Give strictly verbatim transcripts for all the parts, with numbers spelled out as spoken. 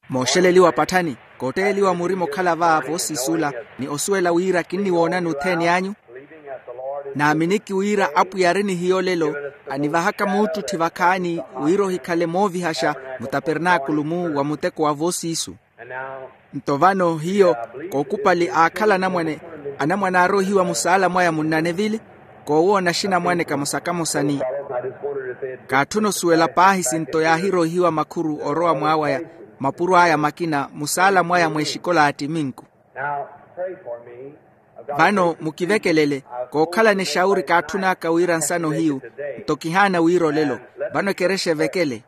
Mooxeleliwa patthani, kootteeliwa murima okhala va voosiisula, ni osuwela wira kinniwoonani othene anyu. Naaminiki wira apwiya ari ni hiyo lelo, anivahaka muuttutthi vakhaani, wira ohikhale moovihaxa mutapernaakulu-mu wa muteko wa voosiisu. Nto vano hiyo, kookupali aakhala anamwane, anamwane aaroihiwa musaala mwaya munnanevili, koowoona axinamwane kamosa kamosa ni kaatthuna osuwela paahi sinto yaahiroihiwa makhuru orowa mwaawaya, mapuro aya makina musaala mwaya mweexikola a ttiminku. Vano mukivekelele, kookhalana exawuri kaatthun'aka wira nsana ohiyu, nto kihaana wira olelo. Vano ekerexa evekele.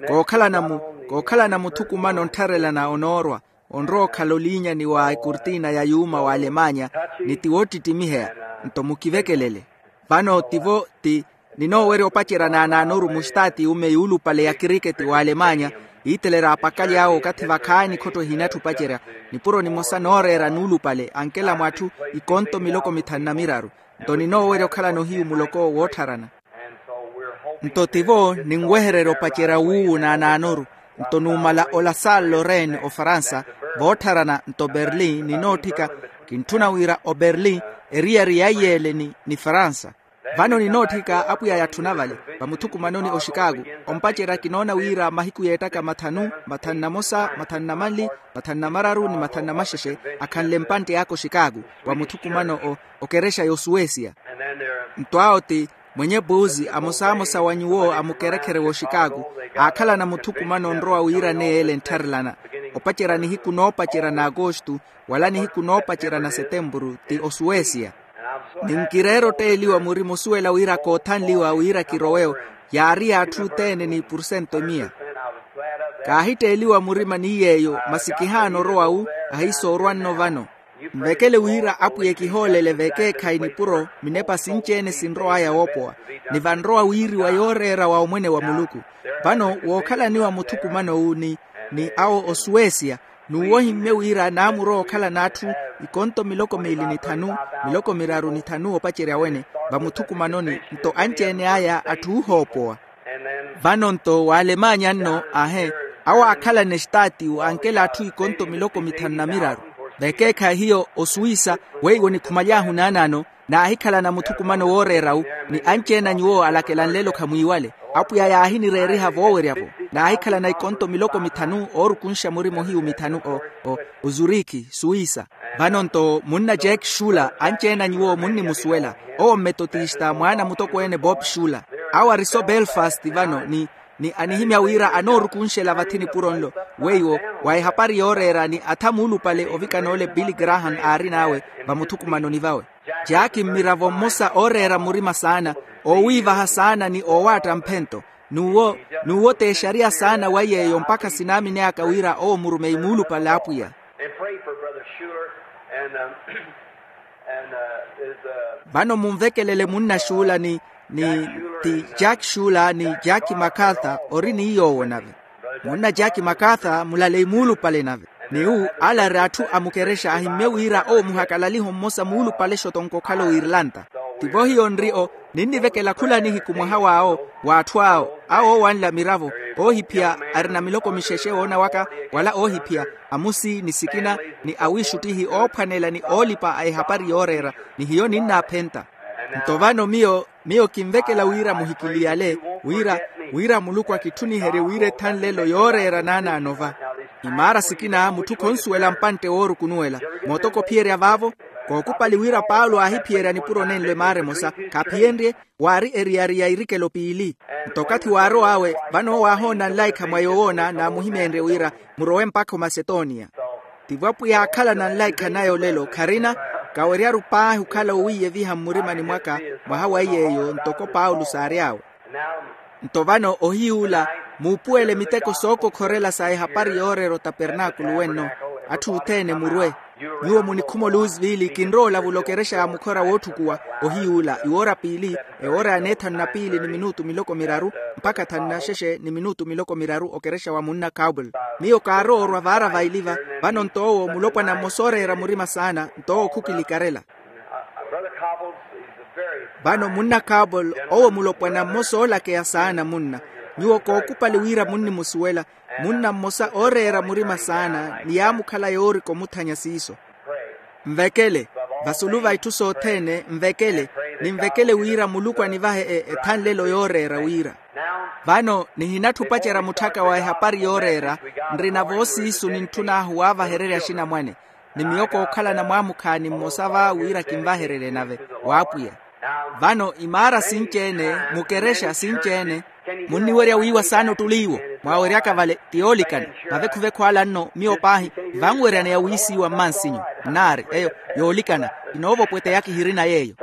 Kookhalana mu kookhalana muthukumano onttharelana onoorwa, onrowa okhala oliinyani wa ekurtina ya yuuma wa alemanya, ni ti woottittimiheya. Nto mukivekelele. Vano tivo ti ninoowerya opacerya naanaanoru mustaati yume yuulupale ya kiriketi wa alemanya, yiitelerya apakali awe okathi vakhaani khotto ehinatthu opacerya. Nipuro nimosa nooreera nuulupale ankela mwatthu, ikonto miloko mithanu na miraru. Nto ninoowerya okhalana ohiyu muloko woottharana. Nto tivo ninwehererya opacerya wuuwu naanaanoru. Nto numala ola salle lorraine ofaransa, voottharana nto berlin ninootthika. Kintthuna wira oberlin eriyari ya iyeele ni faransa. Vano ninootthika apwiya yatthuna vale, vamuthukumanoni oxikaaku. Ompacerya kinoona wira mahiku yeettaka mathanu, mathanu na mosa, mathanu na manli, mathanu na mararu ni mathanu na maxexe, akhanle mpantte aka oxikaaku, vamuthukumano okerexa y'osuwesiya. Nto awo ti mwenye puuzi amosamosa wa nyuwo a mukerekhere w'oxikaaku, aakhalana muthukumano onrowa wira neeyo ele enttharelana. Opacerya nihiku noopacerya n'akostu, wala nihiku noopacerya na setempuru ti osuwesiya. Ninkireera otteeliwa murima osuwela wira koothanliwa wira kirowe-wo, yaari y'atthu othene ni purcento emiya. Kaahitteeliwa murima ni yeeyo masi kihaana orowa-wu. Ahiisoorwa nno vano. Nvekele wira apwiya ekihoolele vekeekhayi nipuro minepa sinci-ene sinrow'aya woopowa, ni vanrowa wiiriwa yooreera wa omwene wa muluku. Vano wookhalaniwa muthukumano-wu ni awo osuwesiya, n'uwo ohimmye wira naamurowa okhala n'atthu ikonto miloko miili ni thanu, miloko miraru ni thanu opacerya wene, vamuthukumanoni nto anci-ene aya atthu oohoopowa. Vano nto w'alemanya nno ahe, awo aakhalana estaati ankela atthu ikonto miloko mithanu na miraru. Vekeekhayi hiyo osuwisa, weiwo nikhumaly'ahu naanaano, naahikhalana muthukumano wooreera-wu, ni anci-ene a nyuwo alakela nlelo khamwiiwale. Apwiya yaahinireeriha voowerya-vo. Naahikhalana ikonto miloko mithanu oorukunxa murima ohiyu mithanu o ozurikhi suwisa. Vano nto munna jack shula anci-ene a nyuwo munnimusuwela, owo mmetotista mwaana mutokweene bob shula. Awo ari so belfast vano ni anihimya wira anoorukunxela vathi nipuro nlo. Weiwo wa ehapari yooreera ni atha muulupale ovikana ole billy graham aarin'awe vamuthukumanoni vawe. Jaaki mmiravo mmosa ooreera murima saana, oowiivaha saana ni oowaatta mphento. N'uwo n'uwo t'exariya saana wa yeeyo mpakha sinaamini aka wira owo murumeyi muulupale a apwiya. Vano munvekelele munna xuula ni ni ti jack xuula ni jack macarthur ori ni yoowo nave. Munna jack macarthur mulaleyi muulupale nave. Ni wu ala ari atthu a mukerexa ahimmye wira owo muhakalaliho mmosa muulupale xotonko okhala oirlanta. Tivo hiyo nri o ninnivekela khula nihiku mwaha w'awo w'atthu awo awo oowanla miravo, oohiphiya arina miloko mixexe woona waka wala oohiphiya amusi ni sikina ni awiixuttihi oophwanela ni oolipa a ehapari yooreera. Ni hiyo ninnaaphenta. Nto vano miyo miyo kinvekela wira muhikiliyale wira wira muluku akitthuniherye wira ethanlelo yooreera naanaano va. Imaara sikina mutthu khonsuwela mpantte woorukunuwela mootoko ophiyerya vaavo. Kookupali wira paulo aahiphiyerya nipuro nenlo emaara emosa khaphiyenrye waari eriyari ya erikelo piili. Nto okathi waarow'awe vano owo aahoona nlaikha mwa yoowoona naamuhimeenrye wira murowe mpakha omasetoniya. Tivo apwiya aakhalana nlaikha naya olelo kharina kaweryaru paahi okhala owiiyeviha mmurimani mwaka mwaha wa iy'eyo ntoko paulo saary'awe. Nto vano ohiy'ula muupuwele miteko sookokhorela sa ehapari yooreera otapernaakulu wenno. Atthu othene murwe nyuwo munikhuma oluuzivili kinrowa olavula okerexa ya mukhora wootthukuwa. Ohiy'ula iwoora piili ewoora ya neethanu na piili ni minutu miloko miraru mpakha thanu na xexe ni minutu miloko miraru okerexa wa munna cowbel. Miyo kaarowa orwa vaara vaili va vano nto owo mulopwana mmosa ooreera murima saana nto owo khukilikarela. Vano munna kabol owo mulopwana mmosa oolakeya saana munna. Nyuwo kookupali wira munnimusuwela. Munna mmosa ooreera murima saana ni yaamukhala yoorika omuthanya siiso. Nvekele vasulu va itthu sothene, nvekele, ninvekele wira muluku anivahe ethanlelo yooreera wira. Vano nihinatthu opacerya mutthaka wa ehapari yooreera. Nrina voosiisu nintthun'ahu waavahererya axinamwane. Ni miyo kookhalana mwaamukhaani mmosa va wira kinvahererye nave w'apwiya. Vano imaara sinci-ene, mukerexa sinci-ene. Munniwerya wiiwa saana ottuli iwo mwaaweryaka vale ti yoolikana. Mavekhu-vekhu ala nno miyo paahi vanweryaneya wiisiiwa mmansinyu. Nnaari eyo yoolikana. Kinoovopweteya kihirina yeeyo.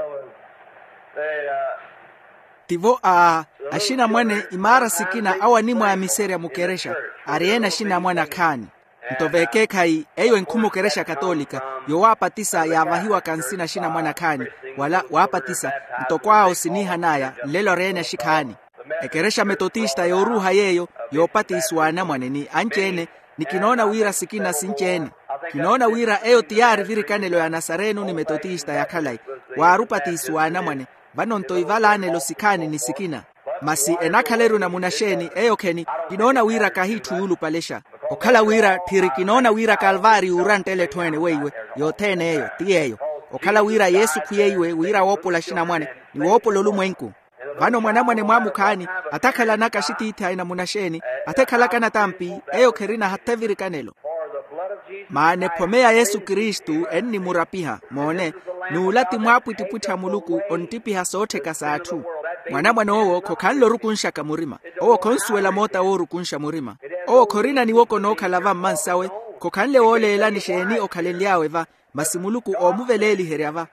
Tivo a axinamwane imaara sikina awo animwaamiserya mukerexa. Ari-ene axinamwane akhaani. Nto vekeekhayi eyo enkhuma okerexa katolika, yowaapatisa yaavahiwaka nsina axinamwane akhaani wala waapatisa. Ntoko awo siniihan'aya nlelo ari-ene axikhaani. Ekerexa metotista yooruuha yeeyo yoopatisiwa anamwane ni anci-ene. Ni kinoona wira sikina sinci-ene. Kinoona wira eyo ti yaari virikanelo ya nasarenu ni metotista ya khalayi. Waari opatisiwa anamwane. Vano nto ivalaanelo sikhaani ni sikina. Masi enakhala eruna munaxeeni eyo kheni? Kinoona wira kahiitthu yuulupalexa. Okhala wira tthiri kinoona wira kalvaari yuuranttela etthu ene weiwe. Yothene eyo ti yeeyo. Okhala wira yesu khwiyeiwe wira woopola axinamwane ni woopola olumwenku. Vano mwanamwane mwaamukhaani atakhalanaka axitiithi aina munaxeeni athekhalaka natampi. Eyo kherina hatha evirikanelo. Maana ephome ya yesu kristu ennimurapiha moone. N'ula ti mwaapwittipwitthi a muluku onttipiha soottheka s'atthu. Mwanamwane owo khokhanle orukunxaka murima. Owo khonsuwela moota woorukunxa murima. Owo khorina niwoko nookhala va mmansawe. Khokhanle wooleelani xeeni okhalenly'awe va. Masi muluku oomuveleeliherya va.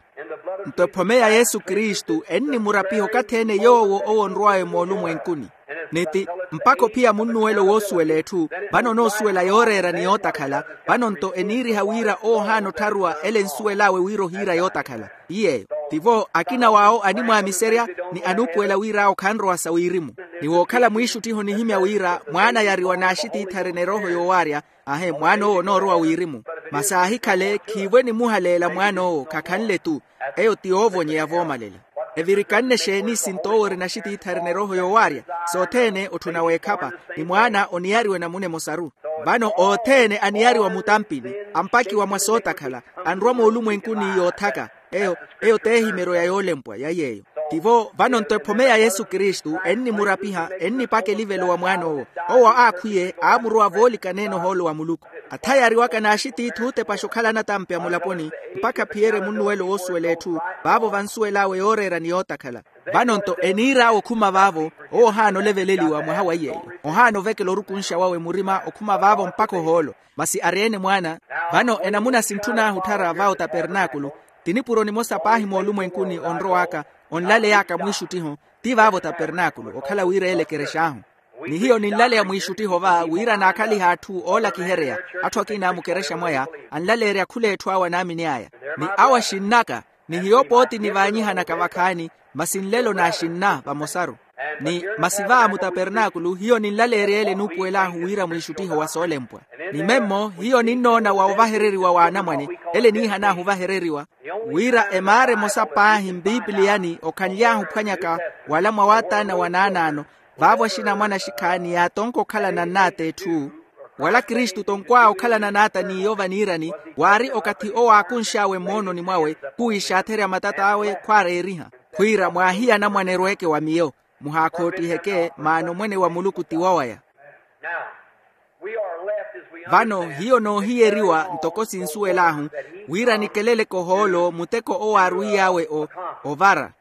Nto ephome ya yesu kristu ennimurapiha okathi-ene yoowo owo onrw'awe moolumwenkuni. Ni ti mpakha ophiya munnuwelo woosuwela etthu. Vano onoosuwela yooreera ni yootakhala. Vano nto eniiriha wira owo ohaana ottharuwa ele ensuwel'awe wira ohiira yootakhala. Ti yeeyo. Tivo akina w'awo animwaamiserya ni anuupuwela wir'awo khanrowa sa wirimu. Ni wookhala mwiixuttiho onihimya wira mwaana yariwa n'axitiithi arina erooho yoowaarya. Ahe mwaan'owo onoorowa wirimu. Masi aahikhale khiivo enimuhaleela mwaan'owo khakhanle-tu. Eyo ti yoovonyeya voomalela. Evirikanne xeeni sinto owo orina axitiithi arina erooho yoowaarya? Sothene otthuna w'ekhapa. Ni mwaana oniyariwa enamuna emosaru. Vano othene aniyariwa mutampini ampakiwa mwa sootakhala. Anrwa moolumwenkuni yoothaka. Eyo eyo t'ehimeryo ya yoolempwa ya yeeyo. Tivo vano nto ephome ya yesu kristu ennimurapiha ennipaka elivelo wa mwaan'owo. Owo aakhwiye aamurowa voolikaneene ohoolo wa muluku. Athayariwaka n'axitiithi ootepaxa okhala anatampi a mulaponi mpakha aphiyerye munnuwelo woosuwela etthu. Vaavo vansuwel'awe yooreera ni yootakhala. Vano nto eniir'awe okhuma vaavo. Owo ohaana oleveleliwa mwaha wa yeeyo. Ohaana ovekela orukunxa wawe murima okhuma vaavo mpakha ohoolo. Masi ari-ene mwaana? Vano enamuna sintthun'ahu otthara va otapernaakulu. Ti nipuro nimosa paahi moolumwenkuni onrow'aka onlaley'aka mwiixuttiho. Ti vaavo otapernaakulu okhala wira ele ekerex'ahu. Ni hiyo ninlaleya mwiixuttiho va wira naakhalihe atthu oolakiheryeya. Atthu akina a mukerexa mwaya anlaleerya khula etthu awo anaamini aya. Ni awo axinn'aka. Ni hiyo pooti nivaanyihanaka vakhaani. Masi nlelo naaxinna vamosaru. Ni masi va mutapernaakulu hiyo ninlaleerya ele enuupuwel'ahu wira mwiixuttiho wa soolempwa. Ni memmo hiyo ninnoona wa ovahereriwa w'anamwane ele eniihan'ahu ovahereriwa. Wira emaara emosa paahi mpipiliyani okhanly'ahu ophwanyaka wala mwa wataana wa naanaano. Vaavo axinamwane axikhaani yaatonka okhalana n'ata etthu. Wala kristu tonkw'awe okhalana n'ata n'iyo vaniirani. Waari okathi owo aakunx'awe mmoononi mwawe khuwiixaatherya matat'awe khwaareeriha khwiira mwaahiya anamwane erweeke wa miyo. Muhaakhoottiheke maana omwene wa muluku ti wowaya. Vano hiyo noohiyeriwa ntoko sinsuwel'ahu wira nikeleleke ohoolo muteko owo aarwiy'awe ovara.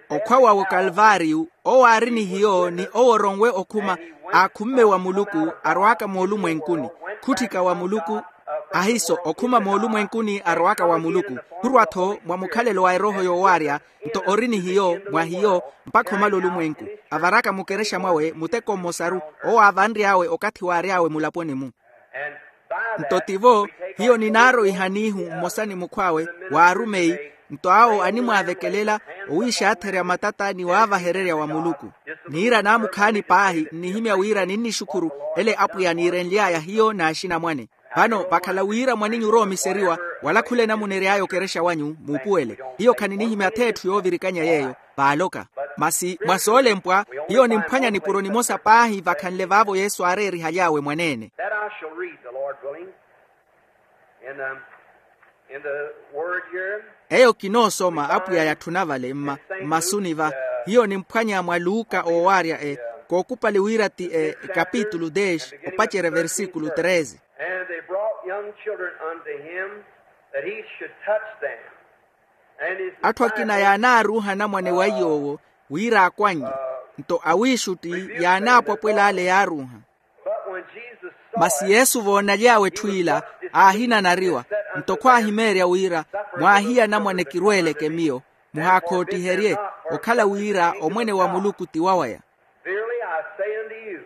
Okhwa wawe okalvaariyu owo aari ni hiyo ni owo oronwe okhuma aakhumme wa muluku arw'aka moolumwenkuni. Khutthika wa muluku ahiso okhuma moolumwenkuni arw'aka wa muluku khurwa-tho mwa mukhalelo wa erooho yoowaarya. Nto ori ni hiyo mwa hiyo mpakha omala olumwenku avaraka mukerexa mwawe muteko mmosaru owo aavanry'awe okathi waary'awe mulaponi-mu. Nto tivo hiyo ninaaroihanihu mmosa ni mukhw'awe waarumeyi. Nto awo animwaavekelela owiixaatherya matata ni waavahererya wa muluku. Niira naamukhaani paahi nnihimya wira ninnixukhuru ele apwiya niirenly'aya hiyo n'axinamwane. Vano vakhala wira mwaninyu oroomiseriwa wala khula enamuna ery'aya okerexa wanyu muupuwele. Hiyo khaninihimya ath'etthu yoovirikanya yeeyo. vaaloka. Masi mwa soolempwa hiyo nimphwanya nipuro nimosa paahi vakhanle vaavo yesu aareerihaly'awe mwaneene. That I shall read, the Lord willing, in the, in the word here. Eyo kinoosoma apwiya yatthuna vale mma mmasuni va hiyo nimphwanya mwa luka oowaarya e kookupali wira ti e kapitulu dez opacerya versikulu treze. And they brought young children unto him, that he should touch them. Atthu akina yaanaaruuha anamwane wa iy'owo wira akwannye. Nto awiixutti yaanaapwapwela ale yaaruuha. Masi yesu voonaly'awe etthu ila aahinanariwa. Nto khwaahimeerya wira mwaahiya anamwane kirweeleke miyo muhaakhootiherye okhala wira omwene wa muluku ti wawaya. Verily I say unto you,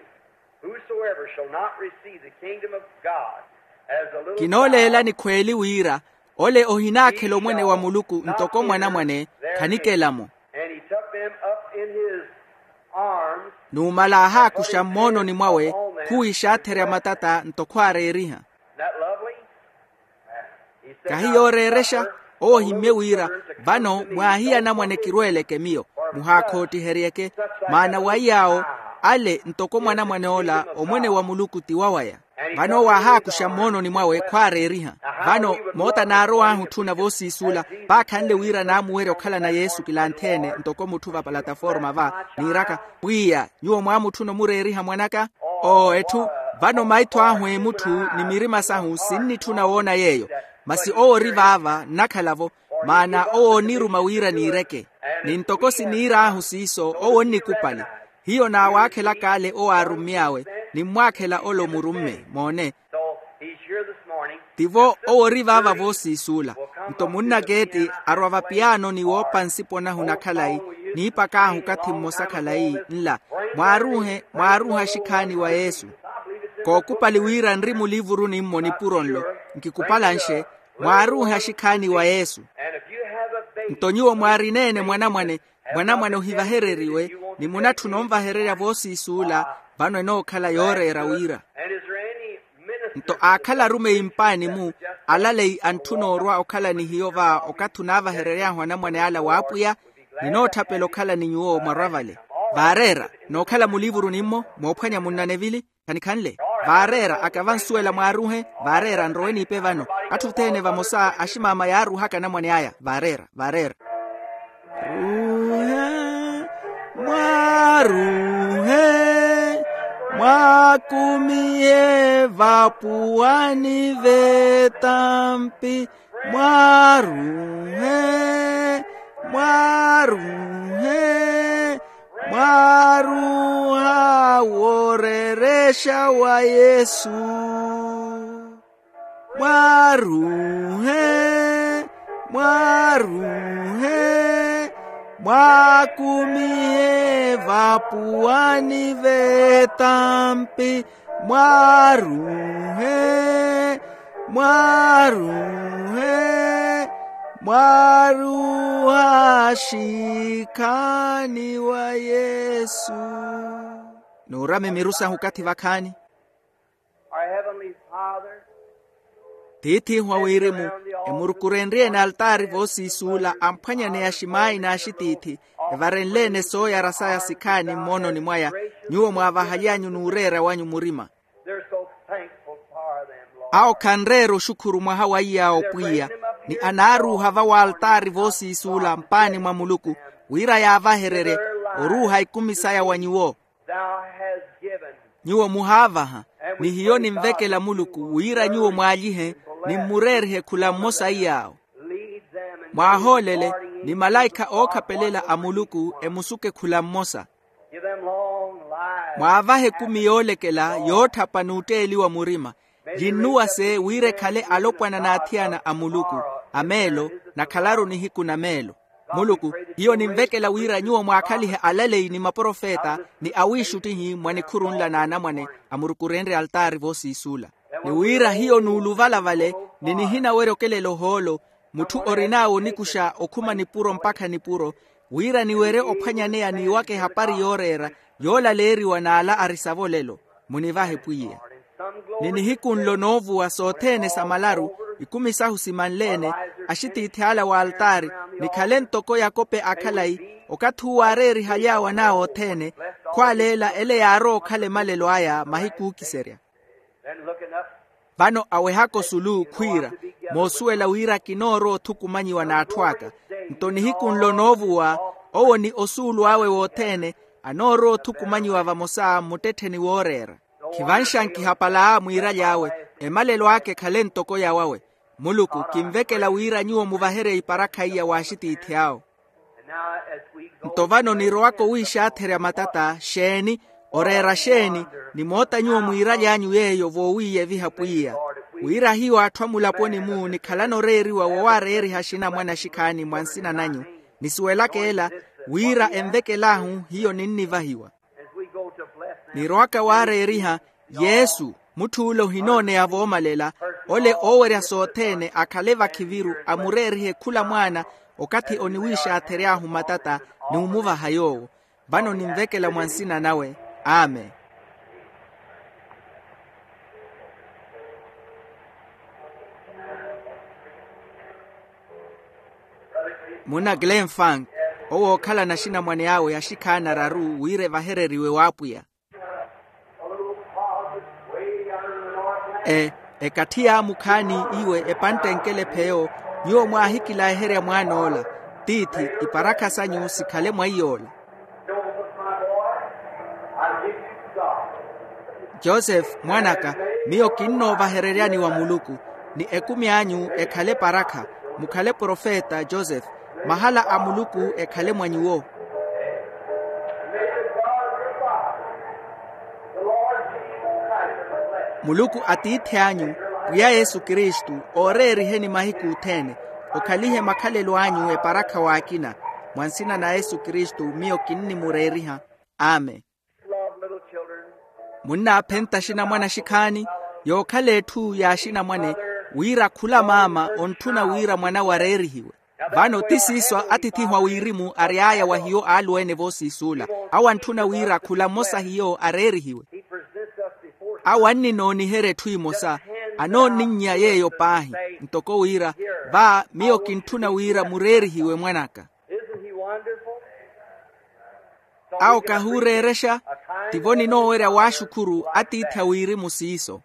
whosoever shall not receive the kingdom of God as a little kinooleelani child. Khweeli wira ole ohinaakhela omwene wa muluku ntoko mwanamwane khanikela-mo. And he took them up in his arms. Numala aahaakuxa mmoononi mwawe khuwiixaatherya matata ntoko aareeriha. Isn't that lovely? Kahi yooreerexa owo ohimmye wira vano mwaahiya anamwane kirweeleke miyo muhaakhootiheryeke. Maana wa iy'awo ale ntoko mwanamwane ola omwene wa muluku ti wawaya. Vano owo aahaakuxa mmoononi mwawe khwaareeriha. Vano moota naarow'ahu otthuna voosiisuula paakhanle wira naamuwerya okhalana yesu kilanthene ntoko mutthu va palataforma va niiraka pwiya nyuwo mwaamutthuna omureeriha mwanaka. Oo etthu vano maitho ahu emutthu ni mirima sahu sinnitthuna woona yeeyo. Masi owo ori vaava nnakhala-vo maana owo oniruma wira niireke. Ni ntoko siniir'ahu siiso owo onnikupali. Hiyo naawaakhelaka ale owo aarummy'awe nimmwaakhela ole omurumme moone. Tivo owo ori vaava voosiisuula. Nto munnakeeti arwa vapiyaano ni woopa nsiponahu nakhalayi niipak'ahu okathi mmosa khalayi nla mwaaruuhe mwaaruuhe axikhaani wa yesu. Kookupali wira nri muliivuruni-mmo nipuro nlo nkikupalanxe mwaaruuhe axikhaani wa yesu. Nto nyuwo mwaarineene mwanamwane mwanamwane ohivahereriwe ni munatthuna onvahererya voosiisuula vano enookhala yooreera wira. Nto aakhala arumeyi mpaani-mu alaleyi antthuna orwa okhala ni hiyo va okathi onaavaherery'ahu anamwane ala w'apwiya. Ninootthapela okhala ni nyuwo mwarwa vale vaareera nookhala muliivuruni-mmo moophwanya munnanevili. Khanikhanle vaareera akavansuwela mwaaruuhe vaareera nrowe niipe vano. Atthu othene vamosa aximaama yaaruuhaka anamwane aya vaareera vaareera. Ruuhe mwaruuhe mwaakumihe vapuwani vetampi. Mwaruuhe mwaruuhe mwaruuha woorerexa wa yesu. Mwaruuhe mwaruuhe mwaakumihe vapuwani vetampi. Mwaruuhe mwaruuhe mwaruuha axikhaani wa yesu. Nuurame miru sahu okathi vakhaani. Our Heavenly Father, tiith'ihu a wirimu emurukurenrye-ene altaari voosiisuula amphwanyaneya aximaayi n'axitiithi evarenle-ene sooyara saya sikhaani mmoononi mwaya. Nyuwo mwaavahaly'anyu n'ureera wanyu murima. They're so thankful for them, Lord. Awo khanreera oxukhuru mwaha wa iy'awo pwiya ni anaaruuha va w'altaari voosiisuula mpaani mwa muluku wira yaavahererye oruuha ikumi saya wa nyuwo. Thou hast given. Nyuwo muhaavaha ni hiyo ninvekela muluku wira nyuwo mwaalyihe nimmureerihe khula mmosa iy'awo. Lead them and mwaahoolele ni malaikha ookhapelela a muluku emusuke khula mmosa. Give them long lives. Mwaavahe ekumi yoolekela yootthapa n'utteeliwa murima yinnuwase wira ekhale alopwana n'athiyana a muluku a meelo. Nakhalaru nihiku na meelo. Muluku hiyo ninvekela wira nyuwo mwaakhalihe alaleyi ni maprofeta ni awiixuttihi mwa nikhuru nla n'anamwane amurukurenrye altaari voosiisuula. Ni wira hiyo nuuluvala vale ni nihinawerya okelela ohoolo mutthu orin'awe onikuxa okhuma nipuro mpakha nipuro wira niwerye ophwanyaneya n'iwaka ehapari yooreera yoolaleeriwa n'ala ari savo olelo. Munivahe pwiya ni nihiku nlo noovuwa sothene sa malaru ikumi sahu simanle-ene axitiithi ala w'altaari nikhale ntoko yakope a khalayi Okathi uwo aareerihaly'awe an'awe othene, khwaaleela ele yaarowa okhala emalelo aya mahiku ookiserya. Vano awehaka osulu khwiira, moosuwela wira kinoorowa othukumanyiwa n'atthu aka. Nto nihiku nlo noovuwa, owo ni osuulu awe wothene anoorowa othukumanyiwa vamosa mmuttettheni wooreera. Khivanxankiha pala mwiiraly'awe, emalelo aka ekhale ntoko yawawe. Muluku kinvekela wira nyuwo muvaherye iparakha iya w'axitiithi awo. Nto vano nirowaka owiixaatherya matata xeeni, oreera xeeni, ni moota nyuwo mwiiraly'anyu yeeyo voowiiyeviha pwiya, wira hiyo atthu amulaponi-mu nikhalana oreeriwa wowaareeriha axinamwane axikhaani mwa nsina nanyu, nisuwelaka ela, wira envekel'ahu hiyo ninnivahiwa. Nirowaka waareeriha, yesu, mutth'ule ohinooneya voomalela, ole oowerya sothene akhale vakhiviru amureerihe khula mwaana, okathi oniwiixaathery'ahu matata, n'umuvaha yoowo. Vano ninvekela mwa nsina nawe. Amen. Munna glenn funk, owo ookhalana axinamwane awe axikhaani araru wira evahereriwe w'apwiya. E, ekathi yaamukhaani iwe epantte nkelepheyo, nyuwo mwaahikilaherya mwaan'ola, tiithi, iparakha sanyu sikhale mwa iy'ola. Joseph mwan'aka, miyo kinnoovahereryani wa muluku, ni ekumi anyu ekhale parakha, mukhale profeta joseph, mahala a muluku ekhale mwa nyuwo. Muluku atiithi anyu, pwiya yesu kristu, ooreeriheni mahiku othene, okhalihe makhalelo anyu eparakha w'akina, mwa nsina na yesu kristu miyo kinnimureeriha. Amen. Munnaaphenta axinamwane axikhaani, yookhala etthu y'axinamwane, wira khula maama ontthuna wira mwan'awe areerihiwe. Vano ti siiso atithihu a wirimu ary'aya wa hiyo aaluwa-ene voosiisuula. Awo antthuna wira khula mmosa hiyo areerihiwe. Awo anninooniherya etthu emosa, anoonninnya yeeyo paahi, ntoko wira, va miyo kintthuna wira mureerihiwe mwan'aka. Awo kahuureerexa, tivo ninoowerya waaxukhuru atiithi a wirimu siiso.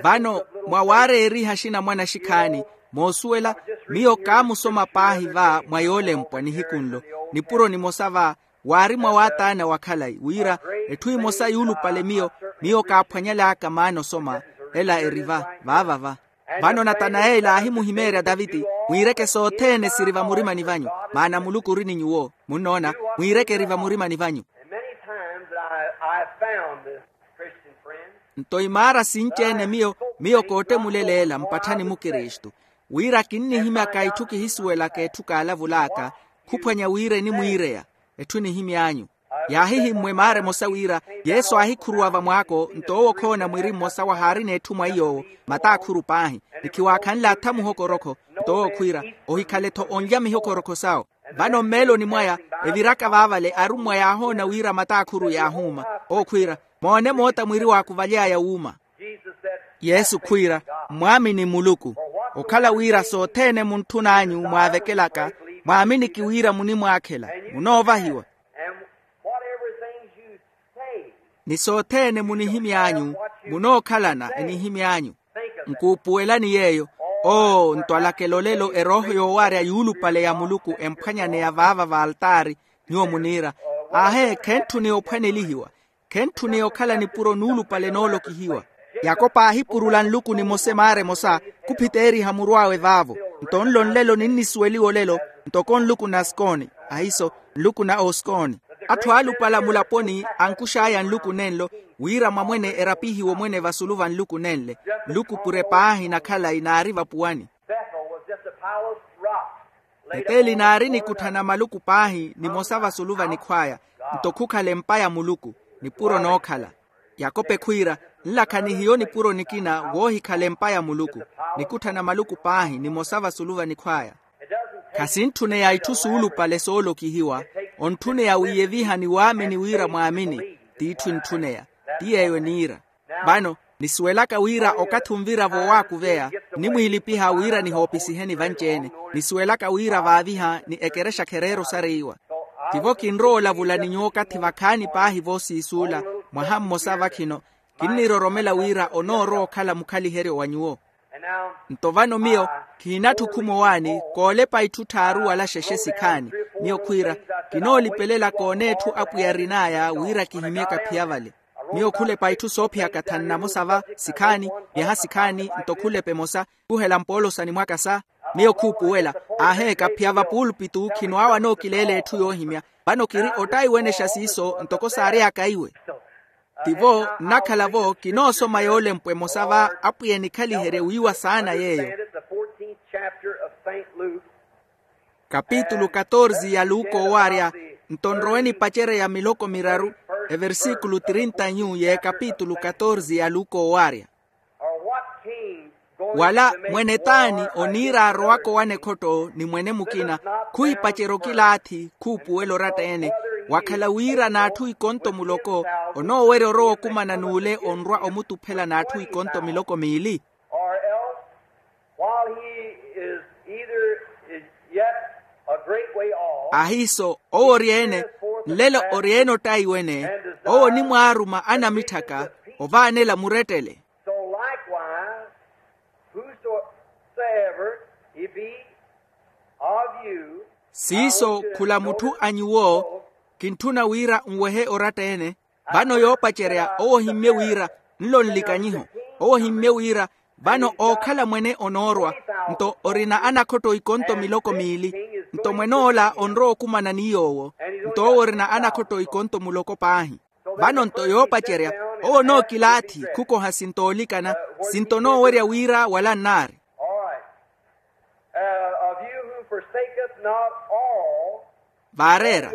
Vano, mwa waareeriha axinamwane axikhaani, moosuwela, miyo kaamusoma paahi va mwa yoolempwa nihiku nlo, nipuro nimosa va, waari mwa waataana wa khalayi wira, etthu emosa yuulupale miyo, miyo kaaphwanyal'aka maana osoma. Ela eri va, vaava va. Vano natanayeli aahimuhimeerya taviti, mwiireke sothene siri vamurimani vanyu, maana muluku ori ni nyuwo. Munnoona, mwiireke eri vamurimani vanyu. Nto imaara sinci-ene miyo, miyo koottemulela-ela mpatthani mukristu, wira kinnihimyaka itthu kihisuwelaka etthu kaalavul'aka, khuphwanya wira enimwiireya. Etthu enihimy'anyu, yaahihimmwa emaara emosa wira, yesu aahikhuruwa vamwaako nto owo okhoona mwiri mmosa wahaarina etthu mwa iy'owo, mataakhuru paahi, ni khiwaakhanle atha muhokorokho. Nto owo khwiira, ohikhale-tho onlya mihokorokho sawo. Vano mmeeloni mwaya, eviraka vaavale arummwa yaahoona wira mataakhuru yaahuuma. Owo khwiira, moone moota mwiri waakuvaly'aya wuuma. Yesu khwiira, mwaamini muluku, okhala wira sothene muntthun'anyu mwaavekelaka, mwaaminiki wira munimwaakhela, munoovahiwa. Ni sothene munihimy'anyu, munookhalana enihimy'anyu. Nkuupuwelani yeeyo. Oo ntwalakela olelo erooho yoowaarya yuulupale ya muluku emphwanyaneya vaava v'altaari. Nyuwo muniira, aahe khentthuneya ophwanelihiwa, khentthuneya okhala nipuro nuulupale noolokihiwa. Yakopo aahipurula nluku nimosa emaara emosa, khuphiteeriha muru awe vaavo. Nto nlo nlelo ninnisuweliwa olelo, ntoko nluku na skooni, ahiso, nluku na oskooni. Atthu aalupala mulaponi ankux'aya nluku nenlo, wira mwamwene erapihiwe omwene vasulu va nluku nenle. Nluku pure paahi na khalayi naari vapuwani. Peteli naari nikuttha na maluku paahi nimosa vasulu va nikhw'aya, nto khukhala empa ya muluku, nipuro nookhala. Yakope khwiira, nlakha ni hiyo nipuro nikina woohikhala empa ya muluku, nikuttha na maluku paahi nimosa vasulu va nikhw'aya. Khasintthuneya itthu suulupale soolokihiwa, ontthuneya wiiyeviha ni waamini wira mwaamini. T'itthu entthuneya, ti yeeyo eniira. Vano, Nisuwelaka wira okathi onvira-vo owaakuveya, nnimwiilipiha wira nihoopisiheni vanci-ene. Nisuwelaka wira vaaviha ni ekerexa khereera osareiwa. Tivo kinrowa olavula ni nyuwo okathi vakhaani paahi voosiisuula, mwaha mmosa vakhino. Kinniroromela wira onoorowa okhala mukhaliheryo wa nyuwo. Nto vano miyo khiinatthukhumo waani koolepa itthu tthaaru wala xexe sikhaani. Miyo khwiira, kinoolipelela kooneetthu apwiya arin'aya wira kihimyeke aphiya vale. Miyo khulepa itthu soophiyaka thanu namosa va sikhaani, myaha sikhaani nto khulepa emosa. Khuhela mpoolosani mwaka sa. Miyo khuupuwela, aaheeka aphiya va puulupitu khino awo anookileela etthu yoohimya. Vano kiri ottaiwenexa siiso ntoko saary'aka iwe. Tivo nnakhala-vo kinoosoma yoolempwa emosa va apwiya enikhaliherye wiiwa saana yeeyo. Kapitulu katorze ya luka owaarya. Nto nrowe nipacerya miloko miraru, eversikulu trinta nyu y'ekapitulu katorze ya luka owaarya. Wala mwene t'ani oniira arowaka owana ekhotto ni mwene mukina, khuhipacerya okilaathi khuupuwela oratta-ene, wakhala wira n'atthu ikonto muloko onoowerya orowa okumana n'ule onrwa omutuphela n'atthu ikonto miloko miili. Ahiiso owo ori-ene, nlelo ori-ene ottaiwene, owo onimwaaruma anamitthaka ovaanela murettele. Siiso khula mutthu a nyuwo, kintthuna wira nwehe oratta-ene. Vano yoopacerya owo ohimmye wira, nlo nlikanyiho, owo ohimmye wira vano ookhala mwene onoorwa, nto orina anakhotto ikonto miloko miili. Nto mwen'ola onrowa okumana ni yoowo, nto owo orina anakhotto ikonto muloko paahi. Vano nto yoopacerya, owo onookilaathi khukoha sinto oolikana, sinto onoowerya wira wala nnaari. Vaareera,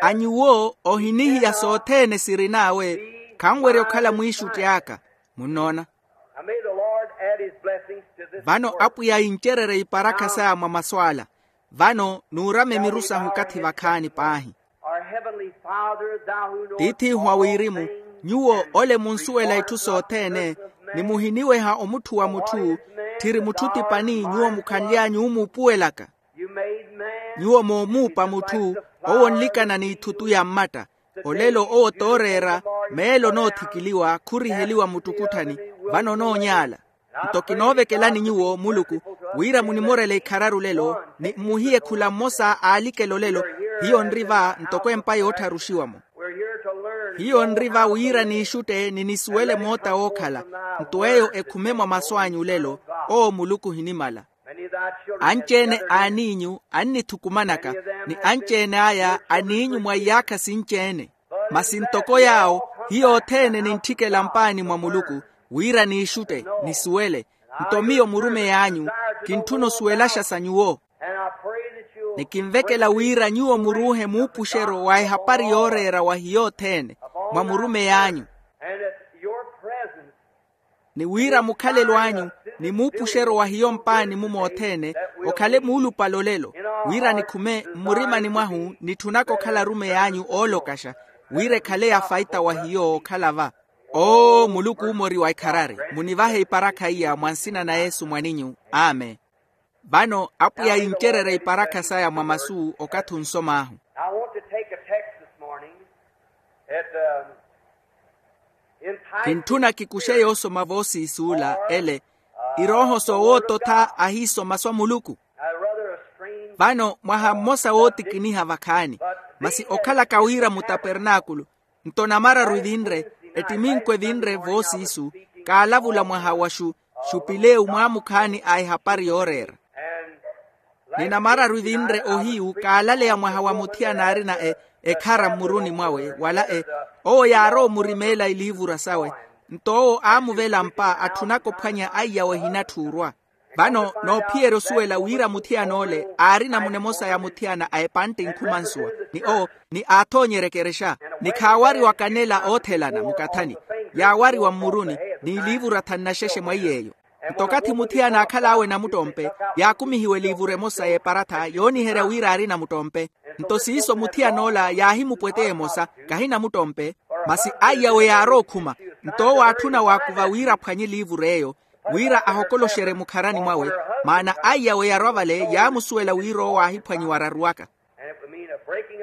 a nyuwo ohinihiya sothene sirin'awe, khanwerya okhala mwiixutti aka. Munnoona? Vano apwiya incererye iparakha saya mwa masu ala. Vano nuurame miru sahu okathi vakhaani paahi. Tiith'ihu a wirimu, nyuwo ole munsuwela itthu sothene, ni muhiniweha omutthuwa mutthu, tthiri mutthu tipani nyuwo mukhanly'anyu omuupuwelaka. Nyuwo moomuupa mutthu, owo onlikana n'itthutu ya mmatta. Olelo owo tooreera, meelo onoothikiliwa khuriheliwa muttukutthanyi, vano onoonyaala. Nto kinoovekelani nyuwo muluku, wira munimorele ikhararu lelo ni mmuhiye khula mmosa aalikela olelo. Hiyo nri va ntoko empa yoottharuxiwa-mo. Hiyo nri va wira niixutte ni nisuwele moota wookhala. Nto eyo ekhume mwa masu anyu olelo, owo muluku ohinimala. Anci-ene a aniinyu annithukumanaka, ni anci-ene aya aniinyu mwa iyaakha sinci-ene. Masi ntoko yaawo, hiyo othene nintthikela mpaani mwa muluku, wira niixutte, nisuwele. Nto miyo murumeyi anyu, kintthuna osuwelaxa sa nyuwo. Ni kinvekela wira nyuwo muruuhe muupuxeryo wa ehapari yooreera wa hiyo othene, mwa murumeyi anyu. Ni wira mukhalelo anyu, ni muupuxeryo wa hiyo mpaani-mu mothene, okhale muulupale olelo, wira nikhume mmurimani mwahu nitthunaka okhala arumeyi anyu oolokaxa, wira ekhale ya faita wa hiyo okhala va. Oo muluku oomoriwa ekharari, munivahe iparakha iya mwa nsina na yesu mwaninyu. Amen. Vano apwiya yincererya iparakha saya mwa masu okathi onsom'ahu. Now I want to take a text this morning. At, um, in Titus. Kintthuna kikuxe yoosoma voosiisuula ele, irooho soowoototha ahiiso masu a muluku. Vano mwaha mmosa wootikiniha vakhaani, masi okhalaka wira mutapernaakulu. Nto namararu evinre, ettiminko evinre voosiisu, kaalavula mwaha wa xu, xupilewu mwaamukhaani a ehapari yooreera. Ni namararu evinre ohiyu kaalaleya mwaha wa muthiyana aarina e, ekhara mmuruni mwawe wala e, owo yaarowa omurimeela iliivura sawe. Nto owo aamuvela mpa atthunaka ophwanya aiyawe ehinatthuurwa. Vano noophiyerya osuwela wira muthiyan'ole aari namuna emosa ya muthiyana a epantte enkhumansuwa, ni owo ni aathoonyerya ekerexa, ni khaawariwa kanela oothelana mukathani, yaawariwa mmuruni, ni iliivura thanu na xexe mwa iy'eyo. Nto okathi muthiyana aakhal'awe namuttompe, yaakumihiwa eliivura emosa y'eparatha yooniherya wira aari namuttompe. Nto siiso muthiyan'ola yaahimupweteya emosa, kahi namuttompe, masi aiyawe yaarowa okhuma. Nto owo aatthuna waakuva wira aphwanye eliivuru eyo, wira ahokoloxerye mukharani mwawe, maana aiyawe yarwa vale yaamusuwela wira owo aahiphwanyiwa araruwaka.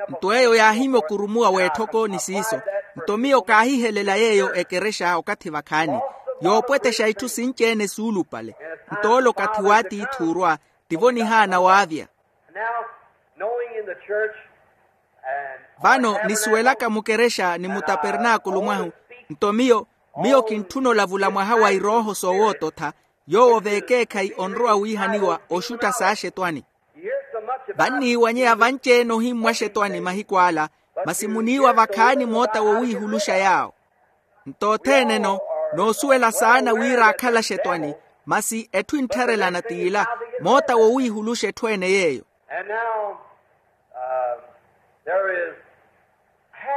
Nto eyo yaahimya okurumuwa w'etthoko ni siiso. Nto miyo kaahihelela yeeyo ekerexa okathi vakhaani, yoopwetexa itthu sinci-ene suulupale. Nto ole okathi w'atiithi orwa, tivo nihaana waavya. Vano nisuwelaka mukerexa ni mutapernaakulu mwahu, nto miyo miyo kintthuna olavula mwaha wa irooho soowoototha, yoowo veekeekhayi onrowa wiihaniwa oxutta s'axetwani. Vanniiwanyeya vanci-ene ohimmwa axetwani mahiku ala, masi muniiwa vakhaani moota wowiihuluxa yaawo. Nto othene-no noosuwela saana wira aakhala axetwani, masi etthu enttharelana t'ila, moota wowiihuluxa etthu ene yeeyo.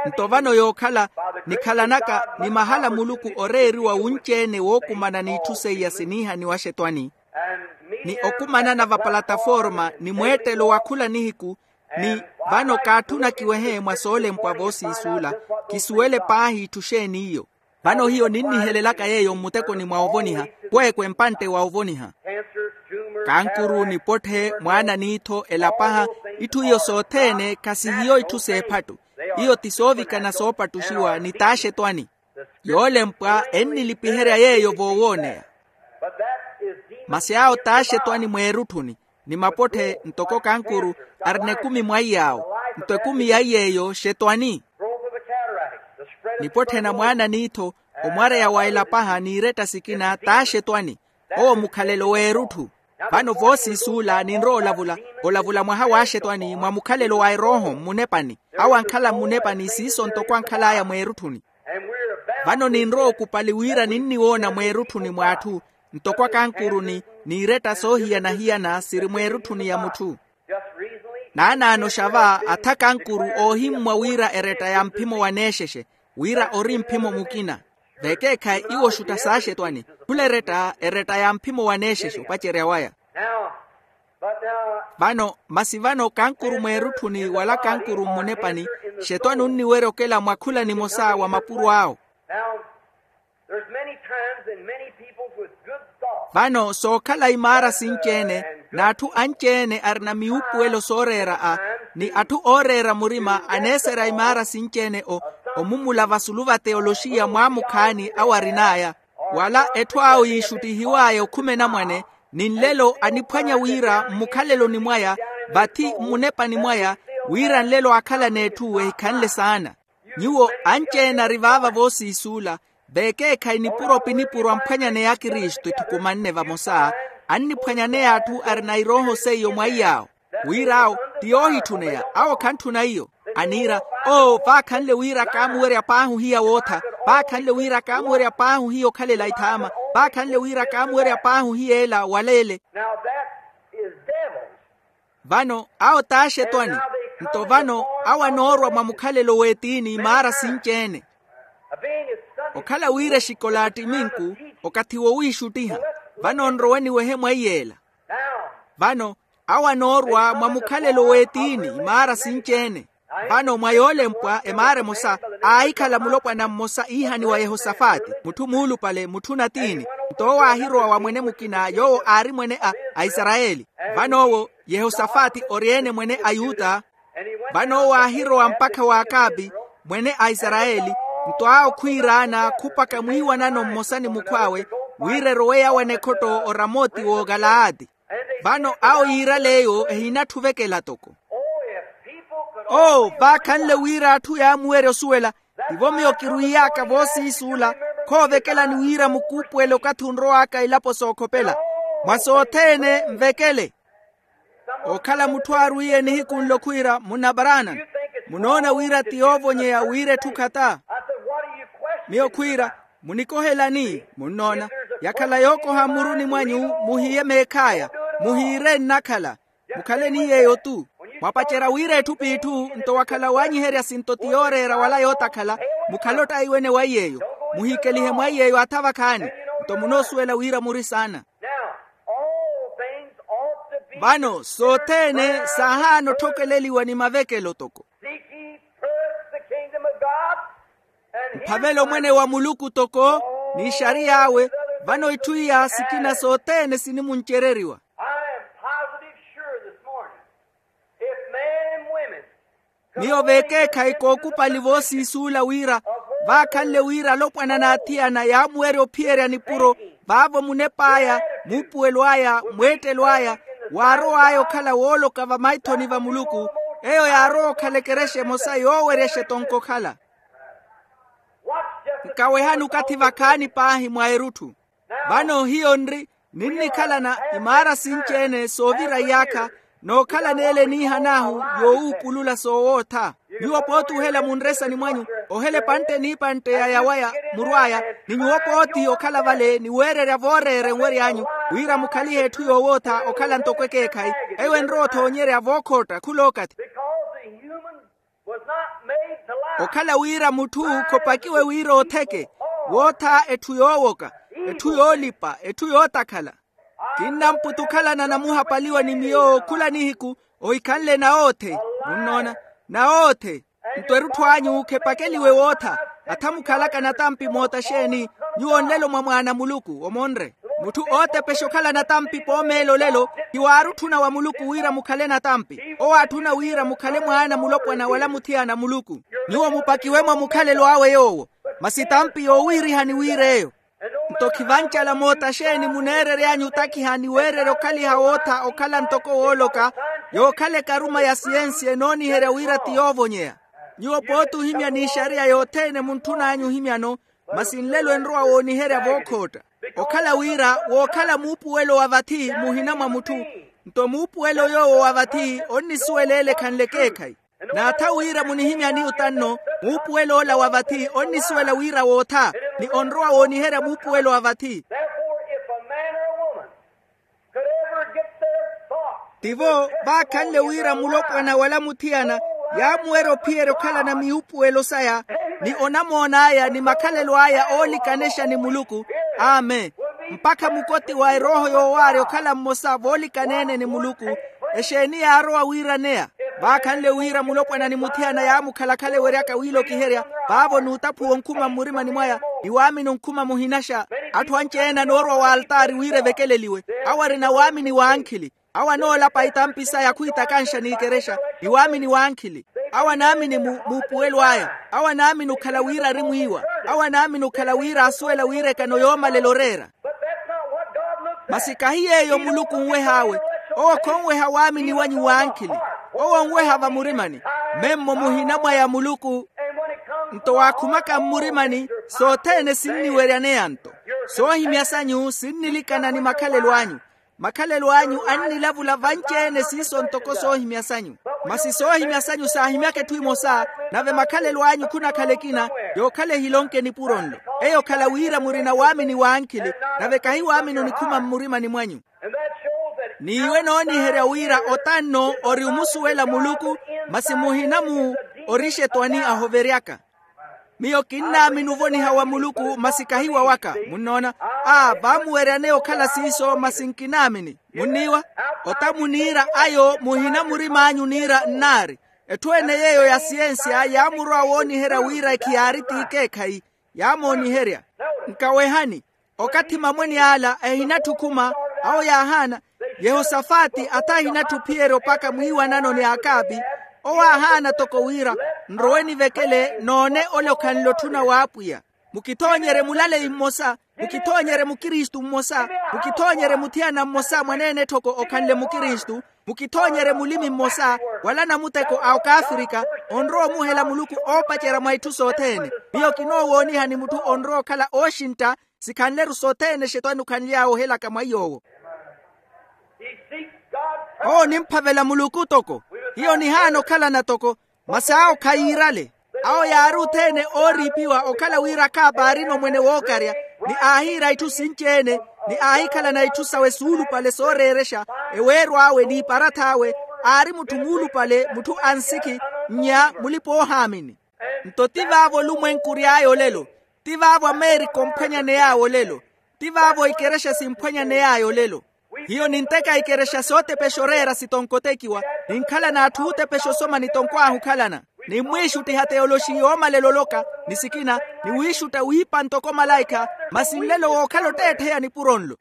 Nto vano yookhala nikhalanaka ni mahala muluku oreeriwa wunci-ene wookumana n'itthu seiya siniihaniwa axetwani, ni okumanana vapalataforma ni mweettelo wa khula nihiku, ni vano kaatthuna kiwehe mwa soolempwa voosiisuula, kisuwele paahi itthu xeeni iyo. Vano hiyo ninnihelelaka yeeyo mmutekoni mwa ovoniha, kweekwe mpantte wa ovoniha. Kankuru nipotthe mwaana n'ittho elapaha, itthu iyo sothene khasihiyo itthu s'ephattu. Iyo ti soovikana soopattuxiwa ni t'axetwani. Yoolempwa ennilipiherya yeeyo voowooneya. Masi awo t'axetwani mweerutthuni, ni mapotthe ntoko kankuru, arina ekumi mwaiy'awo. Nto ekumi yaiy'eyo xetwani. Nipotthena mwaana n'ittho, omwareya wa elapaha n'iretta sikina t'axetwani. Owo mukhalelo w'erutthu. Vano voosiisuula ninrowa olavula, olavula mwaha w'axetwani mwa mukhalelo wa erooho mmunepani. Awo ankhala mmunepani siiso ntoko ankhal'aya mweerutthuni. Vano ninrowa okupali wira ninniwoona mweerutthuni mw'atthu, ntoko akankuru ni n'iretta soohiyana-hiyana siri mweerutthuni ya mutthu. Naanaano xava atha kankuru oohimmwa wira eretta ya mphimo wa neexexe, wira ori mphimo mukina. Vekeekhayi iwo oxutta saaxetwani, khula eretta eretta ya mphimo wa neexexe opacerya waya. Vano masi vano kankuru mweerutthuni wala kankuru mmunepani, xetwani onniwerya okela mwa khula nimosa wa mapuro awo. Vano sookhala imaara sinci-ene n'atthu anci-ene arina miwuupuwelo sooreera a, ni atthu ooreera murima aneeserya imaara sinci-ene o, omumula vasulu va teyoloxiya mwaamukhaani awo arin'aya, wala etthu awo yiixuttihiw'aya okhuma enamwane, ni nlelo aniphwanya wira mmukhaleloni mwaya, vathi mmunepani mwaya, wira nlelo aakhalana etthu ehikhanle saana. Nyuwo anci-ene ari vaava voosiisuula, vekeekhayi nipuro pi nipuro amphwanyaneya akristu etthukumanne vamosa, anniphwanyaneya atthu arina irooho seiyo mwaiy'awo. Wir'awo ti yoohitthuneya awo khantthuna iyo. Aniira, oo vaakhanle wira kaamuwerya paahi ohiya wootha, vaakhanle wira kaamuwerya paahi ohiya okhalela ithaama, vaakhanle wira kaamuwerya paahi ohiya ela wala ele. Vano awo t'axetwani. Nto vano awo anoorwa mwa mukhalelo w'etiini imaara sinci-ene. Okhala wira exikola attiminku, okathi wowiixuttiha. Vano nrowe niwehe mwaiy'ela. Vano awo anoorwa mwa mukhalelo w'etiini imaara sinci-ene. Vano mwa yoolempwa emaara emosa, aahikhala mulopwana mmosa iihaniwa yehosafati, mutthu muulupale mutthu natiini. Nto owo aahirowa wa mwene mukina yoowo aari mwene a aisarayeli. Vano owo yehosafati ori-ene mwene ayuta. Vano owo aahirowa mpakha w'akapi, mwene aisarayeli. Nto awo khwiiraana khupaka mwiiwanano mmosa ni mukhw'awe, wira erowe yaawana ekhotto oramoti w'okalaati. Vano awo yiirale eyo ehinatthu ovekela toko. Oo vaakhanle wira atthu yaamuwerya osuwela. Tivo miyo kirwiiy'aka voosiisuula, khoovekelani wira mukuupuwele okathi onrow'aka ilapo sookhopela. Mwa sothene nvekele. Okhala mutthu aarwiiye nihiku nlo khwiira munna paraana, munoona wira ti yoovonyeya wira etthu khata? Miyo khwiira, munikohelani? Munnoona, yakhala yookoha mmuruni mwanyu, muhiye meekh'aya. Muhiire nnakhala. Mukhale ni yeeyo-tu. Mwapacerya wira etthu p'itthu nto wakhala waanyiherya sinto ti yooreera wala yootakhala. Mukhale ottaiwene wa yeeyo. Muhiikelihe mwa yeeyo atha vakhaani. Nto munoosuwela wira muri saana. Vano sothene saahaana otthokeleliwa ni mavekelo toko. Phavela omwene wa muluku toko n'ixariy'awe. Vano itthu iya sikina sothene sinimuncereriwa. I am positive sure this morning, if men and women, miyo veekeekhayi kookupali voosiisuula wira vaakhanle wira alopwana n'athiyana yaamuwerya ophiyerya nipuro vaavo munep'aya, muupuwelo aya, mweettelo aya, waarow'aya okhala wooloka vamaithoni va muluku, eyo yaarowa okhala ekerexa emosa yoowerya exetonko okhala. Nkawehani okathi vakhaani paahi mwa erutthu. Vano hiyo nri, ninnikhalana imaara sinci-ene soovira iyaakha, nookhalana ele eniihan'ahu yoowuupulula soowootha. Nyuwo pooti ohela munresani mwanyu, ohela epantte n'ipantte ya yawaya murw'aya, ni nyuwo pooti okhala vale ni weererya vooreera enwery'anyu, wira mukhalihe etthu yoowootha okhala ntoko ekeekhayi, eyo enrowa othoonyerya vookhootta khula okathi. Okhala wira mutthu khopakiwe wira ootheke, wootha etthu yoowoka, etthu yoolipa, etthu yootakhala. Kinnamputukhalana namuhapaliwa ni miyo khula nihiku, ohikhanle nawoothe. Munnoona? Nawoothe. Nto erutthu anyu khepakeliwe wootha. Atha mukhalaka natampi moota xeeni? Nyuwo nlelo mwa mwaana a muluku omonre. Mutthu ootepexa okhala natampi poomeela olelo, khiwaarutthuna wa muluku wira mukhale natampi. Owo aatthuna wira mukhale mwaana mulopwana wala muthiyana a muluku. Nyuwo mupakiwe-mo mukhalelo awe yoowo. Masi tampi yoowiirihani wira eyo. Nto khivancala moota xeeni muneerery'anyu otakiha ni weererya okhaliha wootha okhala ntoko wooloka, yookhala ekaruma ya siyensi enooniherya wira ti yoovonyeya. Nyuwo pooti ohimya n'ixariya yothene muntthun'anyu ohimyano, masi nlelo enrowa wooniherya vookhootta. Okhala wira wookhala muupuwelo wa vathi muhina mwa mutthu, nto muupuwelo yoowo wa vathi onnisuwela ele ekhanle ekeekhayi. N'atha wira munihimyani otanno, muupuwel'ola wa vathi onnisuwela wira wootha, ni onrowa wooniherya muupuwelo wa vathi. Therefore, if a man or a woman could ever get their thoughts, tivo vaakhanle wira mulopwana wala muthiyana yaamuwerya ophiyerya okhalana miupuwelo saya, ni onamoon'aya ni makhalelo aya oolikanexa ni muluku, amen, mpakha mukoti wa erooho yoowaarya okhala mmosa voolikaneene ni muluku. Exeeni yaarowa wiiraneya? Vaakhanle wira mulopwana ni muthiyana yaamukhalakhala eweryaka wiilokiherya, vaavo n'utaphuwa onkhuma mmurimani mwaya, ni waamini onkhuma muhinaxa. Atthu anci-ene anoorwa w'altaari wira evekeleliwe. Awo arina waamini w'ankhili. Awo anoolapa itampi saya khwiitakanxa n'ikerexa, ni waamini w'ankhili. Awo anaamini mu muupuwelo aya. Awo anaamini okhala wira ari mwiiwa. Awo anaamini okhala wira aasuwela wira ekano yoomalela oreera. Masi kahi yeeyo muluku onweh'awe. Owo khonweha waamini wanyu w'ankhili. Owo onweha vamurimani. Memmo muhina mwaya muluku. Nto waakhumaka mmurimani, sothene sinniweryaneya nto. Soohimya sanyu sinnilikana ni makhalelo anyu. Makhalelo anyu annilavula vanci-ene siiso ntoko soohimya sanyu. Masi soohimya sanyu saahimyaka etthu emosa, nave makhalelo anyu khunakhala ekina, yookhala ehilonke nipuro nlo. Eyo okhala wira murina waamini w'ankhili, nave kahi waamini onikhuma mmurimani mwanyu. N'iwe nooniherya wira otanno ori omusuwela muluku, masi muhina mu ori xetwani ahoveryaka. Miyo kinnaamini ovoniha wa muluku masi kahi wawaka. Munnoona? A vaamuweryaneya okhala siiso masi nkinaamini. Munniiwa? Ota muniira ayo muhina murim'anyu niira nnaari. Etthu ene yeeyo ya siyensiya yaamurowa wooniherya wira ekhiyaari t'ikeekhayi. Yaamooniherya. Nkawehani. Okathi mamwene ala ehinatthi okhuma, awo yaahaana. Yehosafati atha ehinatthi ophiyerya opaka mwiiwanano ni akaapi. Owo aahaana toko wira, nrowe nivekele noone ole okhanle otthuna w'apwiya. Mukithoonyerye mulaleyi mmosa, mukithoonyerye mukristu mmosa, mukithoonyerye muthiyana mmosa mwaneene etthoko okhanle mukristu, mukithoonyerye mulimi mmosa, wala anamuteko a okaafrika, onrowa omuhela muluku oopacerya mwa itthu sothene. Miyo kinoowoonihani mutthu onrowa okhala ooxintta, sikhanle-ru sothene exetwani okhanly'awe ohelaka mwa iy'owo. Owo onimphavela muluku toko. Hiyo nihaana okhalana toko. Masi awo khayiirale. Awo yaari othene ooriipiwa okhala wira akaapaarina omwene wookarya, ni aahiira itthu sinci-ene, ni aahikhalana itthu sawe suulupale sooreerexa, eweero awe n'iparatha awe. Aari mutthu muulupale, mutthu ansikhi, nnya mulipa-oohaamini. Nto ti vaavo olumwenku ory'aya olelo. Ti vaavo amerika omphwanyaney'aya olelo. Ti vaavo ikerexa simphwanyaney'aya olelo. Hiyo ninteka ikerexa sootepexa oreera sitonkotekiwa, ninkhala n'atthu ootepexa osoma nitonkw'ahu okhalana. Ni mmwiixuttiha teyoloxi yoomalela oloka ni sikina, ni wiixutta wiipa ntoko malaikha. Masi nlelo wookhala otteettheya nipuro nlo.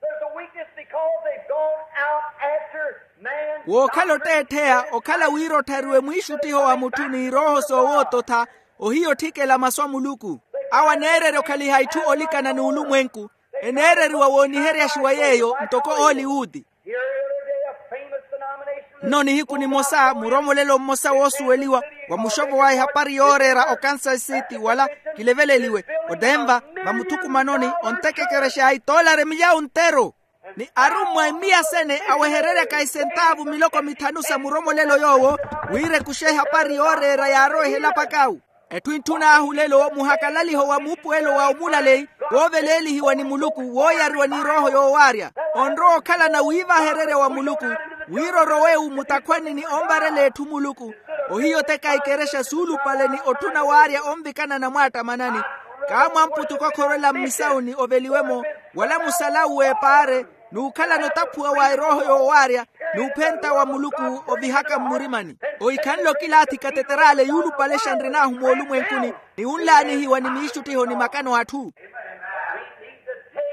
There's a weakness because they've gone out after man. Wookhala otteettheya okhala wira otthariwe mwiixuttiho wa mutthu n'irooho soowoototha. Ohiya otthikela masu a muluku. Awo aneererya okhaliha itthu olikana n'ulumwenku. Eneereriwa wooniheryaxiwa yeeyo ntoko ooliwuti. Here the other day a famous denomination. Nno nihiku nimosa muromolelo mmosa woosuweliwa wa muxopo wa ehapari yooreera o kansas city wala kileveleliwe, o denver, vamuthukumanoni ontekekerexa itoolari milyawu nteru. Ni arummwa emiyasene awehereryaka esentaavu miloko mithanu sa muromolelo yoowo, wira ekuxe ehapari yooreera yaarowa ehelapakawu. Etthu intthun'ahu lelo muhakalaliho wa muupuwelo wa omulaleyi, wooveleelihiwa ni muluku wooyariwa n'irooho yoowaarya. Onrowa okhalana wiivahererya wa muluku, wira orowe-u mutakhwanini omvarela etthu muluku. Ohiya oteka ikerexa suulupale ni otthuna waarya onvikana namwaattamanani. Kaamwamputuka okhorwela mmisawuni oveliwe-mo, wala musalawuwe epaare, n'ukhalana otaphuwa wa erooho yoowaarya, n'uphenta wa muluku ovihaka mmurimani. Ohikhanle okilaathi kateterale yuulupalexa nrin'ahu moolumwenkuni, ni wunlaanihiwa ni miixuttiho ni makano atthu.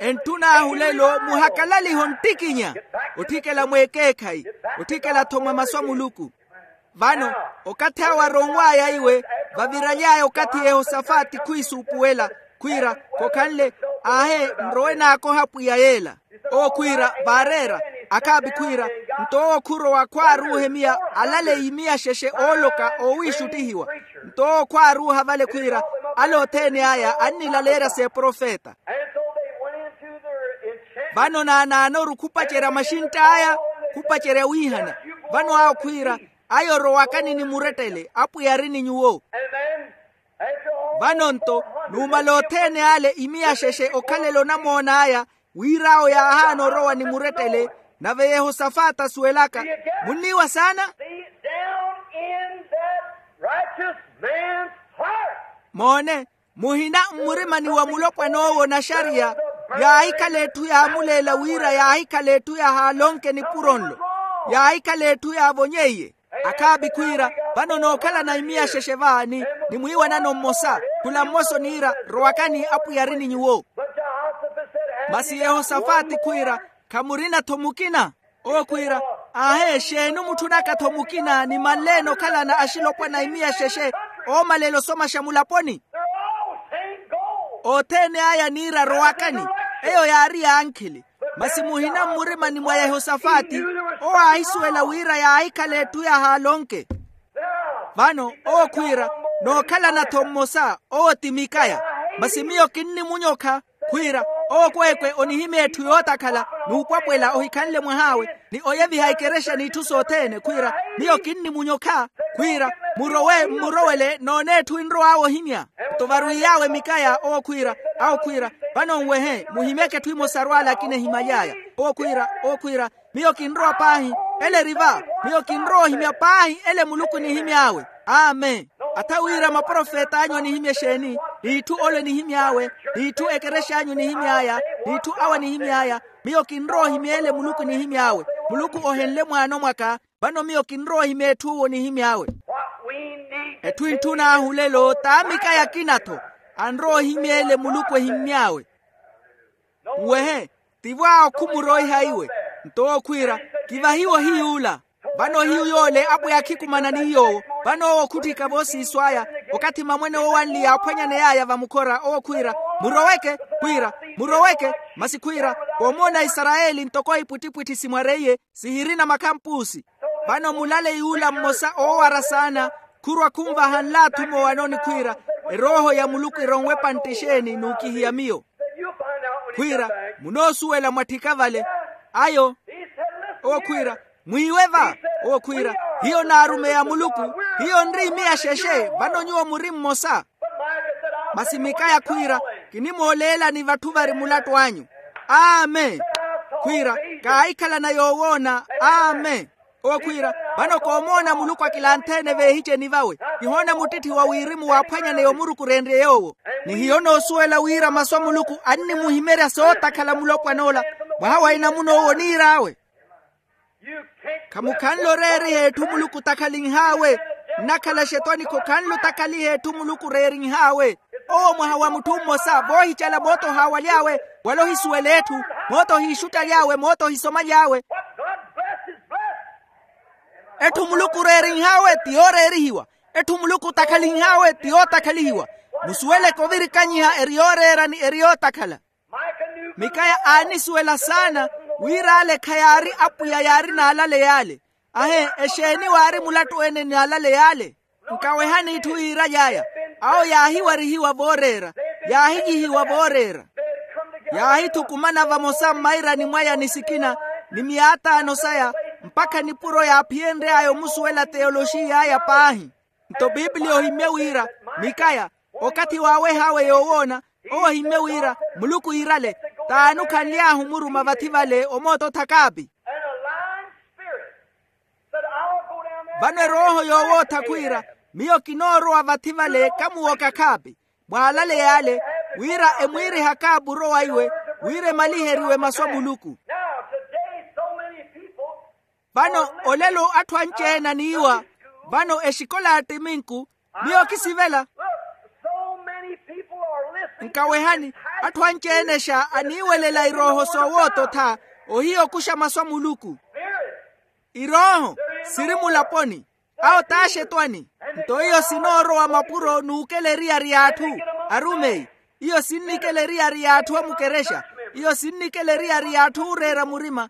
Entthun'ahu lelo muhakalaliho nttikinya, otthikela mweekeekhayi, otthikela-tho mwa masu a muluku. Vano okathi awo aronw'aya iwe, vaviraly'aya okathi yehosafati khwiisuupuwela, khwiira, khokhanle, aahe, nrowe naakoha pwiya yeela. Owo khwiira, vaareera, akhaapi khwiira, nto owo khurowa khwaaruuha emiya alaleyi miya xexe ooloka oowiixuttihiwa. Nto owo khwaaruuha vale khwiira, ale othene aya annilaleerya s'eprofeta. Vano naanaanoru khupacerya maxintt'aya, khupacerya wiihana. Vano awo khwiira, aya orowakani ni murettele apwiya ari ni nyuwo. Vano-nto, numala othene ale imiya xexe okhalela onamoon'aya, wir'awo yaahaana orowa ni murettele. Nave yehosafati asuwelaka, munniiwa saana. Moone, muhina mmurimani wa mulopwan'owo naxariya, yaahikhala etthu yaamuleela wira yaahikhala etthu yahaalonke nipuro nlo, yaahikhala etthu yaavonyeiye. Akhaapi khwiira, vano nookhalana imiya xexe va ni, ni mwiiwanano mmosa, khula mmosa oniira, rowakani apwiya ari ni nyuwo. Masi yehosafati khwiira, khamurina-tho mukina. Owo khwiira, aahe, exeeni omutthunaka-tho mukina ni manleene okhalana axilopwana a imiya xexe, oomalela osomaxa mulaponi? Othene aya aniira rowakani. Eyo yaari ya ankhili. Masi muhina mmurimani mwa yehosafati, owo aahisuwela wira yaahikhala etthu yahaalonke. Vano owo khwiira, nookhalana-tho mmosa, owo ti mikaya. Masi miyo kinnimunyokha, khwiira, owo kweekwe onihimya etthu yootakhala, n'upwapwela ohikhanle mwah'awe, ni oyeviha ekerexa n'itthu sothene khwiira, miyo kinnimunyokha. Khwiira, murowe mmurowele noone etthu enrow'awe ohimya. Nto varwiiy'awe mikaya owo khwiira, awo khwiira, vano nwehe muhimyeke etthu emosa arwaale akina ehimaly'aya. Owo khwiira, owo khwiira, miyo kinrowa paahi, ele eri va. Miyo kinrowa ohimya paahi ele muluku enihimy'awe. Amen. Atha wira maprofet'anyu anihimya exeeni, n'itthu ole enihimy'awe, n'itthu ekerex'anyu enihimy'aya, n'itthu awo anihimy'aya. Miyo kinrowa ohimya ele muluku enihimy'awe. Muluku ohenle mwaano mwaka. Vano miyo kinrowa ohimya etthu owo onihimy'awe. Etthu entthun'ahu lelo t'amikaya akina-tho, anrowa ohimya ele muluku ehimy'awe. Nwehe, tivo awo khumuroiha iwe. Nto owo khwiira, kivahiwe ohiy'ula. Vano ohiyu yoole apwiya akhikumana ni yoowo. Vano owo khutthika voosiiso aya, okathi mamwene woowanli yaaphwanyaney'aya vamukhora owo khwiira, muroweke. Khwiira, muroweke. Masi khwiira, koomoona isarayeli ntoko ipwittipwitthi simwareiye, sihirina makhampuusi. Vano mulaleyi ula mmosa oowara saana khurwa khunvaha nlaathi mowanoni khwiira, erooho ya muluku eronwe epantte exeeni n'ukihiya miyo. Khwiira, munoosuwela mwatthika vale. Ayo. Owo khwiira, mwiiwe va. Owo khwiira, hiyo naarumeya muluku. Hiyo nri imiya xexe, vano nyuwo muri mmosa. Masi mikaya khwiira, kinimooleelani vatthu vari mulattu anyu. Amen. Khwiira, kaahikhalana yoowoona. Amen. Owo khwiira, vano koomoona muluku akilanthe-ene veehiceni vawe. Kihoona muttitthi wa wirimu waaphwanyaneya omurukureenrye yoowo. Ni hiyo noosuwela wira masu a muluku annimuhimerya sootakhala mulopwan'ola. Mwaha wa enamuna owo oniir'awe. Khamukhanle oreeriha etthu muluku otakhalinh'awe. Nnakhala xetwanikho khanlu otakhaliha etthu muluku oreerinhaawe. Owo mwaha wa mutthu mmosa voohicela mooto ohaawaly'awe, wala ohisuwela etthu. Mooto ohiixuttaly'awe mooto ohisomaly'awe. Etthu muluku oreerinhaawe ti yooreerihiwa. Etthu muluku otakhalinhaawe ti yootakhalihiwa. Musuweleke ovirikanyiha eri yooreera ni eri yootakhala. Mikaya aanisuwela saana wira ale khayaari apwiya yaari n'alale y'ale. Ahe, exeeni waari mulattu-ene n'alale y'ale? Nkawehani itthu yiiraly'aya. Awo yaahiwarihiwa vooreera, yaahiyihiwa vooreera. Yaahithukumana vamosa mmairani mwaya ni sikina ni miyaataano saya, mpakha nipuro yaaphiyenry'aya omusuwela teyoloxiy'aya paahi. Nto pipiliya ohimmye wira, mikaya, okathi waaweh'awe yoowoona, owo ohimmye wira muluku iirale, t'ani okhanly'ahu omuruma vathi vale omoota othakaapi? Vano erooho yoowootha khwiira, miyo kinoorowa vathi vale kamuwoka khaapi, mwaalale y'ale, wira emwiirihaka apuro waiwe, wira emaliheriwe masu a muluku. Vano olelo atthu anci-ene aniiwa, vano exikola ya ttiminku, miyo kisivela. Nkawehani, atthu anci-ene xa aniiwelela irooho soowoototha, ohiya okuxa masu a muluku. Irooho siri mulaponi, awo t'axetwani. Nto iyo sinoorowa mapuro n'ukela eriyari y'atthu. Arumeyi, iyo sinn'ikela eriyari y'atthu a mukerexa. Iyo sinn'ikela eriyari y'atthu ooreera murima.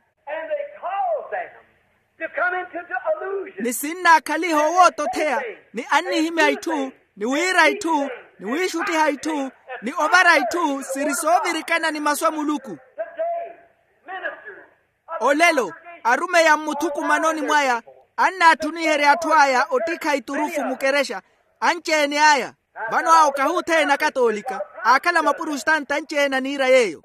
Ni sinnaakhaliha owoototheya, ni annihimya itthu, ni wiira itthu, ni wiixuttiha itthu, ni ovara itthu siri soovirikana ni masu a muluku. Olelo, arumeyi a mmuthukumanoni mwaya, annaatthuniherya atthu aya ottikha iturufu mukerexa, anci-ene aya. Vano awo kahi othene akatoolika, aakhala maprostanta anci-ene aniira yeeyo.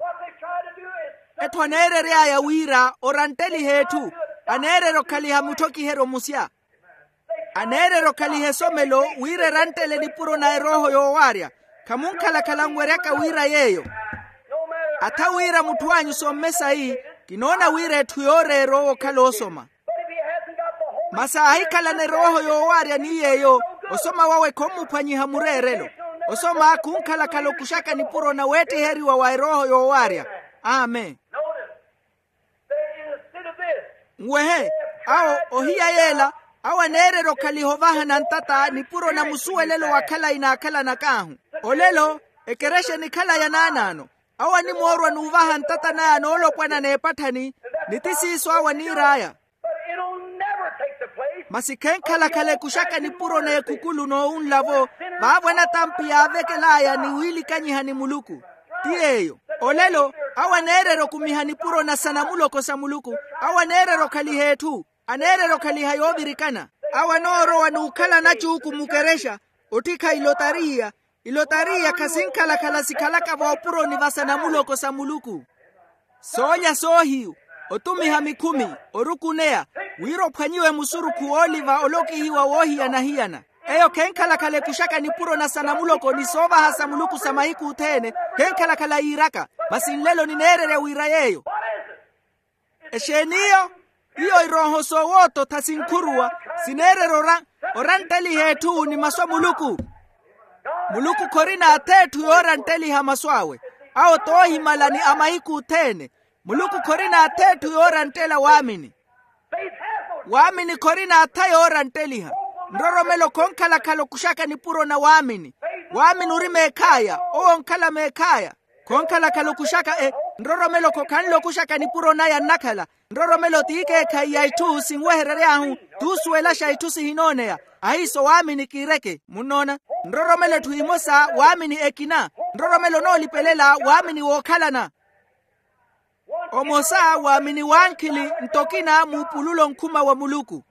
Etthu aneerery'aya wira orantteliha etthu, aneererya okhaliha mutthokiheryo musya. Aneererya okhaliha esomelo wira eranttele nipuro na erooho yoowaarya. Khamunkhalakhala nweryaka wira yeeyo. Atha wira mutthu anyu somme sayi, kinoona wira etthu yooreera owo okhala osoma. Masi aahikhalana erooho yoowaarya ni yeeyo, osoma wawe khommuphwanyiha mureerelo. Osoma khunkhalakhala okuxaka nipuro na weettiheriwa wa erooho yoowaarya. Amen. Nwehe, awo ohiya yeela, awo aneererya okhaliha ovahana ntata nipuro na musuwelelo wa khalayi naakhalanak'ahu. Olelo, ekerexa enikhala ya naanaano. Awo animoorwa n'uvaha ntata naya noolopwana n'epatthani, ni ti siiso awo aniir'aya. Masi khenkhalakhala ekuxaka nipuro n'ekhukulu n'owunla-vo, vaavo anatampi yaavekel'aya ni wiilikanyiha ni muluku. Ti yeeyo. Olelo, awo aneererya okumiha nipuro na sanamuloko sa muluku. Awo aneererya okhaliha etthu, aneererya okhaliha yoovirikana. Awo anoorowa n'ukhala nacuuku mukerexa, ottikha ilotariya. Ilotariya khasinkhalakhala sikhalaka voopuroni va sanamuloko sa muluku. Soolya soohiyu, otumiha mikhumi, orukuneya, wira ophwanyiwe musurukhu wooliva olokihiwa woohiyana-hiyana. Eyo khenkhalakhala ekuxaka nipuro na sanamuloko ni soovaha sa muluku sa mahiku othene. Khenkhalakhala yiiraka. Masi nlelo nineererya wira yeeyo. Exeeni iyo? Iyo irooho soowoototha sinkhuruwa, sineererya orantteliha etthu ni masu a muluku. Muluku khorina atha etthu yoorantteliha masu awe. Awo t'ohimala ni a mahiku othene. Muluku khorina atha etthu yooranttela waamini. Waamini khorina atha yoorantteliha. Nroromelo khonkhalakhala okuxaka nipuro na waamini. Waamini ori meekhaya, owo onkhala meekhaya. Khonkhalakhala okuxaka e nroromelo khokhanle okuxaka nipuro naya nnakhala. Nroromelo t'ikeekhayi ya itthu sinweherery'ahu, t'usuwelaxa itthu sihinooneya. Ahiiso waamini kiireke munnoona. Nroromelo etthu emosa waamini ekina. Nroromelo onoolipelela waamini wookhalana. Omosa waamini wankhili ntokina muupululo nkhuma wa muluku.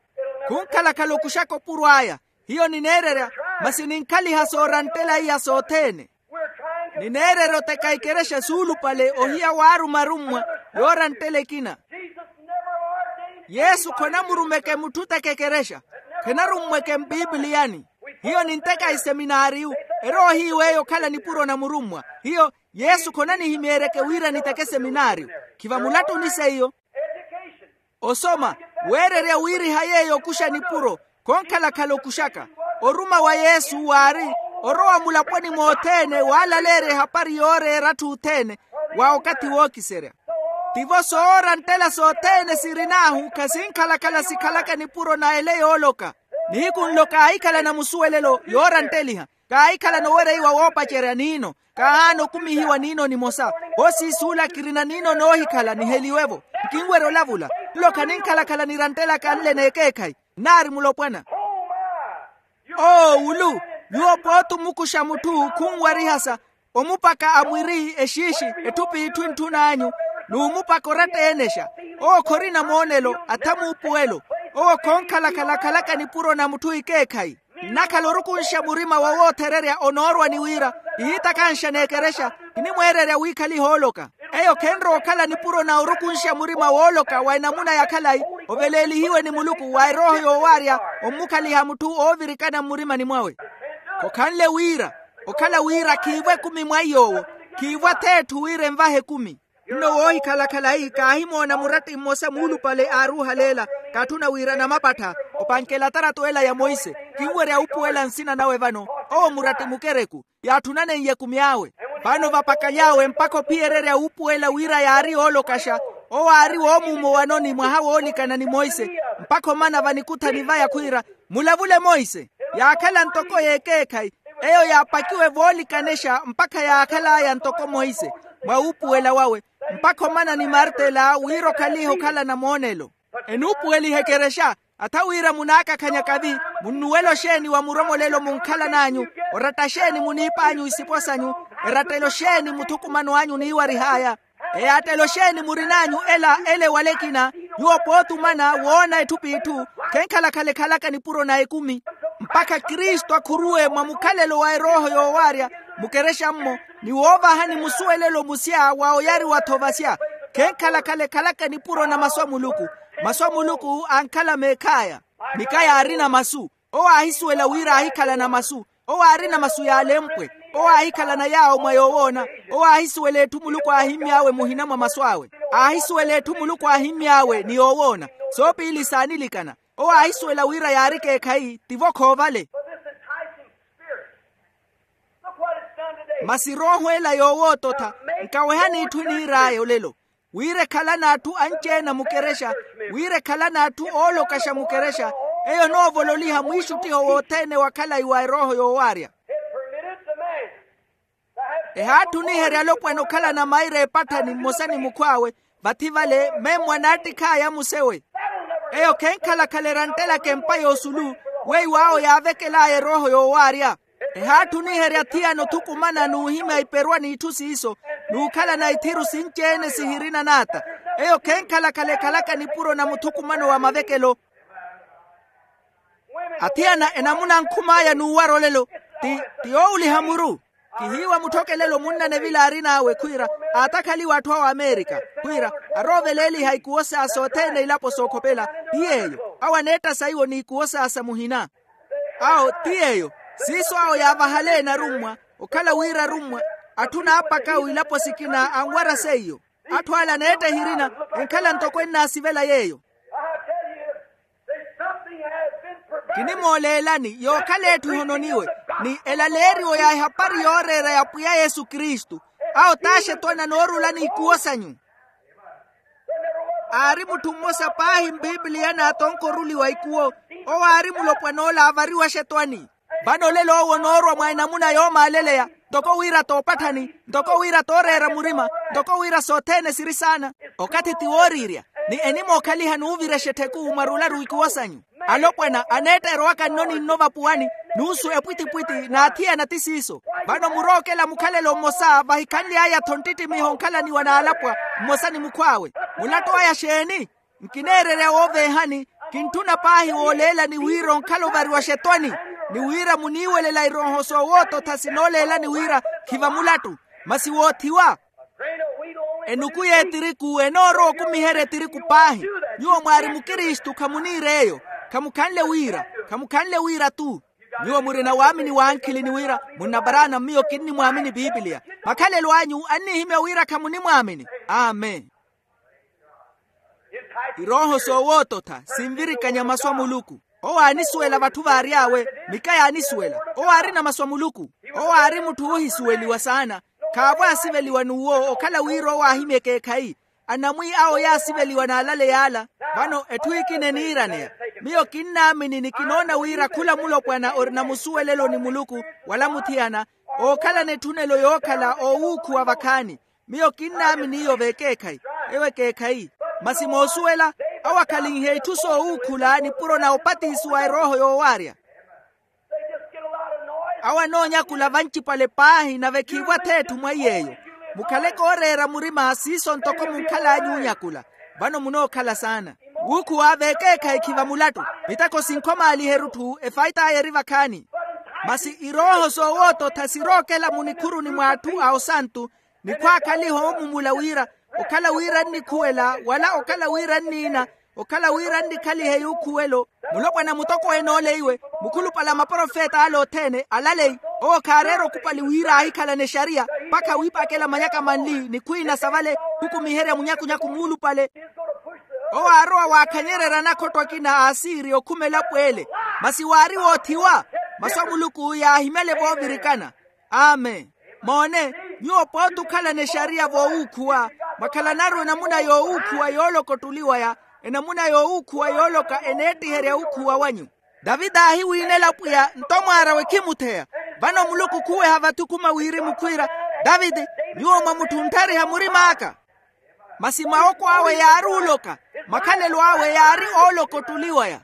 Khunkhalakhala okuxaka opuro aya. Hiyo nineererya, masi ninkhaliha sooranttela iya sothene. Nineererya oteka ikerexa suulupale ohiya waaruma arummwa yooranttela ekina. Yesu khonamurumeke mutthu oteka ekerexa. Khenarummweke mpipiliyani. Hiyo ninteka iseminaariyu. Eroohiiw'eyo okhala nipuro na murummwa. Hiyo yesu khonanihimyeeryeke wira niteke seminaariyu. Khiva mulattuni seiyo. Osoma, weererya wiiriha yeeyo okuxa nipuro. Khonkhalakhala okuxaka. Oruma wa yesu waari orowa mulaponi mothene waalaleerya ehapari yooreera atthu othene wa okathi wookiserya. Tivo sooranttela sothene sirin'ahu khasinkhala-khala sikhalaka nipuro na ele yooloka. Nihiku nlo kaahikhalana musuwelelo yoorantteliha. Kaahikhalana owereiwa woopacerya niino. Kaahaana okumihiwa niino nimosa. Voosiisuula kirina niino noohikhala niheliwe-vo. Nkinwerya olavula. Nlo khaninkhala-khala niranttela kanle n'ekeekhayi. Nnaari mulopwana. Oo wulu. Nyuwo pooti omukuxa mutthu khunwarihasa. Omupaka a mwiri exiixi. Etthu p'itthu entthun'anyu. N'umupaka oratta eenexa. Owo khorina moonelo atha muupuwelo. Owo khoonkhala-khala akhalaka nipuro na mutthu ikeekhayi. Nnakhala orukunxa murima wa woothererya onoorwa ni wira. Kihiitakanxa n'ekerexa. Kinimweererya wiikhaliha ooloka. Eyo khenrowa okhala nipuro na orukunxa murima wooloka wa enamuna ya khalayi. Oveleelihiwe ni muluku wa erooho yoowaarya ommukhaliha mutthu oovirikana mmurimani mwawe. Khokhanle wira okhala wira khiivo ekumi mwa iy'owo. Khiivo ath'etthu wira envahe ekumi. Nno woohikhala khalayi kaahimoona muratti mmosa muulupale aaruuhaleela. Kaatthuna wira namapattha opankelatarato ela ya monse. Kinwerya upuwela nsina nawe vano. Owo muratti mukereku yaatthunaneiye ekumi awe. Vano vapakaly'awe mpakha ophiyererya upuwela wira yaari yoolokaxa. Owo aari woomuumowanoni mwaha woolikana ni monse. Mpakha omana vanikuthani vaya khwiira mulavule monse. Yaakhala ntoko y'ekeekhayi. Eyo yaapakiwe voolikanexa mpakha yaakhal'aya ntoko monse mwa upuwela wawe. Mpakha omana ni martela wira okhalihe okhalana moonelo. Enuupuweliha ekerexa. Atha wira munaakakhanya kavi. Munnuwela oxeeni wa muromolelo munkhalan'anyu? Oratta xeeni muniip'anyu isipo sanyu? Erattelo xeeni muthukumano anyu niiwarih'aya? Eyaattelo xeeni murin'anyu ela ele wala ekina? Nyuwo pooti omana woona etthu p'itthu khenkhala-khala ekhalaka nipuro na ekumi. Mpakha kristu akhuruwe mwa mukhalelo wa erooho yoowaarya mukerexa-mmo ni woovahani musuwelelo musya wa oyariwa-tho vasya. Khenkhala-khala ekhalaka nipuro na masu a muluku. Masu a muluku ankhala meekh'aya. Mika yaarina masu. Owo aahisuwela wira aahikhalana masu. Owo aarina masu yaalempwe. Owo aahikhalana yaawo mwa yoowoona. Owo aahisuwela etthu muluku aahimmy'awe muhina mwa masu awe. Aahisuwela etthu muluku aahimmy'awe ni yoowoona. Soopiili saanilikana. Owo aahisuwela wira yaari ekeekhayi tivo khoovale. Masi erooho ela yoowoototha nkawehani itthu eniir'aya olelo. Wira ekhalana atthu anci-ene a mukerexa. Wira ekhalana atthu oolokaxa mukerexa. Eyo enoovololiha mwiixuttiho wothene wa khalayi wa erooho yoowaarya. Ehaattuniherya alopwana okhalana maira epatthani mmosa ni mukhw'awe. Vathi vale memmwa naattikh'aya musewe. Eyo khenkhala-khala eranttelaka empa y'osulu weiwo awo yaavekel'aya erooho yoowaarya. Ehaatthuniherya thiyana othukumana n'uhimya iperwa n'itthu siiso n'ukhalana ithiru sinci-ene sihirina naata. Eyo khenkhala-khala ekhalaka nipuro na muthukumano wa mavekelo. Athiyana enamuna ankhum'aya n'uwara olelo ti ti yoowuliha muru. Kihiiwa mutthokelelo munnane vila aarin'awe khwiira aatakhaliwe atthu awo amerika khwiira arooveleeliha ikuwo saa sothene ilapo sookhopela. Ti yeeyo awo aneetta saiwo n'ikuwo saa sa muhina. Awo ti yeeyo siiso awo yaavahale enarummwa okhala wira arummwa atthu naapaka wiilapo sikina anwara seiyo. Atthu ale aneetta ehirina enkhala ntoko ennaasivela yeeyo. Kinimooleelani yookhala etthu ehononiwe ni elaleeriwo ya ehapari yooreera ya pwiya yesu kristu. Awo t'axetwani anoorulani ikuwo sanyu. Aari mutthu mmosa paahi mpipiliya n'atonkoruliwa ikuwo owo aari mulopwan'ola aavariwa axetwani. Vano olelo owo onoorwa mwa enamuna yoomaaleleya ntoko wira toopatthani ntoko wira tooreera murima ntoko wira sothene siri saana. Okathi ti wooriirya ni enimookhaliha n'uvirexa ettheku mwarularu ikuwo sanyu. Alopwana aneetta erowaka nno ni nno vapuwani nuusu epwitipwiti n'athiyana ti siiso. Vano murookela mukhalelo mmosa vahikhanly'aya-tho nttittimiho onkhalaniwa n'alapwa mmosa ni mukhw'awe. Mulattu aya xeeni? Nkineererya wooveehani. Kintthuna paahi wooleelani wira onkhala ovariwa xetwani ni wira muniiwelela irooho soowoototha sinooleelani wira khiva mulattu masi woothiwa. Enuku y'etiriku enoorowa okumiherya etiriku paahi. Nyuwo mwaari mukristu khamuniir'eyo. Khamukhanle wira khamukhanle wira-tu. Nyuwo murina waamini w'ankhili ni wira munnaparaana miyo kinnimwaamini pipiliya. Makhalelo anyu annihimya wira khamunimwaamini. Amen. Irooho soowoototha sinvirikanya masu a muluku. Owo aanisuwela vatthu vaary'awe. Mika yaanisuwela. Owo aarina masu a muluku. Owo aari mutthu oohisuweliwa saana. Khaavo aasiveliwa n'uwo okhala wira owo aahimya ekeekhayi. Anamwi awo yaasiveliwa n'alale y'ala. Vano etthu ekina eniiraneya. Miyo kinnaamini ni kinoona wira khula mulopwana orina musuwelelo ni muluku wala muthiyana ookhalana etthunelo yookhala oowuukhuwa vakhaani. Miyo kinnaamini iyo v'ekeekhayi. Ewo ekeekhayi. Masi moosuwela awo akhalinhe itthu soowuukhula nipuro na opatisiwa erooho yoowaarya. Awo anoonyakula vancipale paahi nave khiivo atheetthu mwa iy'eyo. Mukhale kooreera murima siiso ntoko munkhal'anyu onyakula. Vano munookhala saana. Wuukhuwa v'ekeekhayi khiva mulattu. Miteko sinkhomaaliheru-tho efait'aya eri vakhaani. Masi irooho soowoototha sirookela munikhuruni mw'atthu a osantu. Ni khwaakhaliha omumula wira okhala wira nnikhuwela wala okhala wira nniina okhala wira nnikhalihe yuukhuwelo. Mulopwana mutokweene ole iwe mukhulupale a maprofet'ale othene alaleyi. Owo khaareera okupali wira aahikhalana exariya mpakha wiipakela manyaka manli ni khwiina sa vale khukumiherya munyakunyaku muulupale. Owo aarowa waakhanyererya anakhotto akina a asiri okhuma elapo ele. Masi waari woothiwa. Masu a muluku yaahimyale voovirikana. Amen. Moone, nyuwo pooti okhalana exariya voowuukhuwa mwakhalanaru enamuna yoowuukhuwa yooloka ottuliwaya. Enamuna yoowuukhuwa yooloka eneettiherya wuukhuwa wanyu. Taviti aahiwiinela pwiya nto mwaar'awe khimutheya. Vano muluku khuweha vathi okhuma wirimu khwiira, taviti, nyuwo mwamutthuntthariha murim'aka. Masi mawoko awe yaari oloka. Makhalelo awe yaari ooloka ottuliwaya.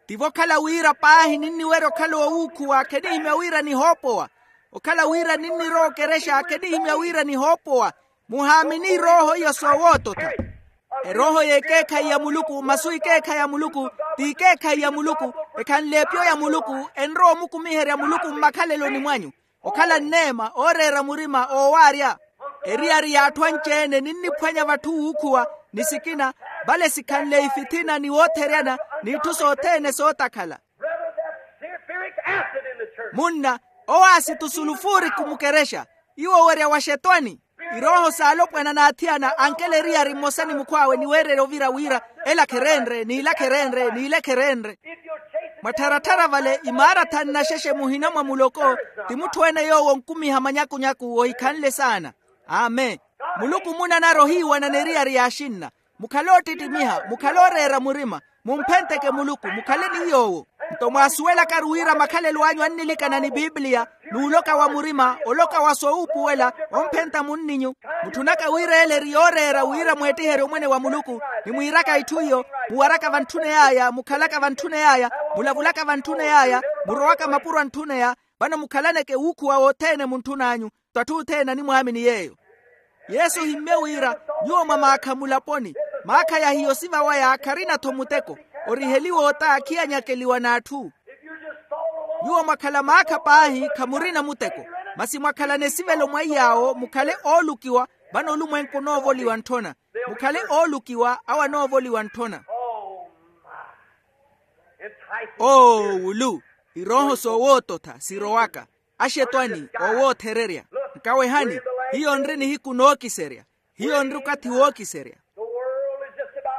Tivo okhala wira paahi ninniwerya okhala oowuukhuwa khenihimya wira nihoopowa. Okhala wira ninnirowa okerexa khenihimya wira nihoopowa. Muhaamini irooho iyo soowoototha. Erooho y'ekeekhayi ya muluku masu ekeekhayi ya muluku. Ti ekeekhayi ya muluku. Ekhanle epiyo ya muluku. Enrowa omukumiherya muluku mmakhaleloni mwanyu. Okhala nneema ooreera murima oowaarya. Eriyari y'atthu anci-ene ninniphwanya vatthu wuukhuwa ni sikina. Vale sikhanle ifithina ni wootheryana n'itthu sothene sootakhala. Munna, owaasi tusulufuri khumukerexa. Iwo werya wa xetwani. Irooho s'alopwana n'athiyana ankela eriyari mmosa ni mukhw'awe ni weererya ovira wira, ela khereenre n'ila khereenre n'ile khereenre. Mwattharatthara vale imaarathani naxexe muhina mwa muloko. Ti mutthu-ene yoowo onkumiha manyakunyaku ohikhanle saana. Amen. Muluku munanara ohiiwanana eriyari y'axinna. Mukhale oottittimiha mukhale ooreera murima. Mumphentteke muluku mukhale ni yoowo. Nto mwaasuwelakaru wira makhalelo anyu annilikana ni pipiliya n'uloka wa murima oloka wa soowuupuwela. Omphentta munninyu. Mutthunaka wira ele eri yooreera wira mweettiherye omwene wa muluku. Ni mwiiraka itthu iyo. Muwaraka vantthune y'aya mukhalaka vantthune y'aya. Mulavulaka vantthune y'aya. Murowaka mapuro antthuneya. Vano mukhalaneke wuukhuwa wothene muntthun'anyu. Twatthu othene animwaamini yeeyo. Yesu ohimmye wira nyuwo mwa maakha mulaponi. Maakha ya hiyo sivawaya kharina-tho muteko. Oriheliwa ota khiyanyakeliwa n'atthu. Nyuwo mwakhala maakha paahi khamurina muteko. Masi mwakhalana esivelo mwa iy'awo mukhale oolukiwa. Vano olumwenku onoovoliwa ntthona. Mukhale oolukiwa awo anoovoliwa ntthona. Oo wulu. Irooho soowoototha sirowaka. Axetwani oowoothererya. Nkawehani. Hiyo nri nihiku nookiserya. Hiyo nri okathi wookiserya.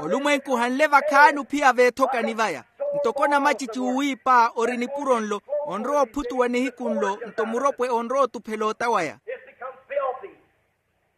Olumwenku hanle vakhaani ophiya veethokani vaya. Ntoko namacici uwiipa ori nipuro nlo onrowa ophutuwa nihiku nlo nto muropwe onrowa otuphela ota waya.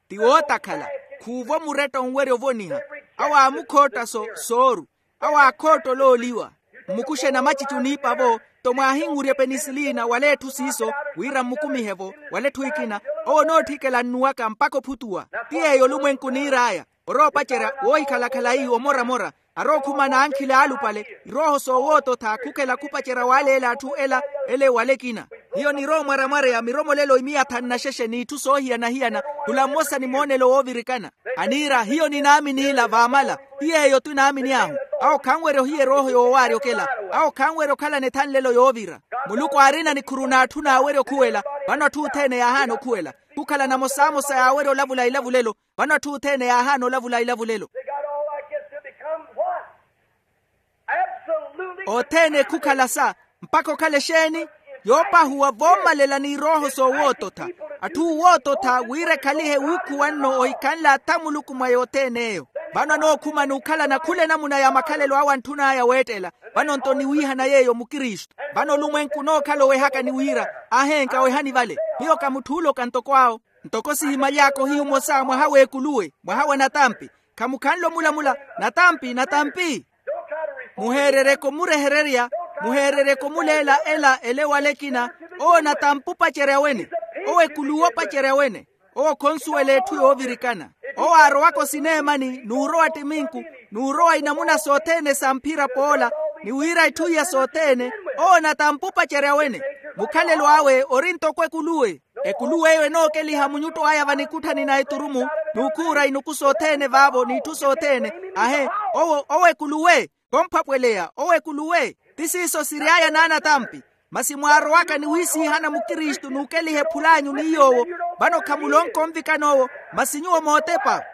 Ti wootakhala. Khuuvo muretta onwerya ovoniha. Awo aamukhotta sooru. Awo aakhootta olooliwa. Mmukuxe namacici oniipa-vo. Nto mwaahinwurya epenisiliina wala etthu siiso wira mmukumihe-vo wala etthu ekina. Owo onootthikela nnuwaka mpakha ophutuwa. Ti yeeyo olumwenku oniir'aya. Orowa opacerya woohikhala khalayi omoramora. Arowa okhuma n'ankhili aalupale. Irooho soowoototha khukhela khupacerya waaleela atthu ela ele wala ekina. Hiyo nirowa omwaramwareya miromolelo imiyathani naxexe n'itthu soohiyana-hiyana. Khula mmosa ni moonelo woovirikana. Aniira hiyo ninaamini ila vaamala. Ti yeeyo tinaamini ahu. Awo khanwerya ohiya erooho yoowaarya okela. Awo khanwerya okhalana ethanlelo yoovira. Muluku aarina nikhuru n'atthu naawerya okhuwela. Vano atthu othene yaahaana okhuwela. Khukhala namosamosa yaawerya olavula ilavulelo. Vano atthu othene yaahaana olavula ilavulelo. Othene khukhala sa mpakha okhale exeeni? Yoopahuwa voomalela n'irooho soowoototha. Atthu oowoototha wira ekhalihe wuukhuwa nno ohikhanle atha muluku mwa yothene eyo. Vano anookhuma n'ukhalana khula enamuna ya makhalelo awe antthun'aya weettela. Vano-nto niwiihana yeeyo mukristu. Vano olumwenku onookhala owehakani wira, ahenka wehani vale. Miyo ka mutthu oola oka ntoko awo. Ntoko sihimaly'aka ohiyu omosa mwaha w'ekuluwe, mwaha wa natampi. Khamukhanle omulamula, natampi, natampi. Muheerereke omurehererya, muheerereke omuleela ela ele ewala ekina. Owo natampi opacerya wene. Owo ekuluwe opacerya wene. Owo khonsuwela etthu yoovirikana. Owo aarowaka osineemani n'urowa ttiminku, n'urowa inamuna sothene sa mphira poola, ni wira etthu iya sothene. Owo natampi opacerya wene. Mukhalelo awe ori ntoko ekuluwe. Ekuluwe eyo enookeliha munyutto aya vanikutthani na eturumu, n'ukhuura inuku sothene vaavo n'itthu sothene. Ahe, owo owo ekuluwe. Khomphwapweleya owo ekuluwe. Ti siiso siry'aya n'anatampi. Masi mwaarowaka ni wiisiihana mukristu n'ukeliha ephul'anyu ni yoowo. Vano khamulonka onvikana owo. Masi nyuwo mootepa.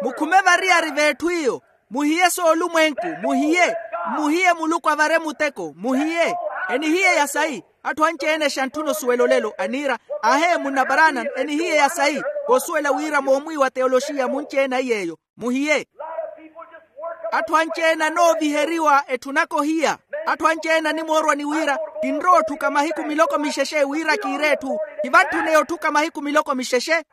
Mukhume variyari v'etthu iyo. Muhiye soolumwenku, muhiye. Mmuhiye muluku avare muteko, muhiye. Enihiye ya sayi. Atthu anci-ene xantthuna osuwela olelo aniira, ahe munna paranan enihiye ya sayi. Voosuwela wira moomwiiwa teyoloxiya munci-ene aiy'eyo, muhiye. Atthu anci-ene anooviheriwa etthunaka ohiya. Atthu anci-ene animoorwa ni wira, kinrowa otthuka mahiku miloko mixexe wira kiire etthu. Kivantthuneye otthuka mahiku miloko mixexe.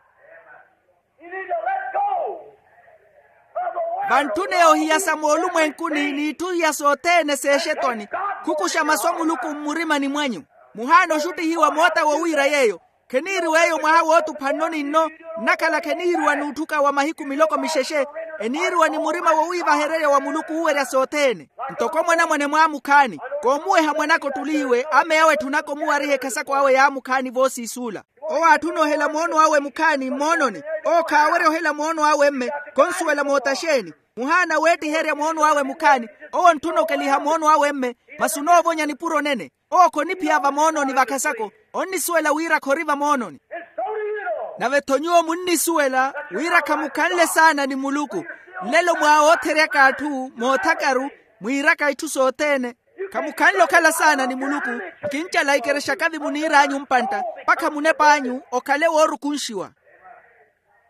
Vantthuneye ohiya sa moolumwenkuni n'itthu iya sothene s'exetwani. Khukuxa masu a muluku mmurimani mwanyu. Muhaana oxuttihiwa moota wowiira yeeyo. Kheniiriwa eyo mwaha wootupha nno ni nno. Nnakhala kheniiriwa n'utthuka wa mahiku miloko mixexe. Eniiriwa ni murima wowiivahererya wa muluku uuwerya sothene. Ntoko mwanamwane mwaamukhaani, koomuweha mwanaka ottuli iwe ameya awe etthunaka omuwariha ekhasako awe yaamukhaani voosiisuula. Owo aatthuna ohela moono awe mukhaani mmoononi. Owo khaawerya ohela moono awe mme. Khonsuwela moota xeeni. Muhaana weettiherya moono awe mukhaani. Owo ontthuna okeliha moono awe mme. Masi onoovonya nipuro nene. Owo khoniphiya vamoononi vakhasako. Onnisuwela wira khori vamoononi. Nave-tho nyuwo munnisuwela wira khamukhanle saana ni muluku. Nlelo mwaawotheryaka atthu moothakaru, mwiiraka itthu sothene. Khamukhanle okhala saana ni muluku. Nkincala ikerexa kathi muniir'anyu mpantta, mpakha munep'anyu okhale woorukunxiwa.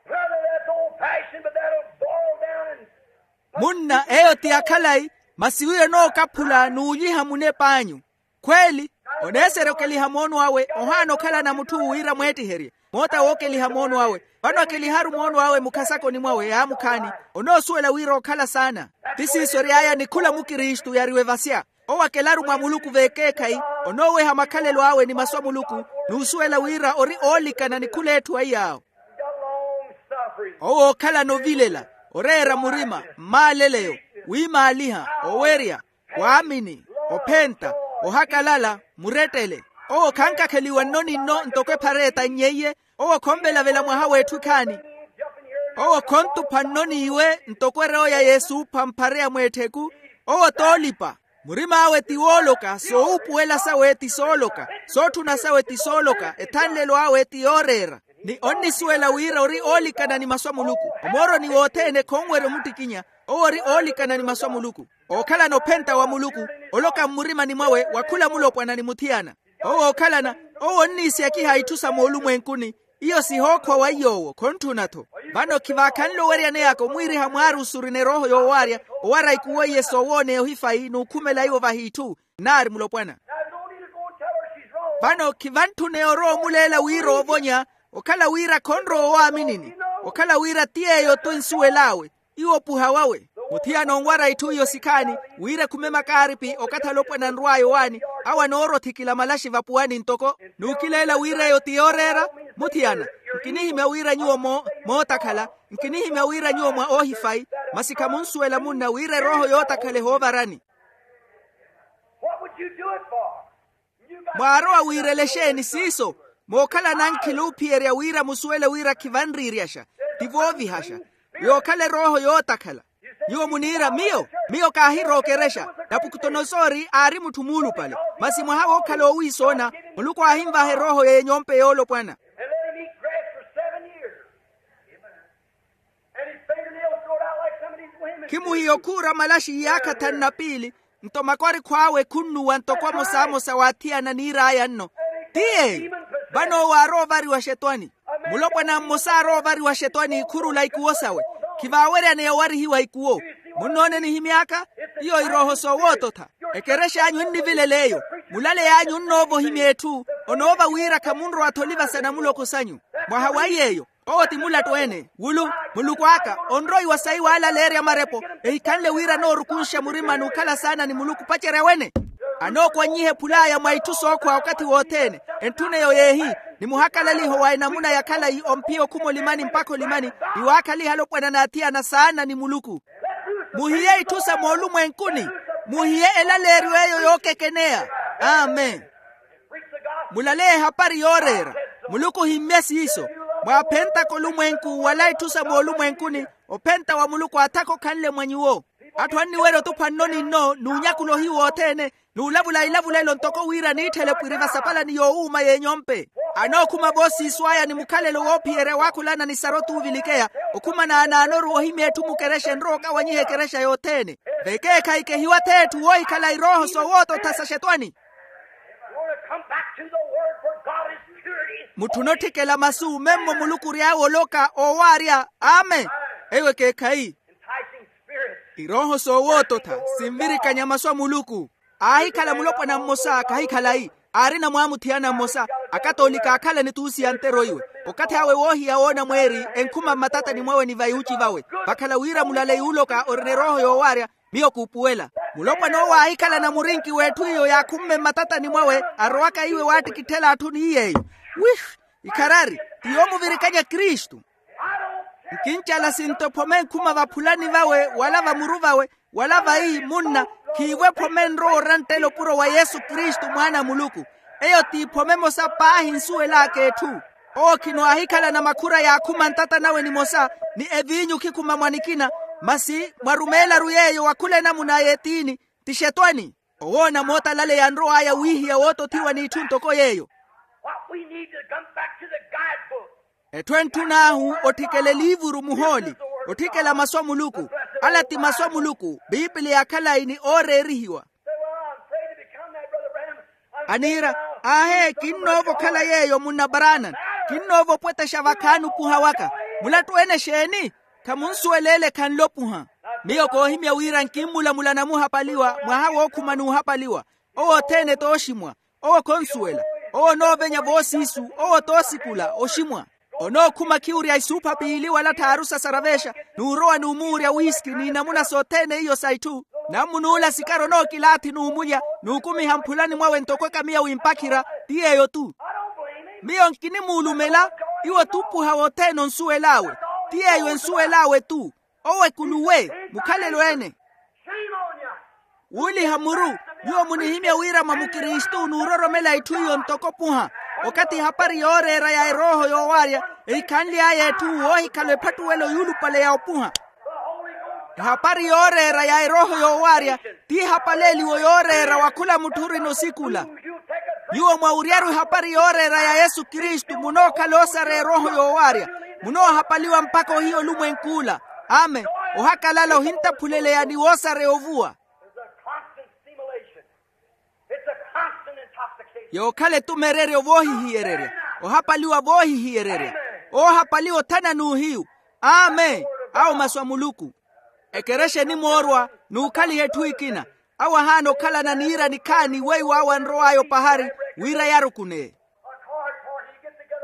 Brother, that's old fashioned, but that'll boil down and munna eyo ti ya khalayi. Masi wiyo enookaphula n'ulyiha munep'anyu. Khweeli. Oneeserya okeliha moono awe ohaana okhalana mutthu wira mweettiherye. Moota wookeliha moono awe. Vano akeliharu moono awe mukhasakoni mwawe yaamukhaani. Onoosuwela wira okhala saana. Ti siiso ery'aya ni khula mukristu yariwe vasya. Owo akelaru mwa muluku v'ekeekhayi. Onooweha makhalelo awe ni masu a muluku. N'usuwela wira ori oolikana ni khul'etthu aiy'awo. Owo ookhalana ovilela, oreera murima, mmaaleleyo, wiimaaliha, owerya, waamini, ophenta, ohakalala, murettele. Owo khankakheliwa nno ni nno ntoko ephara etann'eiye. Owo khonvelavela mwaha w'etthu ekhaani. Owo khontupha nno n'iwe ntoko erooya y'esuupha mphara ya mweettheku. Owo t'olipa. Murim'awe ti wooloka, soowuupuwela sawe ti sooloka, sootthuna sawe ti sooloka, ethanlelo awe ti yooreera. Ni onnisuwela wira ori oolikana ni masu a muluku. Omooroni wothene khonwerya omuttikinya. Owo ori oolikana ni masu a muluku. Ookhalana ophenta wa muluku. Oloka mmurimani mwawe wa khula mulopwana ni muthiyana. Owo ookhalana. Owo onniisiyakiha itthu sa moolumwenkuni. Iyo sihookhwa wa iy'owo khontthuna-tho. Vano khivaakhanle oweryana eyaka omwiiriha mwaari osurina erooho yoowaarya. Owara ikuwo iye soowooneya ohifayi n'ukhumela iwo vahitthu. Nnaari mulopwana. Vano khivantthuna eyo orowa omuleela wira oovonya. Okhala wira khonrowa owaaminini. Okhala wira ti yeeyo-tho ensuwel'awe. Iwo opuha wawe. Muthiyana onwara itthu iyo sikhaani. Wira ekhume makaaripi okathi alopwana anrw'aya owaani. Awo anoorothikila malaxi vapuwani ntoko. N'ukileela wira eyo ti yooreera. Muthiyana, nkinihimya wira nyuwo mootakhala. Nkinihimya wira nyuwo mwa oohifayi. Masi khamunsuwela munna wira erooho yootakhala ehoovarani. Mwaarowa wiirela exeeni siiso? Mookhala nankhila oophiyerya wira musuwele wira khivanriiryaxa. Ti voovihaxa. Yookhala erooho yootakhala. Nyuwo muniira miyo, miyo kaahirookerexa. Napukutonosori aari mutthu muulupale. Masi mwaha wookhala oowiisoona, muluku aahinvaha erooho y'enyompe yoolopwana. Khimuhiya okhuura malaxi iyaakha thanu na piili. Nto makwarikhu awe khunnuwa ntoko amosamosa w'athiyana niir'aya nno. Ti yeeyo. Vano owo aarowa ovariwa xetwani. Mulopwana mmosa aarowa ovariwa xetwani khurula ikuwo sawe. Khivaaweryaneya owarihiwa ikuwo. Munnoone nihimy'aka? Iyo irooho soowoototha. Ekerexa anyu ennivilela eyo. Mulale y'anyu onnoova ohimya etthu. Onoova wira khamunrowa-tho olivasa namuloko sanyu. Mwaha wa iy'eyo, owo ti mulattu-ene wulu, muluku aka onroiwa sayi waalaleerya marepo. Ehikhanle wira anoorukunxa murima n'ukhala saana ni muluku opacerya wene. Anookwanyiha ephul'aya mwa itthu sookhwa okathi wothene. Entthun'eyo yeehi, ni muhakalaliho wa enamuna ya khalayi omphiya okhuma olimani mpakha olimani, ni waakhaliha alopwana n'athiyana saana ni muluku. Muhiye itthu sa moolumwenkuni. Muhiye elaleeryo eyo yookekeneya. Amen. Mulaleya ehapari yooreera. Muluku ohimmye siiso. Mwaaphentaka olumwenku wala itthu sa moolumwenkuni, ophenta wa muluku aathaka okhanle mwa nyuwo. Atthu anniwerya otupha nno ni nno n'unyakula ohiyu othene, n'ulavula ilavulelo ntoko wira niitthele pwiri vasapalani yoowuuma y'enyompe. Anookhuma voosiiso aya ni mukhalelo woophiyerya waakhulana ni sara otuuvilikeya. Okhuma naanaanoru woohimya etthu mukerexa enrowa okawanyiha ekerexa yothene. Vekeekhayi kehiwathi etthu woohikhala irooho soowoototha sa xetwani. Mutthu onotthikela masu memmo muluku ory'awe oloka oowaarya. Amen. Eyo ekeekhayi. Irooho soowoototha sinvirikanya masu a muluku. Aahikhala mulopwana mmosa khahikhalayi. Aarina mwaamuthiyana mmosa. Akatoolika aakhala ni tuusiya ntero iwe. Okathi awe woohiya woona mweeri enkhuma mmatatani mwawe ni vaiwuci vawe. Vakhala wira mulaleyi uloka orina erooho yoowaarya. Miyo kuupuwela. Mulopwana owo aahikhalana murinki w'etthu iyo yaakhumme mmatatani mwawe arowaka iwe waattikitthela atthu ni iy'eyo. Wih. Ikharari. Ti yoomuvirikanya kristu. Nkincala sinto ephome enkhuma vaphulani vawe wala vamuru vawe, wala vayi munna, khiivo ephome enrowa oranttela opuro wa yesu kristu mwaana a muluku. Eyo ti ephome emosa paahi nsuwel'aka etthu. Owo khino aahikhalana makhura yaakhuma ntata nawe nimosa, ni eviinyu khikhuma mwa nikina. Masi mwarumeelaru yeeyo wa khula enamuna a yetiini. Ti xetwani. Owoona mootalaleya anrow'aya wiihiya wootothiwa n'itthu ntoko yeeyo. What we need to come back to the guidebook. Etthu entthun'ahu otthikela eliivuru muhooli. Otthikela masu a muluku. Ala ti masu a muluku biipiliya akhalayi ni ooreerihiwa. Aniira, aahe kinnoova okhala yeeyo munna barana. Kinnoova opwetexa vakhaani opuha waka. Mulattu ene exeeni? Khamunsuwela ele khanle opuha. Miyo koohimya wira nkimmulamula namuhapaliwa mwaha wookhuma n'uhapaliwa. Owo othene t'oximwa. Owo khonsuwela. Owo onoovenya voosiisu. Owo t'osikula oximwa. Onookhuma khiwurya isuupha piili wala tthaaru sasaravexa. N'urowa n'umuwurya wiski n'inamuna sothene iyo sa itthu. Nammun'ula sikari onookilaathi n'umulya n'ukumiha mphulani mwawe ntoko ekamiya w'impakhira. Ti yeeyo-tu. Miyo nkinimuulumela. Iwo t'upuha wothene onsuwel'awe. Ti yeeyo ensuwel'awe-tu. Owo ekuluwe mukhalelo-ene. Wuuliha muru. Nyuwo munihimya wira mwa mukristu n'uroromela itthu iyo ntoko opuha. Okathi ehapari yooreera ya erooho yoowaarya ehikhanly'aya etthu woohikhala ephattuwelo yuulupale ya opuha. Ehapari yooreera ya erooho yoowaarya ti ehapaleeliwo yooreera wa khula mutthu orina osikula. Nyuwo mwawuryaru ehapari yooreera ya yesu kristu munookhala osareya erooho yoowaarya. Munoohapaliwa mpakha ohiya olumwenk'ula. Amen. Ohakalala ohintaphuleleya ni woosareya ovuwa. Yookhala etumereryo voohihiyererya. Ohapaliwa voohihiyererya. Oohapaliwa othana n'uhiyu. Amen. Awo masu a muluku. Ekerexa enimoorwa n'ukhaliha etthu ekina. Awo ahaana okhalana niira nikhaani weiwo awo anrow'aya opahari wira yarukuneye.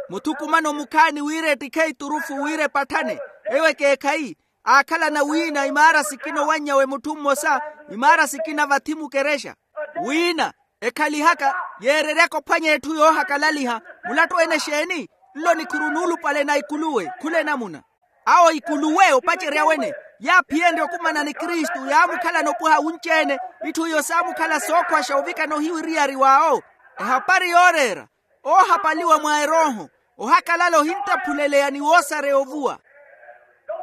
Muthukumano mukhaani wira ettikhe iturufu wira epatthane. Eyo ekeekhayi. Aakhalana wiina imaara sikina owanny'awe mutthu mmosa. Imaara sikina vathi mukerexa. Wiina ekhalihaka yeereryaka ophwanya etthu yoohakalaliha. Mulattu ene exeeni? Nlo nikhuru nuulupale na ikuluwe khula enamuna. Awo ikuluwe opacerya wene. Yaaphiyenrye okumana ni kristu yaamukhalana opuha wunci-ene. Itthu iyo saamukhala sookhwaxa ovikana ohiwiriyari w'awo. Ehapari yooreera. Oohapaliwa mwa erooho. Ohakalala ohintaphuleleya ni woosareya ovuwa.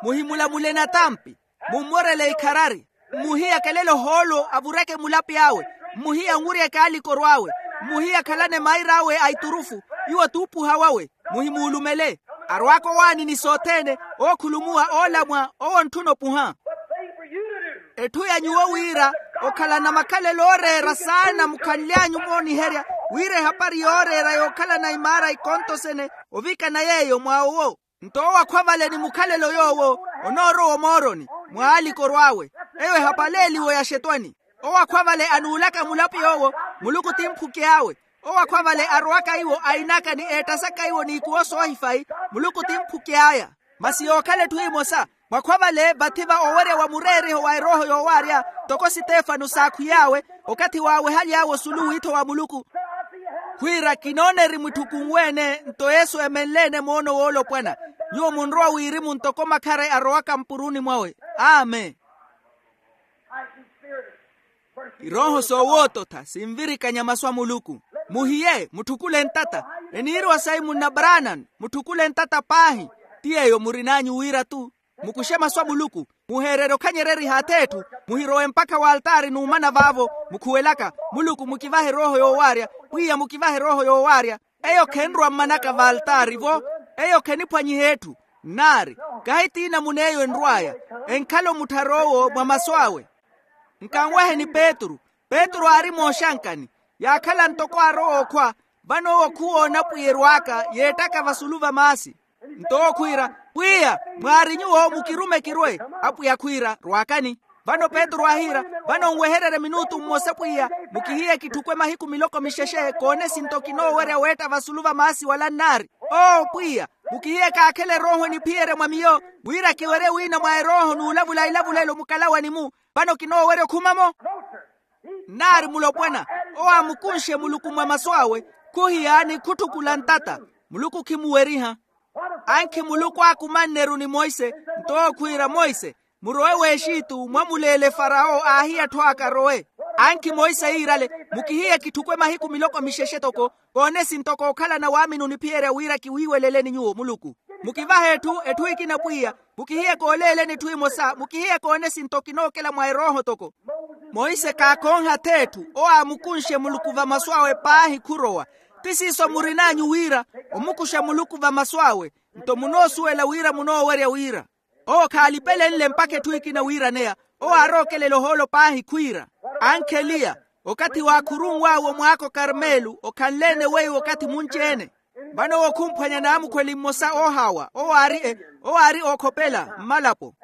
Muhimulamule natampi. Mummorele ikharari. Mmuhiya akelele ohoolo avureke mulapi awe. Mmuhiya anwurye ekaalikoro awe. Mmuhiya akhalane mair'awe a iturufu. Iwo t'upuha wawe. Muhimuulumele. Arwaaka owaani ni sothene. Ookhulumuwa oolamwa owo ontthuna opuha. Etthu ya nyuwo wira okhalana makhalelo ooreera saana mukhanly'anyu mooniherya wira ehapari yooreera yookhalana imaara ikontosene ovikana yeeyo mwa owo. Nto owo akhwa vale ni mukhalelo yoowo onoorowa omooroni, mwaalikoro awe. Eyo ehapaleeliwo ya xetwani. Owo akhwa vale anuulaka mulapi yoowo, muluku ti mphuky'awe. Owo akhwa vale arowaka iwo ainaka ni eettasaka iwo n'ikuwo soohifayi, muluku ti mphuky'aya. Masi yookhala etthu emosa, mwakhwa vale vathi va owerya wa mureeriho wa erooho yoowaarya, ntoko sitefano saakhwiy'awe okathi waawehaly'awe osulu wiitho wa muluku. Khwiira kinoona erimwitthuku nweene nto yesu emenle-ene moono woolopwana. Nyuwo munrowa wirimu ntoko makhare arowaka mpuruuni mwawe. Amen. Irooho soowoototha sinvirikanya masu a muluku. Muhiye mutthukule ntata. Eniiriwa sayi munna branan, mutthukule ntata paahi. Ti yeeyo murin'anyu wira-tu. Mukuxe masu a muluku, muheererye okhanyereriha ath'etthu. Muhirowe mpakha w'altaari n'umana vaavo mukhuwelaka, muluku mukivahe erooho yoowaarya. Pwiya mukivahe erooho yoowaarya. Eyo khenrowa mmanaka v'altaari-vo. Eyo kheniphwanyiha etthu. Nnaari, kahi ti namuna eyo enrw'aya. Enkhala omutthara owo mwa masu awe. Nkanwaheni petru. Petru aari mooxankani. Yaakhala ntoko aarowa okhwa. Vano owo khuwoona pwiya erw'aka yeettaka vasulu va maasi. Nto owo khwiira, pwiya, mwaari nyuwo mukirume kirwe. Apwiya khwiira, rw'akani. Vano petru aahiira, vano nwehererye minutu mmosa pwiya. Mukihiye kitthukwe mahiku miloko mixexe koone sinto kinoowerya weetta vasulu va maasi wala nnaari. Oo pwiya, mukihiye kaakhele erooho eniphiyerya mwa miyo, wira kiwerye wiina mwa erooho n'ulavula ilavulelo mukalawani-mu. Vano kinoowerya okhuma-mo. Nnaari mulopwana, owo aamukunxe muluku mwa masu awe. Khuhiyaani khutthukula ntata. Muluku khimuweriha. Ankhi muluku aakumanne-ru ni monse. Nto owo khwiira monse, murowe w'exitu mwamuleele farawo aahiya atthu aka arowe. Ankhi monse yiirale, mukihiye kitthukwe mahiku miloko mixexe toko. Koone sintoko okhalana waamini oniphiyerya wira kiwiiweleleni nyuwo muluku. Mukivahe etthu etthu ekina pwiya. Mukihiye kooleeleni etthu emosa mukihiye koone sinto kinookela mwa erooho toko. Monse kaakooha ath'etthu owo aamukunxe muluku va masu awe paahi khurowa. Ti siiso murin'anyu wira, omukuxa muluku va masu awe. Nto munoosuwela wira munoowerya wira. Owo khaalipelenle mpakha etthu ekina wiiraneya. Owo aarookelela ohoolo paahi khwiira, ankheliya, okathi waakhurunw'awe omwaako karmelu okhanle-ene weiwo okathi munci-ene. Vano owo khumphwanya naamukhweli mmosa oohaawa owo aari e owo aari ookhopela mmalapo.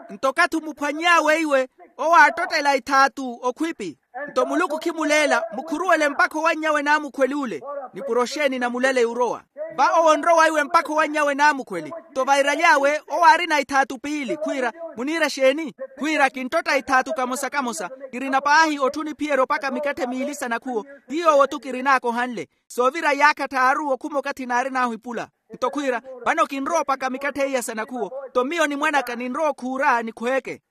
Nto okathi omuphwany'awe iwe, owo aattottela ithaatu okhwipi. Nto muluku khimuleela mukhuruwele mpakha owannyawe naamukhweli ole. Nipuro xeeni na mulaleyi orowa? Va owo onrowa iwe mpakha owannyawe naamukhweli. Nto vairaly'awe owo aarina ithaatu piili khwiira, muniira xeeni? Khwiira kinttotta ithaatu kamosa kamosa. Kirina paahi otthu oniphiyerya opaka mikatthe miili sa nakhuwo. Ti yoowo-tu kirin'aka ohanle. Soovira iyaakha tthaaru okhuma okathi naarin'ahu ipula. Nto khwiira, vano kinrowa opaka mikatthe iya sa nakhuwo. Nto miyo ni mwan'aka ninrowa okhuura nikhweeke.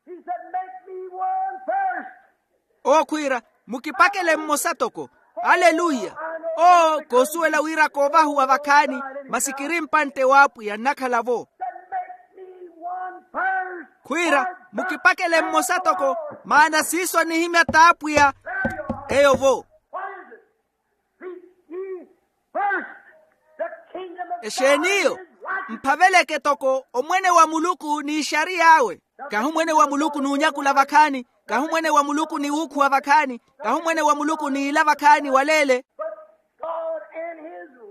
Owo khwiira, mukipakele mmosa toko. Aleluya. Oo koosuwela wira koovahuwa vakhaani, masi kiri mpantte w'apwiya nnakhala-vo. Khwiira, mukipakele mmosa toko, maana siiso anihimya t'apwiya. Eyo-vo. Exeeni eyo? Mphaveleke toko omwene wa muluku n'ixariy'awe. Kahi omwene wa muluku n'unyakula vakhaani. Kahi omwene wa muluku ni wuukhuwa vakhaani. Kahi omwene wa muluku n'iila vakhaani waleele.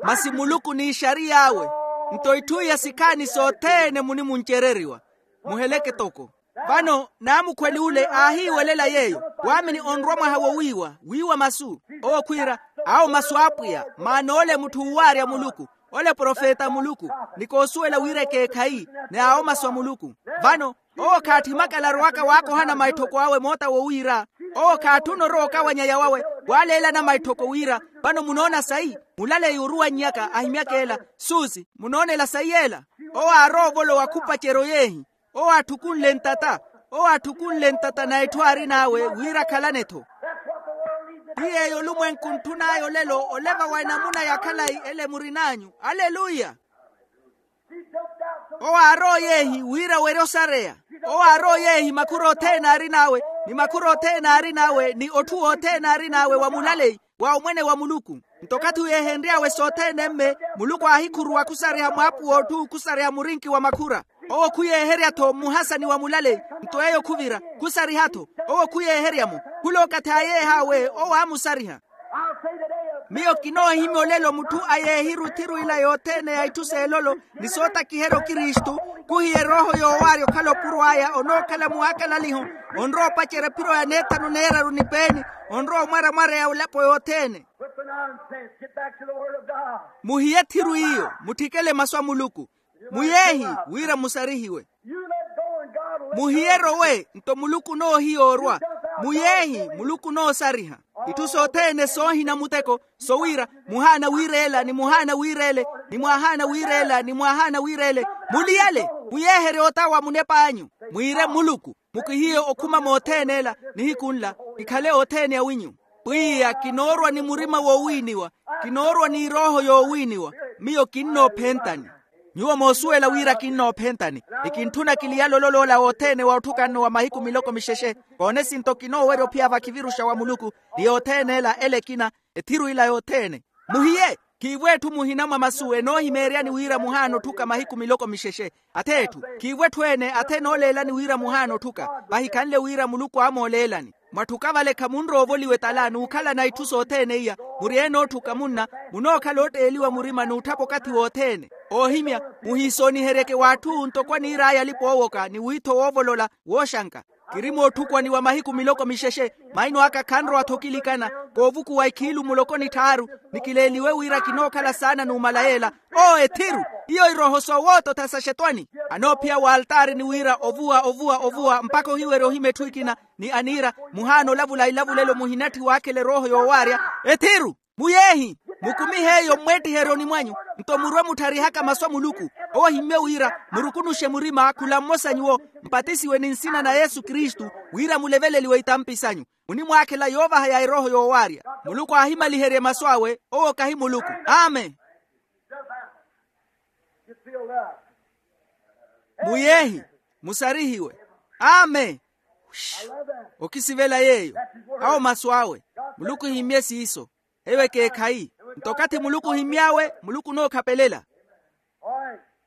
Masi muluku n'ixariy'awe. Nto itthu iya sikhaani sothene munimuncereriwa. Muheleke toko. Vano naamukhweli ole aahiiwelela yeeyo. Waamini onrwa mwaha wowiiwa wiiwa masu. Owo khwiira, awo masu a apwiya maana ole mutthu uuwaarya muluku, ole profeta a muluku, ni koosuwela wira ekeekhayi. Ni awo masu a muluku. Vano owo khaatthi makala arowaka waakohana maitthoko awe moota wowiira. Owo khaatthuna orowa okawanya yawawe, waaleelana maitthoko wira, vano munoona sayi? Mulaleyi oruwannyaka ahimyaka ela. Suusi munoonela sayi ela? Owo aarowa ovolowa khupaceryo yeehi. Owo aathukunle ntata. Owo aathukunle ntata na etthu aarin'awe wira akhalane-tho. Ti yeeyo olumwenku ontthun'aya olelo oleva wa enamuna ya khalayi ele murin'anyu. Aleluya. Owo aarowa yeehi wira werye osareya. Owo aarowa yeehi makhura othene aarin'awe, ni makhura othene aarin'awe ni otthu wothene aarin'awe wa mulaleyi wa omwene wa muluku. Nto okathi uyeehenry'awe sothene mme, muluku aahikhuruwa khusariha mwaapu w'otthu khusariha murinki wa makhura. Owo khuyeeherya-tho mmuhasani wa mulaleyi. Nto eyo khuvira khusariha-tho. Owo khuyeeherya-mo. Khula okathi aayeeh'awe owo aamusariha. Miyo kinoohimya olelo mutthu a yeehiru ethiru ila yothene ya itthu s'elolo, ni sootakiherya okristu, khuhiya erooho yoowaarya okhala opuro aya onookhala muwakalaliho, onrowa opacerya ephiro ya neethanu neeraru ni peeni, onrowa omwaramwara ya ulapo yothene. Muhiye ethiru iyo, mutthikele masu a muluku. Muyeehi, wira musarihiwe. Muhiye erowe nto muluku onoohiya orwa. Muyeehi, muluku onoosariha. Itthu sothene soohina muteko, sowira muhaana wiireela ni muhaana wiireele, ni mwaahaana wiireela ni mwaahaana wiireele. Muliyale, muyeeherye otawa munep'anyu. Mwiire muluku, mukihiye okhuma mothene ela. Nihiku nla, kikhale othene awinyu. Pwiya kinoorwa ni murima woowiiniwa, kinoorwa n'irooho yoowiiniwa. Miyo kinnoophentani. Nyuwo moosuwela wira kinnoophentani, ni kintthuna kiliyale ololoola wothene wa otthukanno wa mahiku miloko mixexe. Koone sinto kinoowerya ophiya vakhiviruxa wa muluku, ni yothene ela ele ekina, ethiru ila yothene. Muhiye, khiivo etthu muhina mwa masu enoohimeeryani wira muhaana otthuka mahiku miloko mixexe. Ath'etthu, khiivo etthu ene athe enooleelani wira muhaana otthuka. Vahikhanle wira muluku aamooleelani. Mwatthuka vale khamunrowa ovoliwa etala n'ukhalana itthu sothene iya. Muri ene ootthuka munna, munookhala ootteeliwa murima n'utthapa okathi wothene. Oohimya, muhiisooniheryeke w'atthu ntoko aniir'aya alipa oowoka ni wiitho woovolola, wooxanka. Kiri mootthukwani wa mahiku miloko mixexe, maino aka khanrowa-tho okilikana. Koovukuwa ikhiilu muloko ni tthaaru, ni kileeliwe wira kinookhala saana numala yeela. Oo ethiru, iyo irooho soowoottotha sa xetwani. Anoophiya w'altaari ni wira ovuwa ovuwa ovuwa mpakha ohiwerya ohima etthu ekina, ni aniira, muhaana olavula ilavulelo muhinatthi waakhela erooho yoowaarya. Ethiru, muyeehi, mukumihe eyo mmweettiheryo onimw'anyu, nto murwe muttharihaka masu a muluku. Owo ohimmye wira, murukunuxe murima khula mmosa nyuwo, mpatisiwe ni nsina na yesu kristu, wira muleveleliwe itampi sanyu. Munimwaakhela yoovaha ya erooho yoowaarya. Muluku aahimaliherye masu awe, owo kahi muluku. Amen. Muyeehi, musarihiwe. Amen. Okisivela yeeyo. Awo masu awe. Muluku ohimmye siiso. Eyo ekeekhayi. Nto okathi muluku ohimmy'awe, muluku onookhapelela.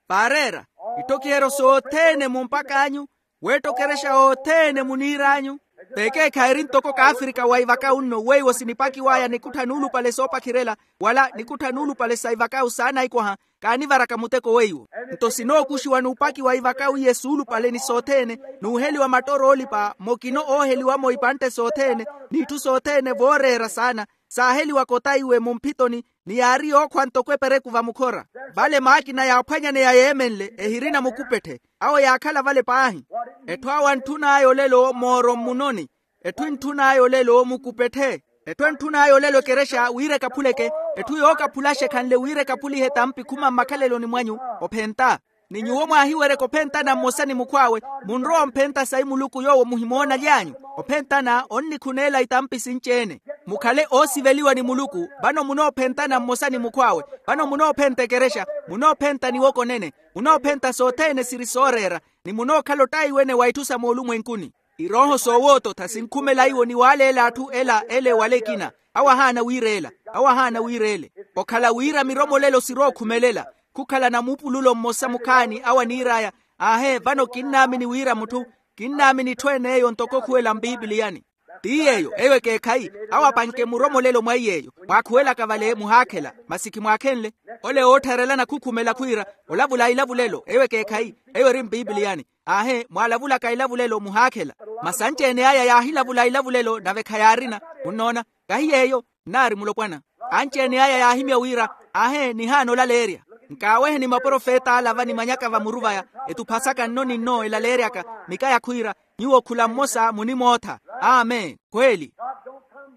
Paareera, itthokiheryo sothene mumpak'anyu, weetta okerexa othene muniir'anyu. T'ekeekhayi eri ntoko kaafrika wa ivakawu nno weiwo sinipakiw'aya nikuttha nuulupale soopakhirela, wala nikuttha nuulupale sa ivakawu saanaikwaha. Kaanivaraka muteko weiwo. Nto sinookuxiwa n'upakiwa ivakawu iye suulupale ni sothene, n'uheliwa mattooro oolipa mokina ooheliwa-mo ipantte sothene, n'itthu sothene vooreera saana, saaheliwaka otaiwe mumphitoni, ni yaari yookhwa ntoko epereku vamukhora. Vale maakina yaaphwanyaneya yeemenle ehirina mukupetthe. Awo yaakhala vale paahi. Etthu awo antthun'aya olelo mooro mmunoni. Etthu entthun'aya olelo mukupetthe. Etthu entthun'aya olelo ekerexa wira ekaphuleke. Etthu yookaphulaxa ekhanle wira ekaphulihe etampi khuma mmakhaleloni mwanyu. Ophenta. Ni nyuwo mwaahiweryeke ophentana mmosa ni mukhw'awe, munrowa omphenta sayi muluku yoowo muhimoonaly'anyu. Ophentana onnikhuneela itampi sinci-ene. Mukhale oosiveliwa ni muluku. Vano munoophentana mmosa ni mukhw'awe. Vano munoophenta ekerexa. Munoophenta niwoko nene. Munoophenta sothene siri sooreera. Ni munookhala ottaiwene wa itthu sa moolumwenkuni. Irooho soowoototha sinkhumela iwo ni waaleela atthu ela ele wala ekina. Awo ahaana wiireela. Awo ahaana wiireele. Okhala wira miromolelo sirookhumelela. Khukhala na muupululo mmosa mukhaani awo aniir'aya. Aahe vano kinnaamini wira mutthu. Kinnaamini itthu ene eyo ntoko okhuwela mpipiliyani. Ti yeeyo eyo ekeekhayi. Awo apanke muromolelo mwa iy'eyo. Mwaakhuwelaka vale muhaakhela. Masi khimwaakhenle. Ole oottharelana khukhumela khwiira, olavula ilavulelo eyo ekeekhayi. Eyo eri mpipiliyani. Aahe mwaalavulaka ilavulelo muhaakhela. Masi anci-ene aya yaahilavula ilavulelo nave khayaarina. Munnoona? Kahi yeeyo. Nnaari mulopwana. Anci-ene aya yaahimya wira, aahe nihaana olaleerya. Nkaaweheni maprofet'ala va ni manyaka va muru vaya. Etuphasaka nno ni nno elaleeryaka. Mikaya khwiira, nyuwo khula mmosa munimootha. Amen. Khweeli.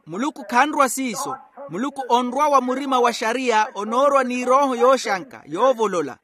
Muluku khanrwa siiso. Muluku onrwa wa murima wa xariya onoorwa n'irooho yooxanka yoovolola.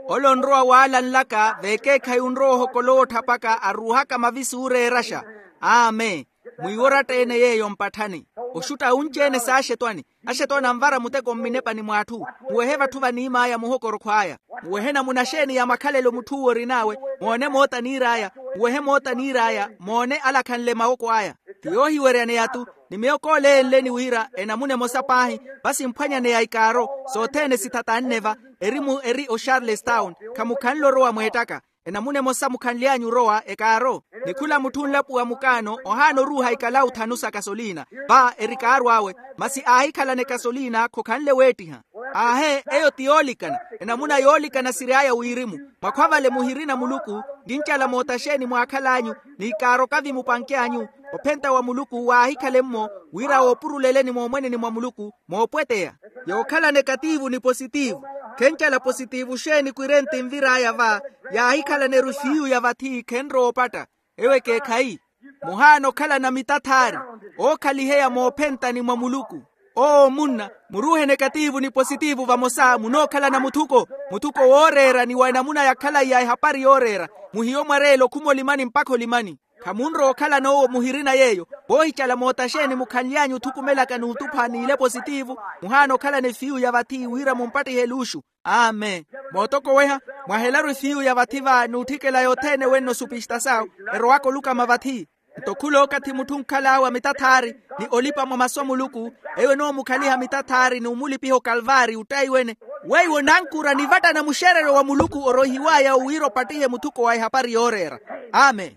Ole onrowa waala nlaka veekeekhayi onrowa ohokola ootthapaka aruuhaka mavisi ooreeraxa. Amen. Mwiiworatta-ene yeeyo mpatthani. Oxutta unci-ene s'axetwani. Axetwani anvara muteko mminepani mw'atthu. Muwehe vatthu vaniim'aya muhokorokho aya. Muwehe namuna xeeni ya makhalelo mutth'uwo orin'awe. Moone moota aniir'aya. Muwehe moota aniir'aya moone alakhanle mawoko aya. Ti yoohiweryaneya-tu. Ni miyo kooleenleni wira enamuna emosa paahi. Vasimphwanyaneya ikaaro. Sothene sithatanne va. Erimu eri o charlestown. Khamukhanle orowa mweettaka. Enamuna emosa mukhanly'anyu orowa ekaaro, ni khula mutthu onlapuwa mukaano ohaana oruuha ikalawu thanu sa kasoliina. Va eri kaaru awe, masi aahikhalana ekasoliina khokhanle weettiha. Aahe, eyo ti yoolikana. Enamuna yoolikana siry'aya wirimu. Mwakhwa vale muhirina muluku. Nkincala moota xeeni mwaakhal'anyu? Ni ikaaroka-vi mupanky'anyu? Ophenta wa muluku waahikhale-mmo, wira woopuruleleni moomweneni mwa muluku, moopweteya. Yookhalana ekatiivu ni positiivu. Khencala positiivu xeeni kwirenti nvir'aya va? Yaahikhalana erufiyu ya vathi khenrowa opatta. Ewo ekeekhayi. Muhaana okhalana mitathaari, ookhaliheya moophentani mwa muluku. Owo munna, muruuheni ekatiivu ni positiivu vamosa munookhalana muthuko. Muthuko wooreera ni wa enamuna ya khalayi ya ehapari yooreera. Muhiye omwareela okhuma olimani mpakha olimani. Khamunrowa okhalana owo muhirina yeeyo. Voohicala moota xeeni mukhanly'anyu othukumelaka n'utupha n'ile positiivu, muhaana okhalana efiyu ya vathi wira mumpattihe eluuxu. Amen. Mootokoweha, mwahelaru efiyu ya vathi va n'utthikela yothene wenno supista sawo, erowaka olukama vathi. Nto khula okathi mutthu onkhal'awe a mitathaari, ni olipa mwa masu a muluku, eyo enoomukhaliha mitathaari ni omulipiha okalvaari ottayi wene. Weiwo onankura ni vattana muxereryo wa muluku oroihiw'aya wira opattihe muthuko wa ehapari yooreera. Amen.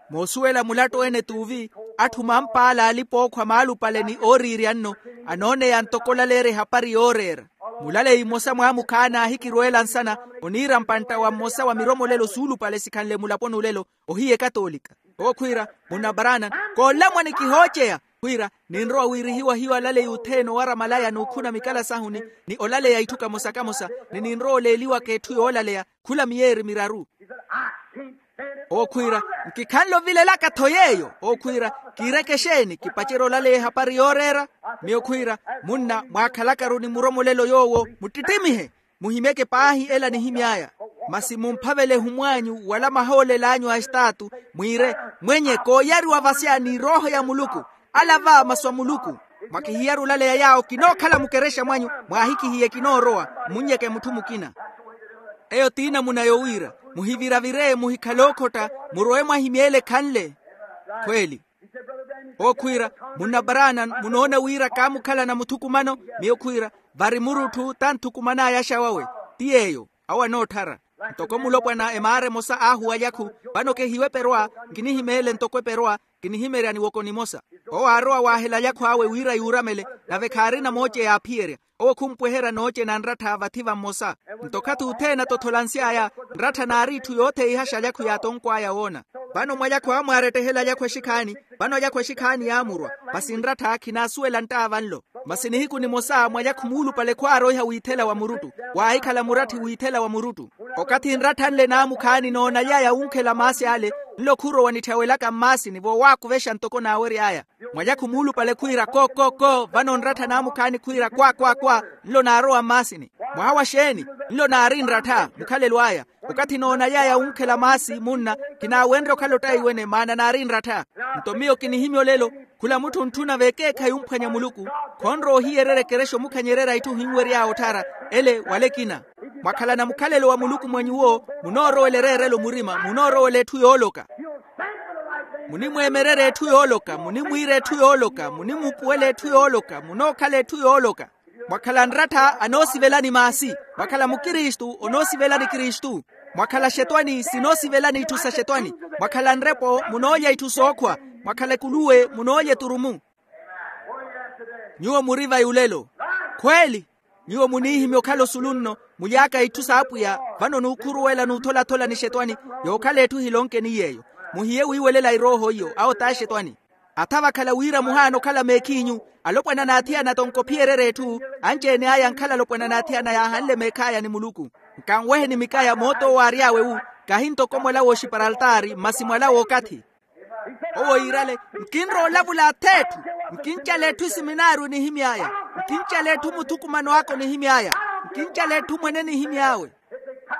Moosuwela mulattu ene t'uvi, atthu mampaala alipa ookhwa maalupale ni ooriirya nno, anooneya ntoko olaleerya ehapari yooreera. Mulaleyi mmosa mwaamukhaana aahikirweela nsana, oniira mpantta wa mmosa wa miromolelo suulupale sikhanle mulaponi olelo, ohiya ekatoolika. Owo khwiira, munna barana, koolamwani kihooceya. Khwiira, ninrowa wiirihiwa hiyo alaleyi othene owara malaya n'ukhuna mikala sahuni, ni olaleya itthu kamosa kamosa, ni ninrowa oleeliwaka etthu yoolaleya, khula miyeeri miraru. Owo khwiira, nkikhanle ovilelaka-tho yeeyo. Owo khwiira, kiireke exeeni kipacerye olaleya ehapari yooreera? Miyo khwiira, munna mwaakhalakaru ni muromolelo yoowo, muttittimmihe. Muhimyeke paahi ela nihimy'aya. Masi mumphavele ehumw'anyu wala mahoolel'anyu a estaatu, mwiire, mwenye kooyariwa vasya ni erooho ya muluku. Ala va masu a muluku. Mwakihiyaru olaleya yaawo kinookhala mukerexa mwanyu, mwaahikihiye kinoorowa, mmunnyeke mutthu mukina. Eyo t'inamuna yowiira, muhiviravire muhikhale okhotta, murowe mwahimyeele ekhanle. Khweeli. Owo khwiira, munna barana, munoona wira kaamukhalana muthukumano? Miyo khwiira, vari murutthu tanthukuman'aya axawawe. Ti yeeyo. Awo anootthara. Ntoko mulopwana emaara emosa aahuwa alyakhwe, vano kehiwe eperwa, nkinihimeele ntoko eperwa, nkinihimerya niwoko nimosa. Owo aarowa waahela alyakhwe awe wira yuuramele, nave khaarina mooce yaaphiyerya. Owo khumpweherya nooce na nrattha vathi va mmosa. Nto okathi othene atotholansy'aya, nrattha naari itthu yootheihaxa alyakhwe yaatonkw'aya woona. Vano mwa alyakhwe awo mwaarettehela alyakhwe exikhaani. Vano alyakhwe exikhaani yaamurwa. Masi nrattha khinaasuwela ntta vanlo. Masi nihiku nimosa mwa alyakhwe muulupale khwaaroiha wiithela wa muruttu. Waahikhala muratthi wiithela wa muruttu. Okathi nrattha nle naamukhaani noonaly'aya wunkhela maasi ale, nlo khurowa nitthawelaka mmaasini voowaakuvexa ntoko naawery'aya. Mwa alyakhwe muulupale khwiira ko ko ko, vano nrattha naamukhaani khwiira kwa kwa kwa. Nlo naarowa mmaasini. Mwaha wa xeeni? Nlo naari nrattha mukhalelo aya. Okathi noonaly'aya wunkhela maasi munna, kinaawenrya okhala ottayi wene maana naari nrattha. Nto miyo kinihimya olelo, khula mutthu ontthuna vekeekhayi omphwanya muluku, khonrowa ohiyererya ekerexa omukhanyererya itthu ohinwery'awe otthara. Ele wala ekina. Mwakhalana mukhalelo wa muluku mwa nyuwo, munoorowela ereerelo murima, munoorowela etthu yooloka. Munimweemererya etthu yooloka, munimwiira etthu yooloka, munimuupuwela etthu yooloka, munookhala etthu yooloka. Mwakhala nrattha anoosivelani maasi. Mwakhala mukristu onoosivelani kristu. Mwakhala xetwani sinoosivelani itthu sa xetwani. Mwakhala nrepo munoolya itthu sookhwa. Mwakhala ekuluwe munoolya eturumu. Nyuwo muri vayi olelo. Khweeli. Nyuwo muniihimya okhala osulu nno, mulyaaka itthu s'apwiya. Vano nuukhuruwela n'utholathola ni xetwani. Yookhala etthu hilonkeni yeeyo. Muhiye wiiwelela erooho iyo awo t'axetwani. Atha vakhala wira muhaana okhala meekhiinyu. Alopwana n'athiyana tonkophiyererya etthu. Anci-ene aya ankhala alopwana n'athiyana yaahanle meekh'aya ni muluku. Nkanweheni mikaya moot'owo aary'awe wu. Kahi ntoko mwala w'oxipara altaari masi mwala w'okathi. Owo yiirale, nkinrowa olavula ath'etthu. Nkincala etthu esiminaario nihimy'aya. Nkincala etthu muthukumano aka onihimy'aya. Nkincala etthu mwene nihimy'awe.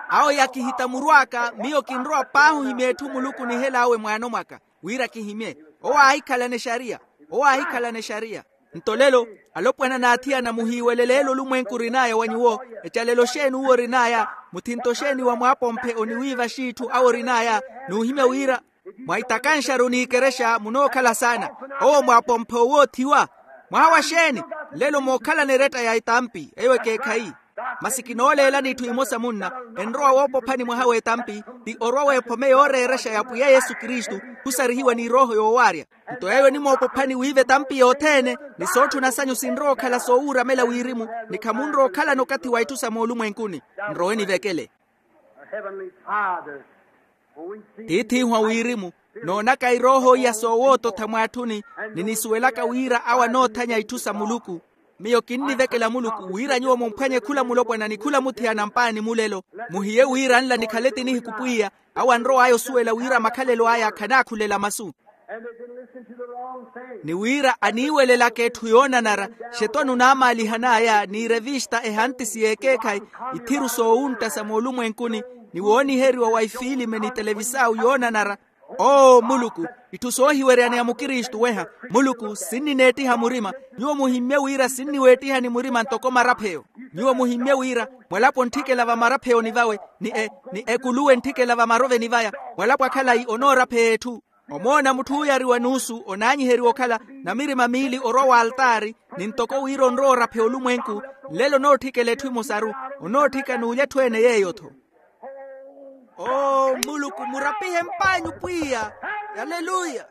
Awo yakihita muru aka miyo kinrowa paahi ohimya etthu muluku onihel'awe mwaano mwaka, wira kihimye. Owo aahikhalana exariya. Owo aahikhalana exariya. Nto lelo, alopwana n'athiyana muhiiwelele elo olumwenku orin'aya wa nyuwo. Ecalelo xeeni uwo orin'aya? Muthinto xeeni wa mwaapomphe oniwiiva xiitthu awo orin'aya? N'uhimya wira mwaitakanxaru n'ikerexa munookhala saana. Owo mwaapomphe owoothiwa. Mwaha wa xeeni? Nlelo mookhalana eretta ya etampi eyo ekeekhayi. Masi kinooleelani itthu imosa munna, enrowa woopophani mwaha w'etampi, ti orwa w'ephome yooreerexa ya pwiya yesu kristu, khusarihiwa ni erooho yoowaarya. Nto eyo enimoopophani wiiva etampi yothene, ni sootthuna sanyu sinrowa okhala soowuuramela wirimu, ni khamunrowa okhalana okathi wa itthu sa moolumwenkuni. Nrowe nivekele. Tiith'ihu a wirimu, noonaka erooho iya soowoototha mwaatthuni, ni nisuwelaka wira awo anoothanya itthu sa muluku. Miyo kinnivekela muluku wira nyuwo mumphwanye khula mulopwana ni khula muthiyana mpaani mulelo. Muhiye wira nla nikhale ti nihiku pwiya, awo anrow'aya osuwela wira makhalelo aya khanaakhulela masu. Ni wira aniiwelelaka etthu yoonanara, xetwani onaamaalihan'aya ni erevista ehantisi y'ekeekhayi, ithiru soowuntta sa moolumwenkuni, ni wooniheriwa wa ifiilime ni televisau yoonanara. Oo muluku, itthu soohiweryaneya mukristu weha. Muluku sinnineettiha murima. Nyuwo muhimmye wira sinniweettihani murima ntoko marapheyo. Nyuwo muhimmye wira mwalapo ontthikela va marapheyoni vawe, ni ekuluwe entthikela va maroveni vaya, mwalapo a khalayi onoorapheya etthu. Omoona mutthu ooyariwa nuusu onaanyiheriwa okhala namirima miili orwa w'altaari, ni ntoko wira onrowa orapheya olumwenku, nlelo onootthikela etthu emosaru, onootthika n'ulya etthu ene yeeyo-tho. Oo muluku murapihe mp'anyu pwiya. Aleluya.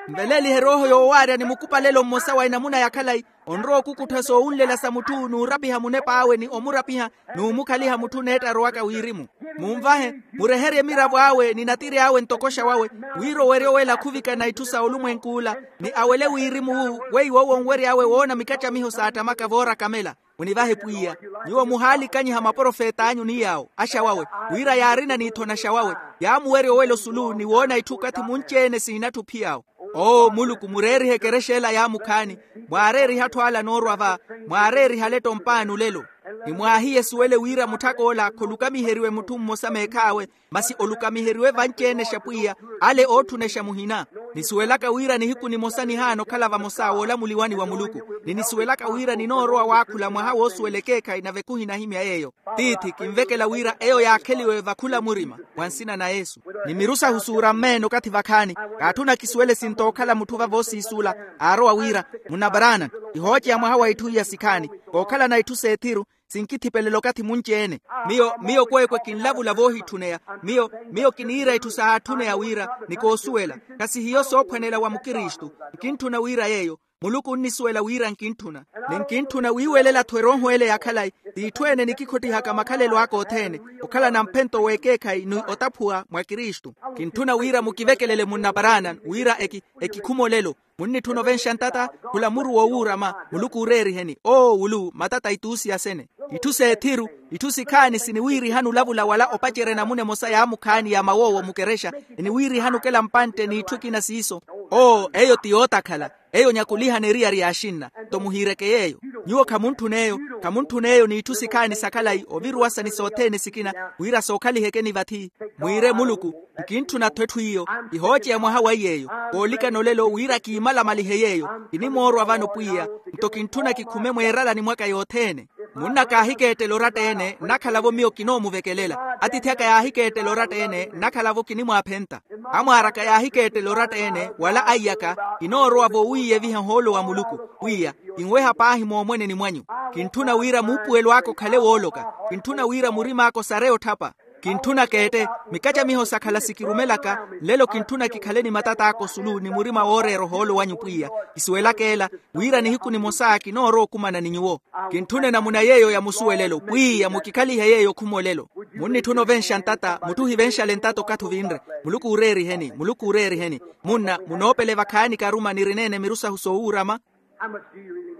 Nveleelihe erooho yoowaarya ni mukupalelo mmosa wa enamuna ya khalayi, onrowa okukuttha soowunlela sa mutthu n'urapiha munep'awe ni omurapiha, n'umukhaliha mutthu neetta arowaka wirimu. Munvahe, mureherye emiravo awe ni natiri awe ntokoxa wawe, wira owerye owela khuvikana itthu sa olumwenk'ula, ni awele wirimu-wu weiwo owo onwery'awe woona mikacamiho saattamaka vooraka mela. Munivahe pwiya. Nyuwo muhaalikanyiha maprofet'anyu ni yaawo axa wawe, wira yaarina n'ithonaxa wawe, yaamuwerya owela osulu ni woona itthu okathi munci-ene siinatthu ophiy'awo. Oo muluku mureerihe ekerexa ela yaamukhaani, mwaareerihe atthu ala anoorwa va, mwaareerihe aletto mpaani olelo. Ni mwaahiye esuwele wira mutthak'ola kholukamiheriwe mutthu mmosa meekh'awe, masi olukamiheriwe vanci-enexa pwiya, ale ootthunexa muhina. Nisuwelaka wira nihiku nimosa nihaana okhala vamosa woolamuliwani wa muluku. Ni nisuwelaka wira ninoorowa waakhula mwaha woosuwela ekeekhayi nave khuhinahimya yeeyo. Tiithi kinvekela wira eyo yaakheliwe vakhula murima, mwa nsina na yesu. Ni miru sahu suura mmeene okathi vakhaani. Kaatthuna kisuwele sinto okhala mutthu vavoosiisuula. Aarowa wira, munna barana, kihooceya mwaha wa itthu iya sikhaani, kookhalana itthu s'ethiru, sinkithipelela okathi munci-ene. Miyo miyo kweekwe kinlavula voohitthuneya. Miyo miyo kiniira itthu sahaatthuneya wira, ni koosuwela, khasihiyo soophwanela wa mukristu. Nkintthuna wira yeeyo. Muluku onnisuwela wira nkintthuna. Ni nkintthuna wiiwelela-tho erooho ele ya khalayi, t'itthu ene nikikhottihaka makhalelo aka othene, okhalana mphento w'ekeekhayi ni otaphuwa mwa kristu. Kintthuna wira mukivekelele munna barana wira eki ekikhuma olelo. Munnitthuna ovenxa ntata, khula muru wowuurama. Muluku ooreeriheni oo wulu matata ituusi asene. Itthu s'ethiru, itthu sikhaani siniwiirihani olavula wala opacerya enamuna emosa yaamukhaani ya mawoowo mukerexa, eniwiirihani okela mpantte n'itthu ekina siiso. Oo eyo ti yootakhala. Eyo nyakulihana eriyari y'axinna. Nto muhiireke yeeyo. Nyuwo khamuntthun'eyo. Khamuntthun'eyo n'itthu sikhaani sa khalayi oviruwasa ni sothene sikina, wira sookhalihekeni vathi. Mwiire muluku, nkintthuna-tho etthu iyo. Kihooceya mwaha wa iy'eyo. Koolikana olelo wira kiimalamalihe yeeyo. Kinimoorwa vano pwiya. Nto kintthuna kikhume mweeralani mwaka yothene. Munna kaahikeettela oratta-ene nnakhala-vo miyo kinoomuvekelela. Atiithi aka yaahikeettela oratta-ene nnakhala-vo kinimwaaphenta. Amwaar'aka yaahikeettela oratta-ene wala aiy'aka. Kinoorowa-vo wiiyeviha ohoolo wa muluku. Pwiya, kinweha paahi moomweneni mwanyu. Kintthuna wira muupuwelo aka okhale wooloka. Kintthuna wira murim'aka osareye otthapa. Kintthuna keette. Mikacamiho sakhala sikirumelaka. Nlelo kintthuna kikhale ni matat'aka osulu ni murima wooreera ohoolo wanyu pwiya. Kisuwelaka ela, wira nihiku nimosa kinoorowa okumana ni nyuwo. Kintthuna enamuna yeeyo ya musuwelelo pwiya mukikhalihe yeeyo okhuma olelo. Munnitthuna ovenxa ntata mutthu ohivenxale ntata okathi ovinre. Muluku ooreeriheni muluku ooreeriheni. Munna munoopele vakhaani karuma nirineene miru sahu sowuurama.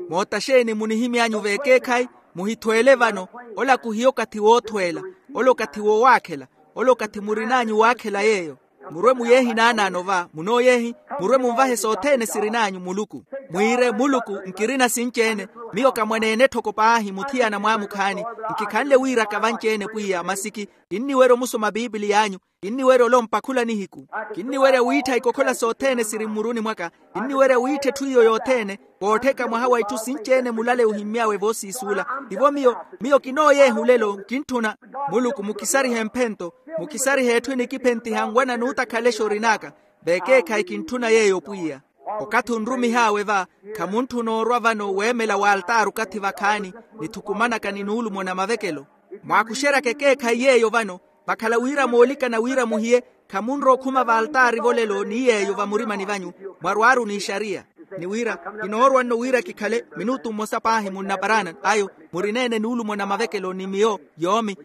Mootta xeeni munihimy'anyu v'ekeekhayi? Muhithweele vano. Ola khuhiya okathi woothweela. Ola okathi wowaakhela. Ola okathi murin'anyu waakhela yeeyo. Murwe muyeehi naanaano va munooyeehi. Murwe munvahe sothene sirin'anyu muluku. Mwiire muluku nkirina sinci-ene. Miyo kamwaneene etthoko paahi muthiyana mwaamukhaani. Nkikhanle wiiraka vanci-ene pwiya masi ki kinniwerya omusoma pipiliy'anyu. Kinniwerya olompha khula nihiku. Kinniwerya wiittha ikokhola sothene siri mmuruni mwaka. Kinniwerya wiittha etthu iyo yothene. Koottheka mwaha wa itthu sinci-ene mulale ohimmy'awe voosiisuula. Tivo miyo. Miyo kinooyeeha olelo nkintthuna. Muluku mukisarihe mphento. Mukisarihe etthu enikiphentiha nwana n'utakhalexa orin'aka. V'ekeekhayi kintthuna yeeyo pwiya. Okathi onrumih'awe va. Khamuntthuna orwa vano weemela w'altaari okathi vakhaani. Nithukumanaka ni nuulumo na mavekelo. Mwaakuxeryaka ekeekhayi yeeyo vano, vakhala wira moolikana wira muhiye, khamunrowa okhuma valtaari volelo ni yeeyo vamurimani vanyu, mwarwaaru n'ixariya. Ni wira, kinoorwa nno wira kikhale minutu mmosa paahi munnaparaana ayo, murineene nuulumo na mavekelo ni miyo yoomi.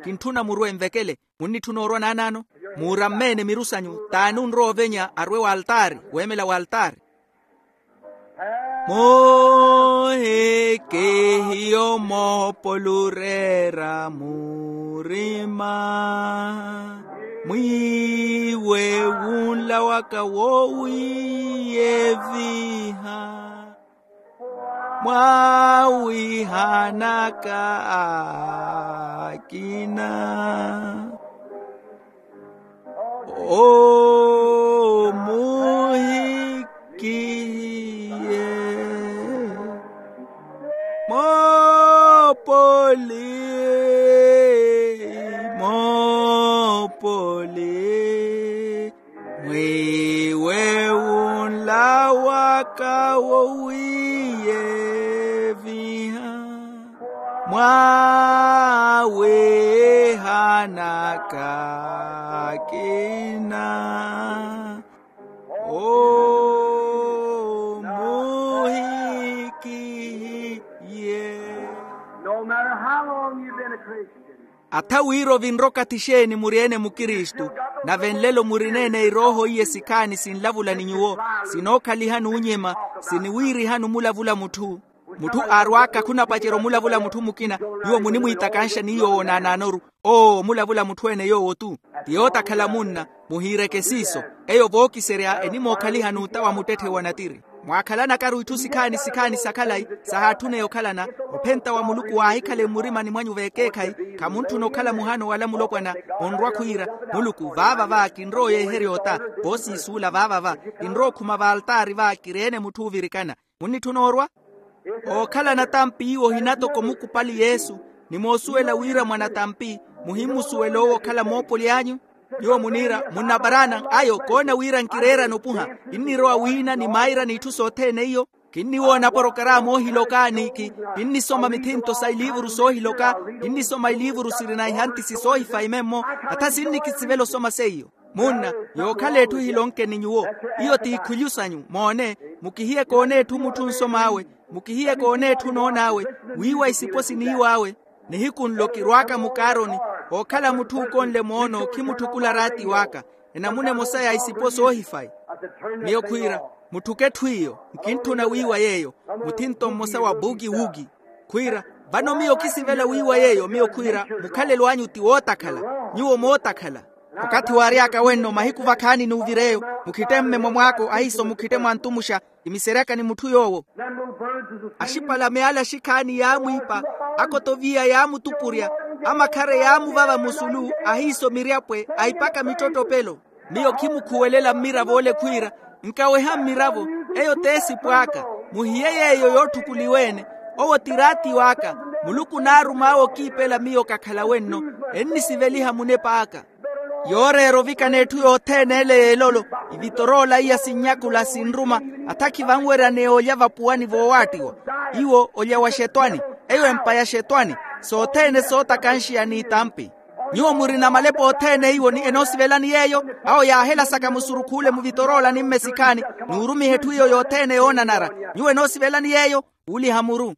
Kintthuna murwe nvekele. Munnitthuna orwa naanaano, muurammeene miru sanyu t'ani onrowa ovenya arwe waltaari, weemela waltaari. Moohekehiyo moopolureera murima, mwiiwe wunla waka woowiyeviha. Mwaawihanaka akina omuhikihiye. Moopoli, moopoli, mwiiwe wunla waka wowiyeviha, mwaawihanaka akina omuhikihiye. No matter how long you've been a Christian. Atha wira ovinre okathi xeeni muri-ene mukristu, nave nlelo murineene irooho iye sikhaani sinlavula ni nyuwo, sinookhaliha n'unyema, siniwiirihani omulavula mutthu. Mutthu aarwaaka khunapacerya omulavula mutthu mukina, nyuwo munimwiitakanxa ni yoowo naanaanoru. Owo omulavula mutthu-ene yoowo-tu. Ti yootakhala munna, muhiireke siiso. Eyo vookiserya enimookhaliha n'uta wa muttetthe wa natiri. Mwaakhalanakaru itthu sikhaani sikhaani sa khalayi, sahaatthune okhalana. Ophenta wa muluku waahikhale mmurimani mwanyu v'ekeekhayi. Khamuntthuna okhala muhano wala mulopwana, onrwa khwiira, muluku vaava va kinrowa oyeeherya ota. Voosiisuula vaava va, kinrowa okhuma valtaari va kireene mutthu oovirikana. Munnitthuna orwa? Ookhalana tampi iwo ohinatoko mukupali yesu, ni moosuwela wira mwanatampi, muhimmusuwela owo okhala moopoli anyu. Nyuwo muniira munnaparaana ayo koona wira nkireerana opuha. Kinnirowa wiina ni maira n'itthu sothene iyo. Kinniwoona aporokaraamu oohiloka ni kinnisoma mithinto sa iliivuru soohiloka. Kinnisoma iliivuru sirina ihantisi soohifayi memmo. Atha sinnikisivela osoma seiyo. Munna, yookhala etthu ehilonke ni nyuwo. Iyo ti ikhulyu sanyu moone. Mukihiye koona etthu mutthu nsom'awe. Mukihiye koona etthu noon'awe. Wiiwa isipo siniiw'awe. Nihiku nlo kirwaaka mukaaroni, ookhala mutthu ukonle moono khimutthukula raati w'aka. Enamuna emosa ya isipo soohifayi. Miyo khwiira, mutthuke etthu iyo. Nkintthuna wiiwa yeeyo. Muthinto mmosa wa buki wuki. Khwiira, vano miyo kisivela wiiwa yeeyo. Miyo khwiira, mukhalelo anyu ti wootakhala. Nyuwo mootakhala. Okathi waary'aka wenno mahiku vakhaani n'uvir'eyo, mukhitte mmemo mw'ako ahiiso mukhitte mwantumuxa. Kimiseryaka ni mutthu yoowo. Axipala meala axikhaani yaamwiipa. Akotoviya yaamutupurya. Amakhare yaamuvava musulu. Ahiiso miryapwe ahipaka mittottopelo. Miyo khimukhuwelela mmiravo ole khwiira, nkaweha mmiravo. Eyo t'esipo aka. Muhiye yeeyo yootthukuliwa-ene. Owo ti raati w'aka. Muluku naarum'awe okiipela miyo kakhala wenno. Ennisiveliha munep'aka. Yooreera ovikana etthu yothene ele y'elolo. Ivitoroola iya sinnyakula sinruma. Atha khivanweryaneya olya vapuwani voowaattiwa. Iwo olya wa xetwani. Eyo empa ya xetwani. Sothene sootakanxiya n'itampi. Nyuwo murina malepo othene iwo ni enoosivelani yeeyo. Awo yaahelasaka musurukhu ole muvitoroola ni mmesikhaani. N'urumiha etthu iyo yothene yoonanara. Nyuwo enoosivelani yeeyo. Uuliha muru.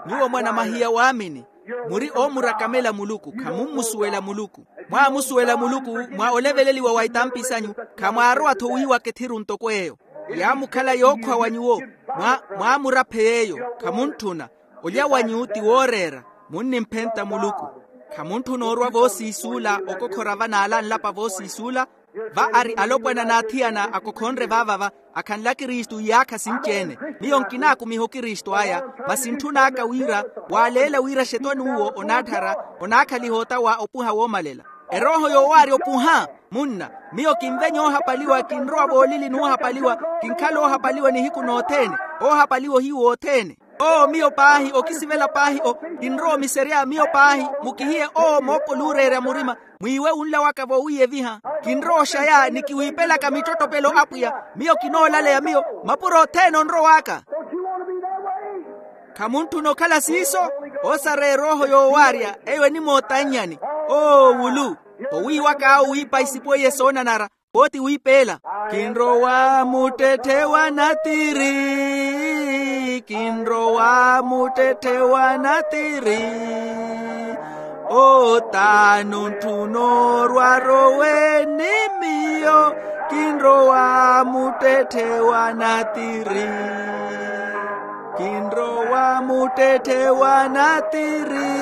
Nyuwo mwanamahiya waamini. Muri oomurakamela muluku khamummusuwela muluku. Mwaamusuwela muluku. Mwa oleveleliwa wa itampi sanyu. Khamwaarowa-tho wiiwaka ethiru ntoko eyo. Yaamukhala yookhwa wa nyuwo. Mwa mwaamuraphe yeeyo. Khamuntthuna. Olya wanyu ti wooreera. Munnimphenta muluku. Khamuntthuna orwa voosiisuula okokhora vanaala nlapa voosiisuula. Va ari alopwana n'athiyana akokhonre vaavava. Akhanle akristu iyaakha sinci-ene. Miyo nkinaakumiha okristu aya. Masi ntthun'aka wira waaleela wira xetwani uwo onaatthara. Onaakhaliha ota wa opuha woomalela. Erooho yoowaarya opuha. Munna, miyo kinvenya oohapaliwa kinrowa voolili n'uhapaliwa. Kinkhala oohapaliwa nihiku nothene. Oohapaliwa ohiyu wothene. Oo miyo paahi okisivela paahi o. Kinrowa omiserya miyo paahi. Mukihiye oo moopoluureerya murima. Mwiiwe wunla waka voowiyeviha. Kinrowa oxaya ni kiwiipelaka mittottopelo apwiya. Miyo kinoolaleya miyo. Mapuro othene onrow'aka. Khamuntthuna okhala siiso. Osareya erooho yoowaarya eyo enimootannyani. Oo wulu, owiiwak'awe wiipa isipo iye soonanara. Pooti wiipeela. Kinrowa muttetthe wa natiri. Kinrowa muttetthe wa natiri. Otaani ontthu onoorwa arowe ni miyo. Kinrowa muttetthe wa natiri. Kinrowa muttetthe wa natiri.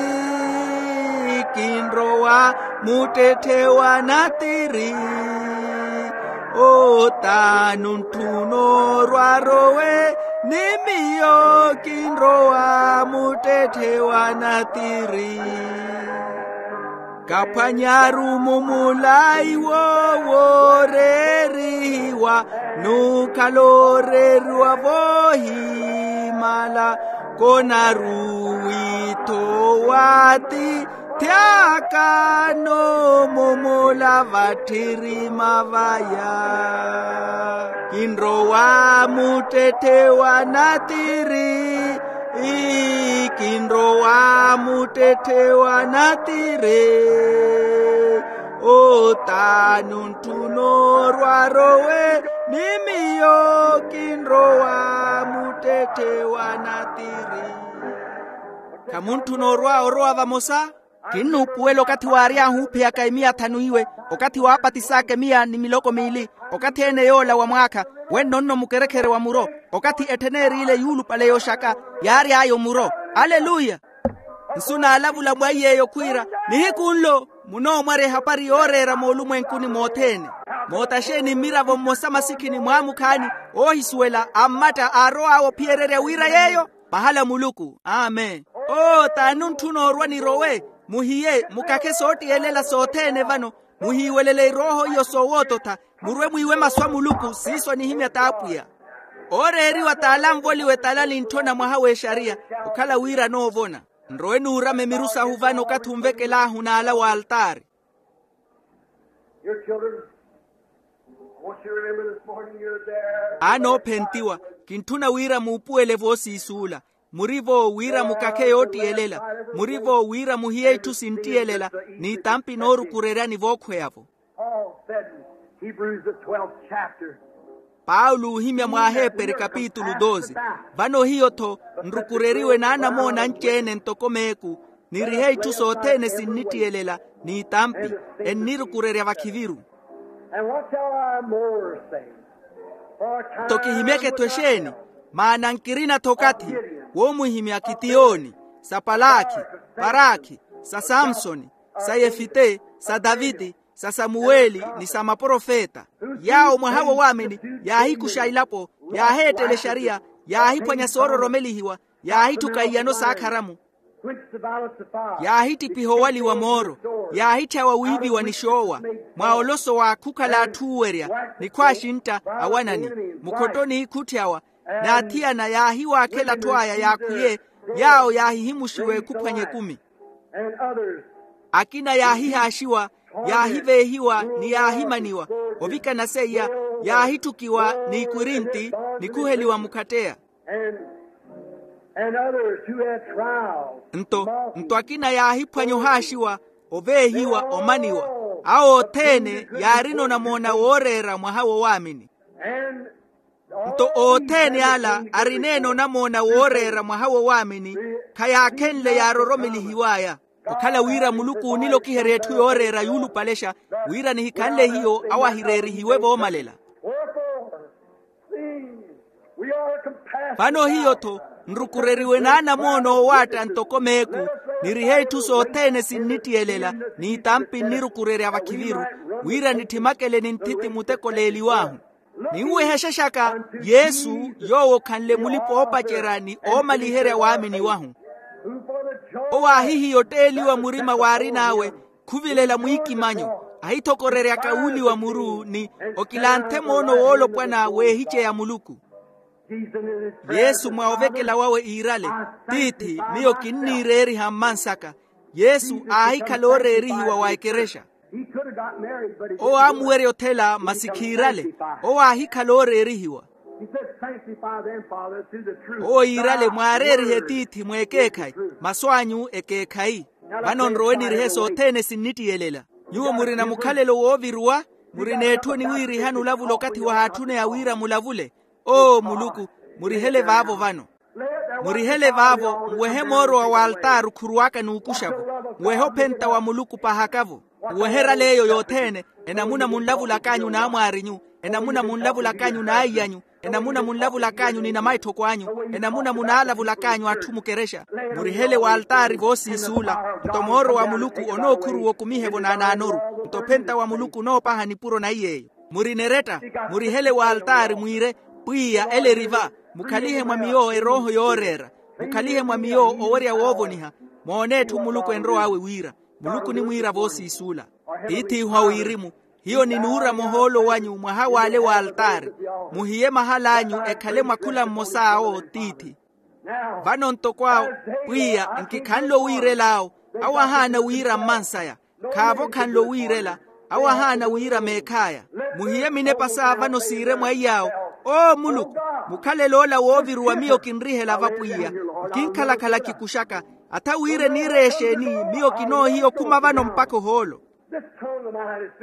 Kinrowa muttetthe wa natiri. Otaani ontthu onoorwa arowe ni miyo. Kinrowa muttetthe wa natiri. Kaphwanyaru mumulayi wooreerihiwa, n'ukhala ooreeriwa voohimala. Konaru witho wa atiithi aka n'umumula vatthirima vaya. Kinrowa muttetthe wa natiri. Kinrowa muttetthe wa natiri. Otaani ontthu onoorwa arowe ni miyo. Kinrowa muttetthe wa natiri. Khamuntthuna orwa orowa vamosa? Kinnuupuwela okathi waary'ahu oophiyaka emiya thanu iwe, okathi waapatis'aka emiya ni miloko miili, okathi-ene yoola wa mwaakha, wenno nno mukerekhere wa muro. Okathi etthen'eriile yuulupale yooxaka, yaary'aya omuro. Aleluya. Nsu naalavula mwaiy'eyo khwiira, nihiku nlo munoomwarya ehapari yooreera moolumwenkuni mothene. Moota xeeni mmiravo mmosa masikhini mwaamukhaani, oohisuwela ammatta aarow'awe ophiyererya wira yeeyo? Pahala muluku. Amen. Oo t'ani ontthuna orwa nirowe? Muhiye mukakhe soottiyelela sothene vano. Muhiiwelele irooho iyo soowoototha. Murwe mwiiwe masu a muluku siiso anihimya t'apwiya. Ooreeriwa t'ala anvoliwa etala nintthona mwaha w'exariya, okhala wira anoovona. Nrowe nuurame miru sahu vano okathi onvekel'ahu n'ala w'altaari. Your children, I want you to remember this morning you're there. Aana oophentiwa, kintthuna wira muupuwele voosiisuula. Muri-vo wira mukakhe yoottiyelela. Muri-vo wira muhiye itthu sinttiyelela, n'itampi noorukureryani vookhweya-vo. Paul said in Hebrews, the twelfth chapter. Paulo oohimya mw'aheperi kapitulu doze. Vano hiyo-tho nrukureriwe n'anamoona anci-ene ntoko meeku, nirihe itthu sothene sinnittiyelela, n'itampi ennirukurerya vakhiviru. And what shall I more say? For a time. Nto kihimyeke-tho exeeni? Maana nkirina-tho okathi woomwihimya Kitiyoni, sa Palakhi, Parakhi, sa Samsoni, sa Yefite, sa Taviti, sa Samuweli, ni sa maprofeta. Yaawo mwaha wo waamini, yaahikuxa ilapo, yaaheettela exariya, yaahiphwanya soororomelihiwa, yaahitthuka iyano s'akharamu. Quenched the violence of fire. Yaahittiphiha owaliwa mooro, yaahitthyawa wiiviwa ni xoowa. Mwa olosowa khukhala atthu oowerya, ni khwaaxintta, awanani, mukhottoni khutthiyawa. N'athiyana yaahiwaakhela atthu aya yaakhwiye, yaawo yaahihimuxiwa ekhuphwanya ekumi. And others. Akina yaahihaaxiwa, yaahiveehiwa, ni yaahimaniwa. Ovikana seiya, yaahitthukiwa n'ikwirinti, ni khuheliwa mukhatteya. And, and others who had trials. Nto, nto akina yaahiphwanya ohaaxiwa, oveehiwa, omaniwa. Awo othene yaarina onamoona wooreera mwaha wo waamini. And. Nto othene ala arineene onamoona wooreera mwaha wo waamini, khayaakhenle yaaroromelihiw'aya. Okhala wira muluku oonilokiherya etthu yooreera yuulupalexa, wira nihikhanle hiyo awo ahireerihiwe voomalela. Wherefore, seeing we are compassed. Vano hiyo-tho nrukureriwe n'anamoona oowaatta ntoko meeku, nirihe itthu sothene sinnittiyelela, n'itampi nnirukurerya vakhiviru, wira nitthimakele ni nthithi muteko leeliw'ahu. Ninwehexexaka yesu, yoowo okhanle mulipa-oopacerya ni oomaliherya waamini wahu. Owo aahihiya otteeliwa murima waarin'awe, khuvilela mwiikimanyo, ahithokoreryaka wuuliwa muru ni okilanthe moono woolopwana w'ehice ya muluku. Yesu mwa ovekela wawe iirale, tiithi, miyo kinniireeriha mmansaka. Yesu aahikhala ooreerihiwa wa ekerexa. Owo aamuwerya othela masi khiirale. Owo aahikhala ooreerihiwa. Sanctify them, Father, through the truth. Owo yiirale, mwaareerihe tiithi mweekeekhayi, masu anyu ekeekhayi. Vano nrowe nirihe sothene sinnittiyelela. Nyuwo murina mukhalelo wooviruwa, murina etthu eniwiirihani olavula okathi wahaatthune ya wira mulavule. Oo muluku, murihele vaavo vano. Murihele vaavo, nwehe mooro wa waltaari okhuruwaka n'ukuxa-vo. Nwehe ophenta wa muluku pahaka-vo. Nwehe erala eyo yothene, enamuna munlavulak'anyu n'amwaarinyu, enamuna munlavulak'anyu n'aiy'anyu, enamuna munlavulak'anyu ni namaitthoko anyu, enamuna munaalavulak'anyu atthu mukerexa. Murihele waltaari voosiisuula. Nto mooro wa muluku onookhuruwa okumihe-vo naanaanoru. Nto ophenta wa muluku onoopaha nipuro na iy'eyo. Murina eretta, murihele waltaari mwiire, pwiya ele eri va. Mukhalihe mwa miyo erooho yooreera. Mukhalihe mwa miyo owerya woovoniha. Moone etthu muluku enrow'awe wira. Muluku onimwiira voosiisuula. Tiith'ihu a wirimu, hiyo ninuura muhoolo wanyu mwaha w'ale waltaari. Muhiye mahal'anyu ekhale mwa khula mmosa awo tiithi. Vano ntoko awo, pwiya, nkikhanle owiirel'awo. Awo ahaana wira mmansaya. Khaavo okhanle owiirela. Awo ahaana wira meekh'aya. Muhiye minepa sa vano siire mwa iy'awo. Oo muluku, mukhalel'ola wooviruwa miyo kinrihela va pwiya. Nkinkhalakhala kikuxaka. Atha wira eniireya exeeni? Miyo kinoohiya okhuma vano mpakha ohoolo.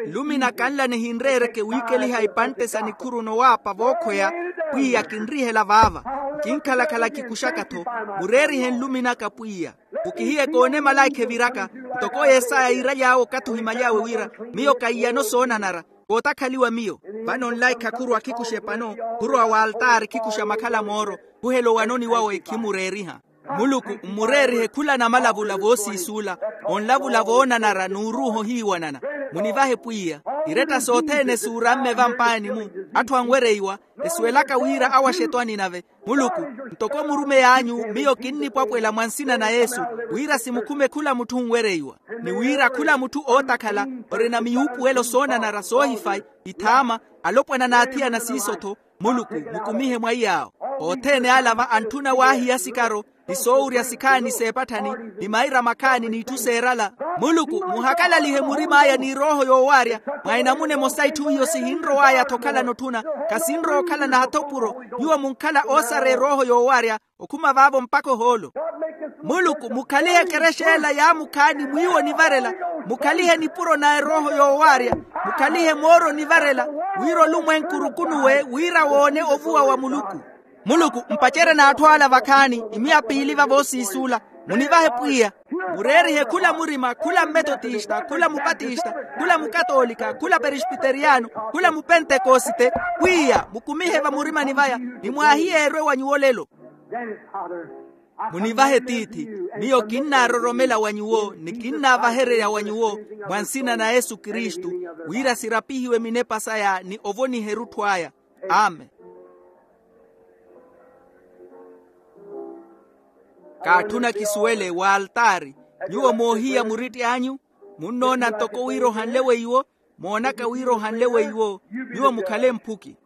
Nlumina kanla nihinreereke wiikeliha ipantte sa nikhuru nowaapa vookhweya. Pwiya kinrihela vaava. Nkinkhalakhala kikuxaka-tho. Mureerihe nlumin'aka pwiya. Mukihiye koone malaikha eviraka. Ntoko yesaya yiiraly'awe okathi ohimaly'awe wira, miyo kaiyano soonanara. Kootakhaliwa miyo. Vano nlaikha khurowa khikuxa epano. Khurowa waltaari khikuxa makhala mooro. Khuhela owanoni wawe khimureeriha. Muluku mmureerihe khula namalavula voosiisuula. Onlavula voonanara n'uruuha ohiiwanana. Munivahe pwiya. Iretta sothene suuramme vampaani-mu. Atthu anwereiwa. Esuwelaka wira awaxe etwani nave. Muluku, ntoko murumeyi anyu miyo kinnipwapwela mwa nsina na yesu, wira simukhume khula mutthu onwereiwa. Ni wira khula mutthu ootakhala, orina miyuupuwelo soonanara soohifayi, ithaama, alopwana n'athiyana siiso-tho. Muluku, mukumihe mwa iy'awo. Othene ala va antthuna waahiya sikaro, ni soowurya sikhaani s'epatthani, ni maira makhaani n'itthu seerala. Muluku, muhakalalihe murim'aya n'irooho yoowaarya. Mwa enamuna emosa itthu hiyo sihinrow'aya-tho okhalana otthuna. Khasinrowa okhalana hatha opuro. Nyuwo munkhala oosareya erooho yoowaarya, okhuma vaavo mpakha ohoolo. Muluku, mukhalihe ekerexa ela yaamukhaani mwiiwo onivarela. Mukhalihe nipuro na erooho yoowaarya. Mukhalihe mooro onivarela, wira olumwenku orukunuwe wira woone ovuwa wa muluku. Muluku, mpacerye n'atthu ala vakhaani, imiya piili va voosiisuula. Munivahe pwiya. Mureerihe khula murima, khula mmetotista, khula mupatista, khula mukatoolika, khula perispiteriyano, khula mupentekosite. Pwiya, mukumihe vamurimani vaya, ni mwaahiyeerwe wa nyuwo olelo. Munivahe tiithi, miyo kinnaaroromela wa nyuwo ni kinnaavahererya wa nyuwo, mwa nsina na yesu kristu, wira sirapihiwe minepa saya ni ovoniha erutthu aya. Amen. Kaatthuna kisuwele w'altaari. Nyuwo moohiya muritti anyu, munnoona ntoko wira ohanle weiwo. Moonaka wira ohanle weiwo. Nyuwo mukhale mphuki.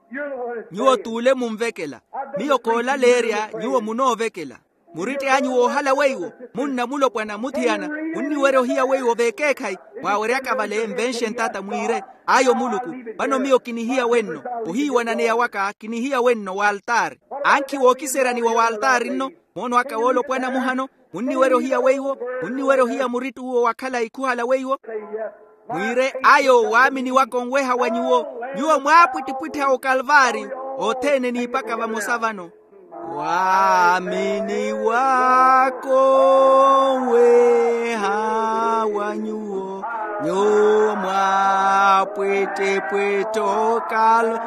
Nyuwo t'ule munvekela. Miyo koolaleerya nyuwo munoovekela. Muritti anyu woohala weiwo, munna mulopwana muthiyana, munniwerya ohiya weiwo veekeekhayi. Mwaaweryaka vale nvenxe ntata mwiire. Ayo muluku, vano miyo kinihiya wenno. Ohiiwananeya waka kinihiya wenno w'altaari. Ankhi wookiseryani wa w'altaari nno. Moono aka woolopwana muhano, munniwerya ohiya weiwo. Munniwerya ohiya muritti uwo wakhala ikhuhala weiwo. Mwiire ayo waamini waka onweha wa nyuwo. Nyuwo mwaapwittipwitthi a okalvaari, othene niipaka vamosa vano. Waamini waka onweha wa nyuwo, nyuwo mwaapwittipwitthi okalvaari.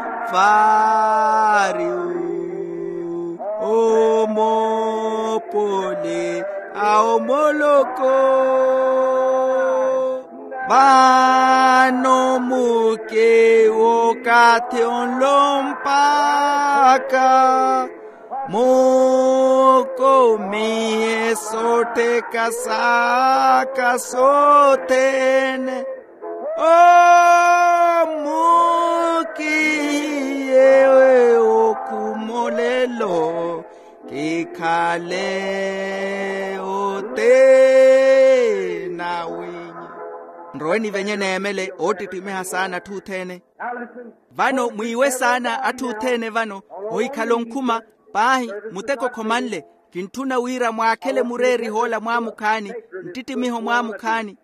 Omoopole a omoloko. Vano mukewo okathi onlo mpakha mukumihe sottheka saka sothene. Omukihiye okhumolelo kikhale othene awenyu. Nrowe nivenye neemele oottittimiha saana atthu othene. Vano mwiiwe saana atthu othene vano, ohikhala onkhuma. Paahi, muteko khomanle. Kintthuna wira mwaakhele mureeri hoola mwaamukhaani, nttittimiho mwaamukhaani.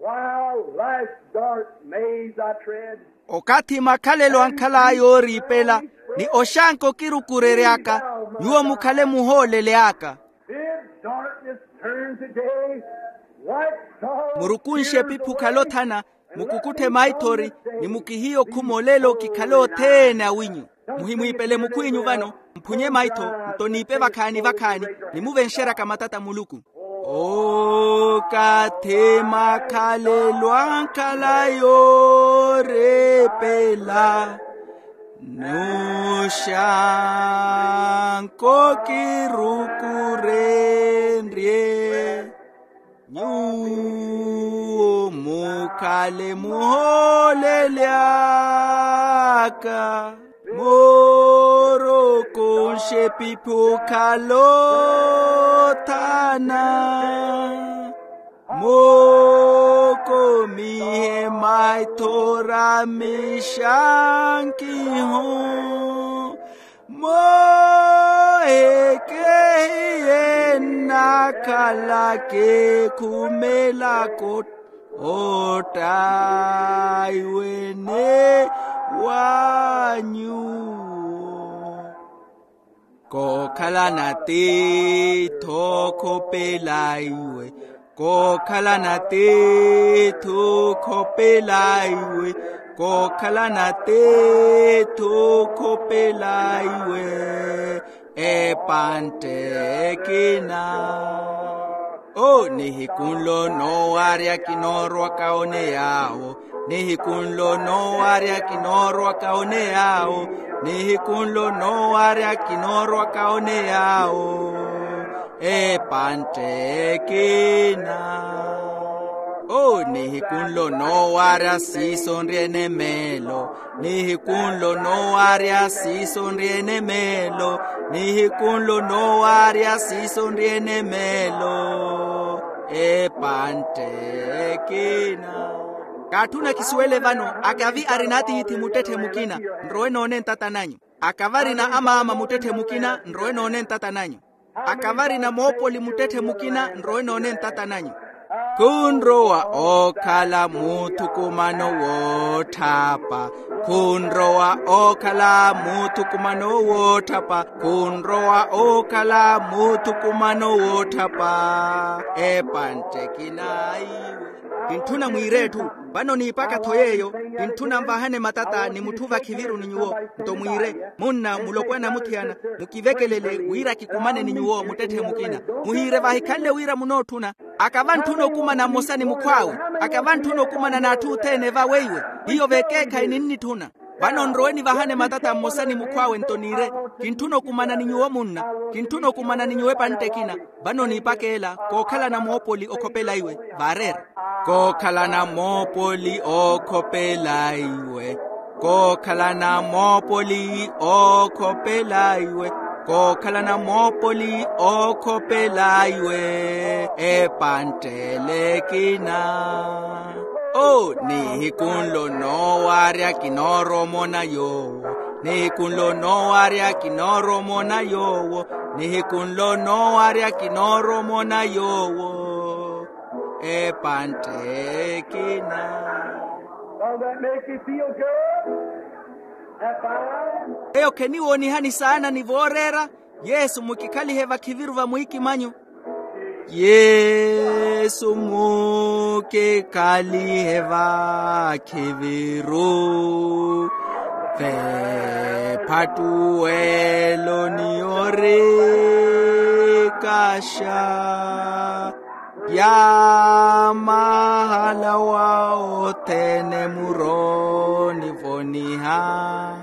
While life's dark maze I tread. Okathi makhalelo ankhalaya ooriipela, ni oxanka okirukurery'aka, nyuwo mukhale muhoolele aka. Bid darkness turn to day, like sorrow. Murukunshe epiphi okhale othana, mukukutthe maithori, ni mukihiye okhuma olelo kikhale othene awinyu. Muhimwiipele mukhw'inyu vano, mphunye maitho, nto niipe vakhaani vakhaani, nimuvenxeryaka matata a Muluku. Okathi makhalelo ankhala yooreepela, n'uxanka okirukurenrye. Nyuwo mukhale muhoolele aka, murukunshe epiphi okhale othana, mukumihe maithori a mixankiho. Moohekehiye nnakhalaka ekhumela kootta, oottaiwene wa nyuwo. Kookhalana tiithi okhopela iwe, kookhalana tiithi okhopela iwe, kookhalana tiithi okhopela iwe, epantte ekina. O nihiku nlo noowarya kinoorwaka one yaawo, nihiku nlo noowarya kinoorwaka one yaawo, nihiku nlo noowarya kinoorwaka one yaawo, epantte ekina. O nihiku nlo noowarya siiso nri enemeelo, nihiku nlo noowarya siiso nri enemeelo, nihiku nlo noowarya siiso nri enemeelo, epantte ekina. Kaatthuna kisuwele vano, akavi arina atiithi muttetthe mukina, nrowe noone ntata nanyu. Akavi arina amaama muttetthe mukina, nrowe noone ntata nanyu. Akavi arina moopoli muttetthe mukina, nrowe noone ntata nanyu. Khunrowa ookhala muuthukumano wootthapa, khunrowa ookhala muuthukumano wootthapa, khunrowa ookhala muuthukumano wootthapa, epantte ekina iwe. Kintthuna mwiire etthu, vano niipaka-tho yeeyo. Kintthuna nvahane matata ni mutthu vakhiviru ni nyuwo, nto mwiire, munna, mulopwana, muthiyana, mukivekelele wira kikumane ni nyuwo muttetthe mukina. Muhiire vahikhanle wira munootthuna. Akavi antthuna okumana mmosa ni mukhw'awe, akavi antthuna okumana n'atthu othene vawe iwe, hiyo vekeekhayi ninnitthuna. Vano nrowe nivahane matata mmosa ni mukhw'awe nto niire, kintthuna okumana ni nyuwo munna, kintthuna okumana ni nyuwo epantte ekina. Vano niipaka ela kookhalana moopoli okhopela iwe, vaareera. Kookhalana moopoli okhopela iwe, kookhalana moopoli okhopela iwe, kookhalana moopoli okhopela iwe, epantte ele ekina. O nihiku nlo noowarya kinoorwa omona yoowo, nihiku nlo noowarya kinoorwa omona yoowo, nihiku nlo noowarya kinoorwa omona yoowo, epantte ekina. Don't that make you feel good? That fine? Eyo kheniwoonihani saana ni vooreera. Yesu, mukikhalihe vakhiviru va mwiikimanyu. Yesu, mukikhalihe vakhiviru, v'ephattuwelo ni orikaxa ya mahala wa othene muroonivoniha.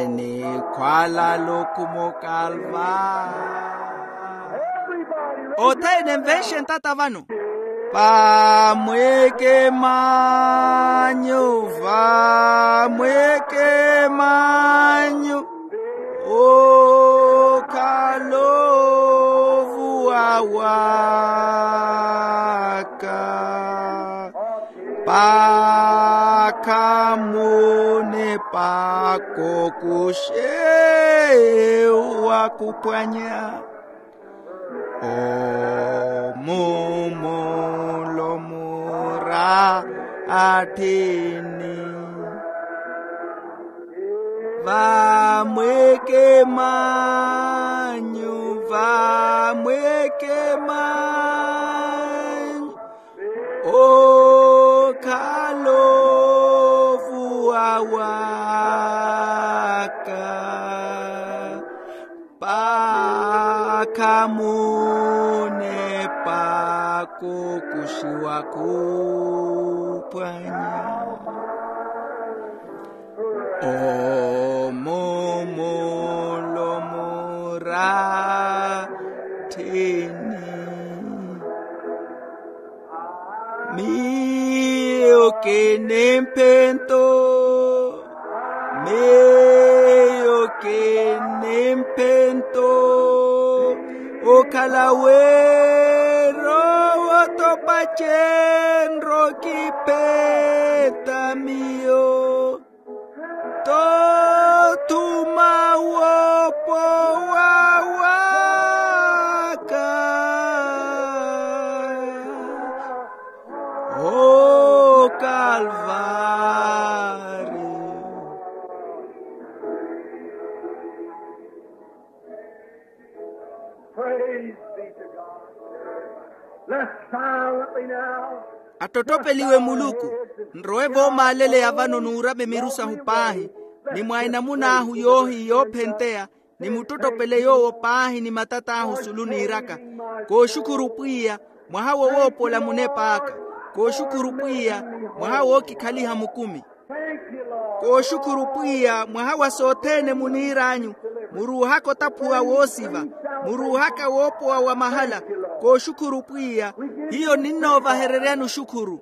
Enikhwalala okhuma okalva. Othene nvenxe ntata vano. Vamwekemanyu, vamwekemanyu, okhala ovuwa wa Paakha munepa kokushe wakuphwanya omumulomura atthini. Vamweke manyu, vamweke manyu, okhala ovuwa waka. Paakha munepa kokushiwa kuphwanya omumulomura atthini. Miyo kinimphento, miyo kinimphento, okhala wira owo topace enrokiphenta miyo. Tothuma wopowa waka okalvari. Praise be to God. Let's silently now. Attottopeliwe Muluku. Nrowe voomaaleleya vano nuurame miru sahu paahi, ni mwa enamun'ahu yoohi yoophenteya, nimuttottopele yoowo paahi ni matat'ahu sulu niiraka. Kooxukhuru pwiya, mwaha wo woopola munep'aka. Kooxukhuru pwiya, mwaha wookikhaliha mukumi. Kooxukhuru pwiya, mwaha wa sothene muniir'anyu, muruuhaka otaphuwa woosiva, muruuhaka woopowa wa mahala. Kooxukhuru pwiya, hiyo ninnoovahereryani oxukhuru.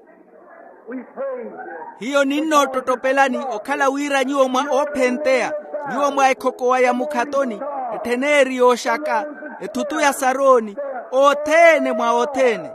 Hiyo ninnoottottopelani okhala wira nyuwo mwa oophenteya, nyuwo mwa ekhokowa ya mukhatoni, ettheneri yooxaka, ethutu ya sarooni, othene mwa othene.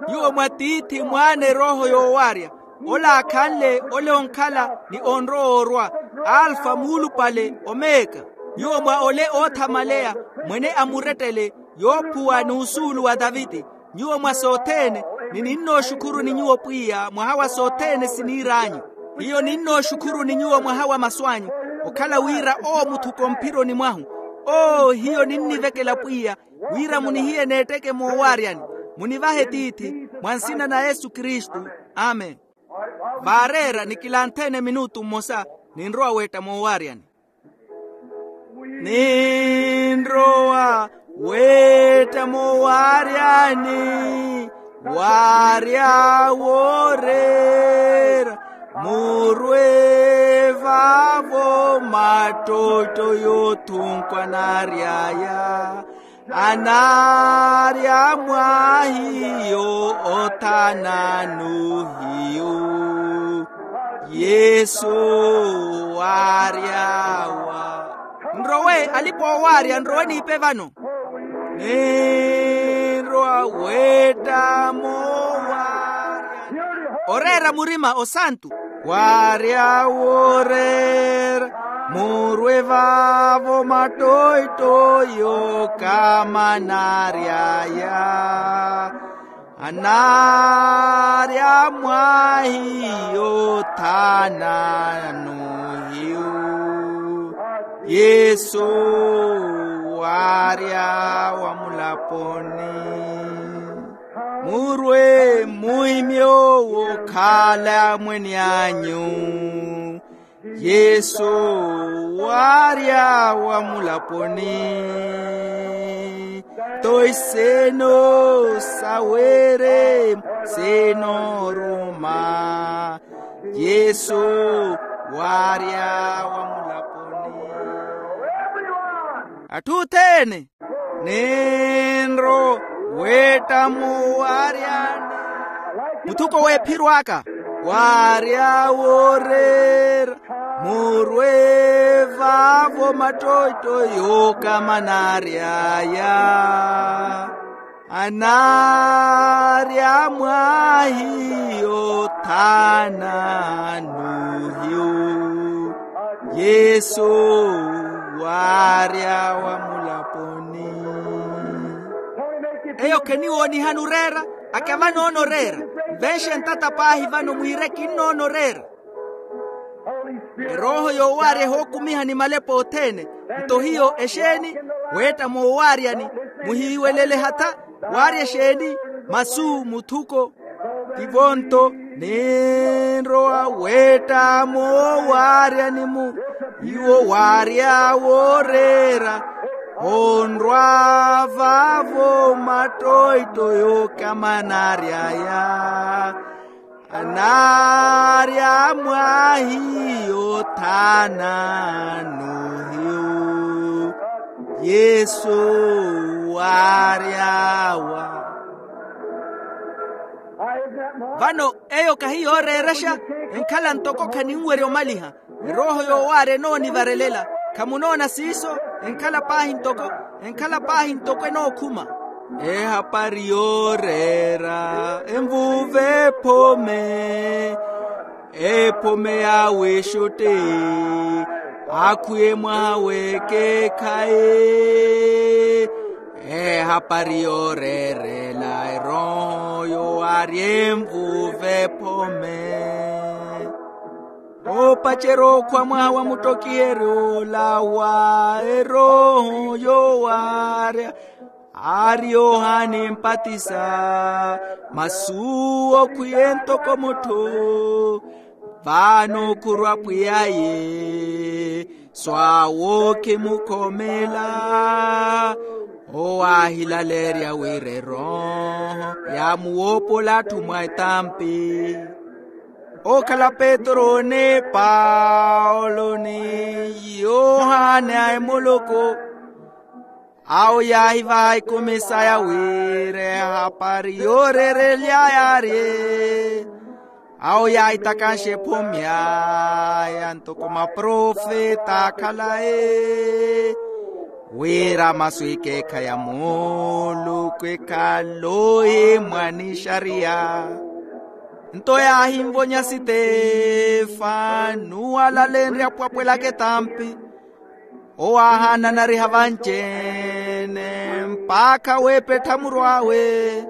Nyuwo mwa tiithi, mwaana, erooho yoowarya, ola aakhanle, ole onkhala ni onrowa orwa, alfa, muulupale, omeka. Nyuwo mwa ole oothamaleya, mwene a murettele, yoophuwa n'usuulu wa taviti. Nyuwo mwa sothene, ni ninnooxukhuruni nyuwo pwiya mwaha wa sothene siniir'anyu. Hiyo ninnooxukhuruni nyuwo mwaha wa masu anyu, okhala wira owo muthuka omphironi mwahu. Oo hiyo ninnivekela pwiya, wira munihiye n'etteke moowaryani. Munivahe tiithi, mwa nsina na yesu kristu. Amen. Vaareera nikilanthene minutu mmosa, ninrowa weetta moowaryani. Ninrowa weetta moowaryani, waarya wooreera, murwe vaavo mattootto yoothunkwa naary'aya. Anaarya mwa hiyo, othananu hiyo. Yesu waaryawa. Nrowe alipa oowaarya, nrowe niipe vano. Ninrowa weetta moowaarya. Oreera murima osantu. Waarya wooreera, murwe vaavo mattoitto yookamanary'aya. Anaarya mwa hiyo, thananu hiyo. Yesu waarya wa mulaponi. Murwe muhimye owo okhala mwene anyu. Yesu waarya wa mulaponi. Toiseno sawere seno ruma. Yesu waarya wa mulaponi. Atthu othene. Ninrowa weetta moowaryani. Muthuko w'ephiro aka. Waarya wooreera, murwe vaavo mattoitto yookamanary'aya. Anaarya mwahiyo thaana nuhiyu, yesu waarya wa mulaponi. Eyo kheniwoonihana oreera, akavanoona oreera. Nvenxe ntata paahi vano mwiire kinnoona oreera. Erooho yoowaarya ehookumiha ni malepa othene. Nto hiyo exeeni? Weetta moowaaryani. Muhiiwelele hatha. Waarya exeeni? Masu muthuko. Tivo nto, ninrowa weetta moowaaryani-mu. Iwo waarya wooreera, onrwa vaavo mattoitto yookamanary'aya. Anaarya mwahiyo thaana nuhiyu, yesu waaryawa. Vano eyo kahi yooreerexa. Enkhala ntoko khaninwerya omaliha. Erooho yoowaarya enoonivarelela. Khamunoona siiso? Enkhala paahi ntoko, enkhala paahi ntoko enookhuma. Ehapari yooreera envuuve ephome. Ephome ya wexotte akhwiye mwaha w'ekeekhayi. Ehapari yooreerela erooho yoowaarya envuuve ephome. Oopacerya okhwa mwaha wa muttokiheryo ola wa erooho yoowaarya, aari yohani mpatisa, masu okhwiye ntoko mutthu. Vano khurwa pwiyaye, swaawo khimukhomeela. Owo aahilaleerya wira erooho yaamuwoopola atthu mwa etampi. Ookhala petro ni paulo ni yohane a emuloko, awo yaahivaha ikumi saya wira ehapari yooreerely'aya aarye. Awo yaahitakhanxa ephome aya ntoko maprofeta akhalayi, wira masu ekeekhayi a muluku ekhale ohimwa ni xariya. Nto yaahinvonya sitefano nuwalalenrya pwapwelaka etampi. Owo aahaana anariha vanci-ene mpakha weepettha muru awe.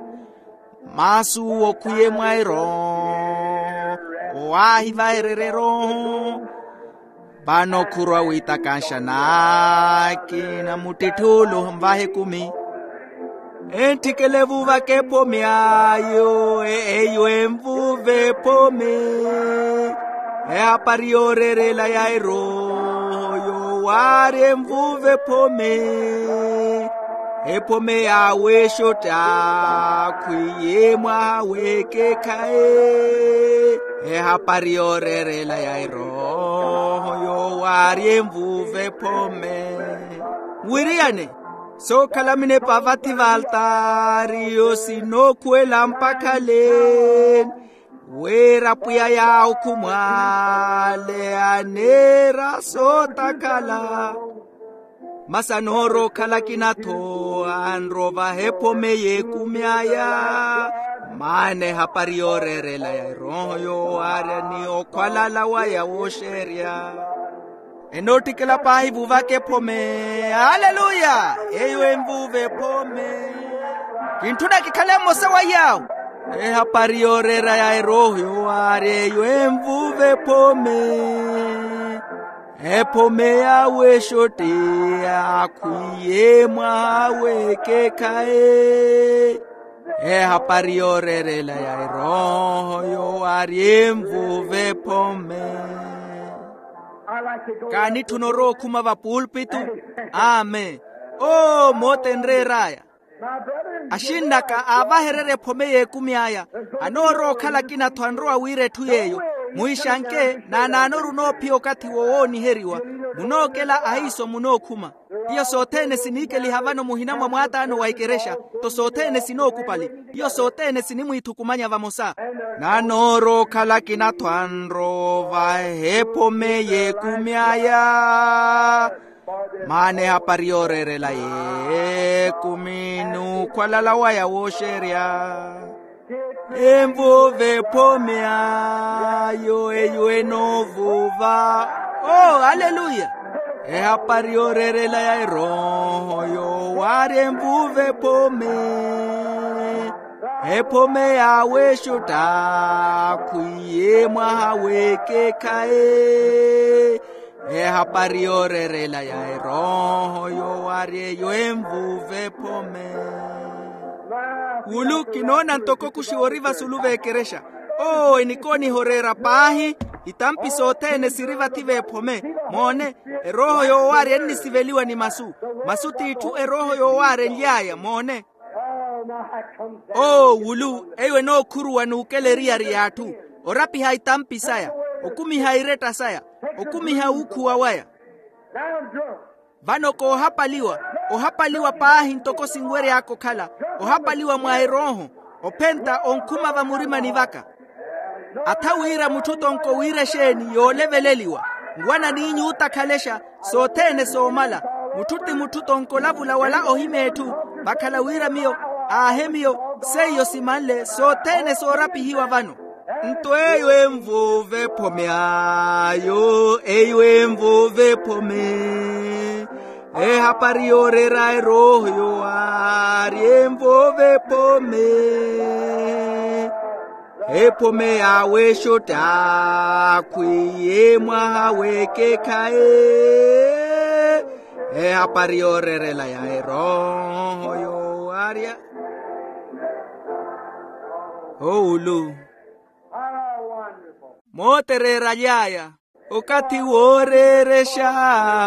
Masu okhwiye mwa erooho, owo aahivahererya erooho. Vano khurwa wiitakanxa n'akina muttitthulo nvaha ekumi. Entthikele vuuvaka ephome ayo, eyo envuuve ephome. Ehapari yooreerela ya erooho yoowaarya envuuve ephome. Ephome ya wexotte akhwiye mwaha w'ekeekhayi. Ehapari yooreerela ya erooho yoowaarya envuuve ephome. Wiriyane, sookhala minepa vathi v'altaari yo sinookhuwela mpakha leeni, wira pwiya yaawo khumwaale aneera sootakhala. Masi anoorowa okhala akina-tho anrowa ovaha ephome y'ekumi aya. Maana ehapari yooreerela ya erooho yoowaarya ni okhwalala waya wooxeerya. Enoottikela paahi vuuvaka ephome. Aleluya. Eyo envuuve ephome. Kintthuna kikhale mmosa wa yaawo. Ehapari yooreera ya erooho yoowaarya eyo envuuve ephome. Ephome ya wexotte akhwiye mwaha w'ekeekhayi. Ehapari yooreerela ya erooho yoowaarya envuuve ephome. Kaanitthuna orowa okhuma vapulpitu. Amen. Oo moota enreer'aya. Axinn'aka aavahererya ephome y'ekumi aya. Anoorowa okhala akina-tho anrowa wira etthu yeeyo. Muhixanke naanaanoru onoophiya okathi wo wooniheriwa. Munookela ahiiso munookhuma. Iyo sothene siniikeliha vano muhina mwa mwaataano wa ikerexa. Nto sothene sinookupali. Iyo sothene sinimwiithukumanya vamosa. Nanoorowa okhala akina-tho anrowa ovaha ephome y'ekumi aya. Maana ehapari yooreerela yeekumi n'ukhwalala waya wooxerya, envuva ephome ayo eyo enoovuva. Oh, aleluya. Ehapari yooreerela ya erooho yoowarya envuva ephome. Ephome yaawe exotta khwiye mwaha w'ekekhayi. Ehapari yooreerela ya erooho yoowarya eyo envuva ephome. Wulu kinoona ntoko kuxiwa ori vasulu v'ekerexa. Oo enikooniha oreera paahi. Itampi sothene siri vathi v'ephome. Moone, erooho yoowarya ennisiveliwa ni masu. Masu t'itthu erooho yoowarya enly'aya moone. Oo wulu eyo enookhuruwa n'ukela eriyari y'atthu, orapiha itampi saya, okumiha iretta saya, okumiha wuukhuwa waya. Vano koohapaliwa, ohapaliwa paahi ntoko sinwery'aka okhala, ohapaliwa mwa erooho, ophenta onkhuma vamurimani vaka. Atha wira mutthu tonko wira exeeni yooleveleliwa, nwana n'inyu otakhalexa, sothene soomala. Mutthu ti mutthu tonko olavula wala ohimeetthu, vakhala wira miyo aahe miyo. Seiyo simanle sothene soorapihiwa vano. Nto eyo envuva ephome ayo eyo envuva ephome. Ehapari yooreera erooho yoowarya envuva ephome. Ephome yaawe exotta khwiye mwaha w'ekekhayi. Ehapari yooreerela ya erooho yoowarya. Owulu mootereera aly'aya. Okathi wooreerexa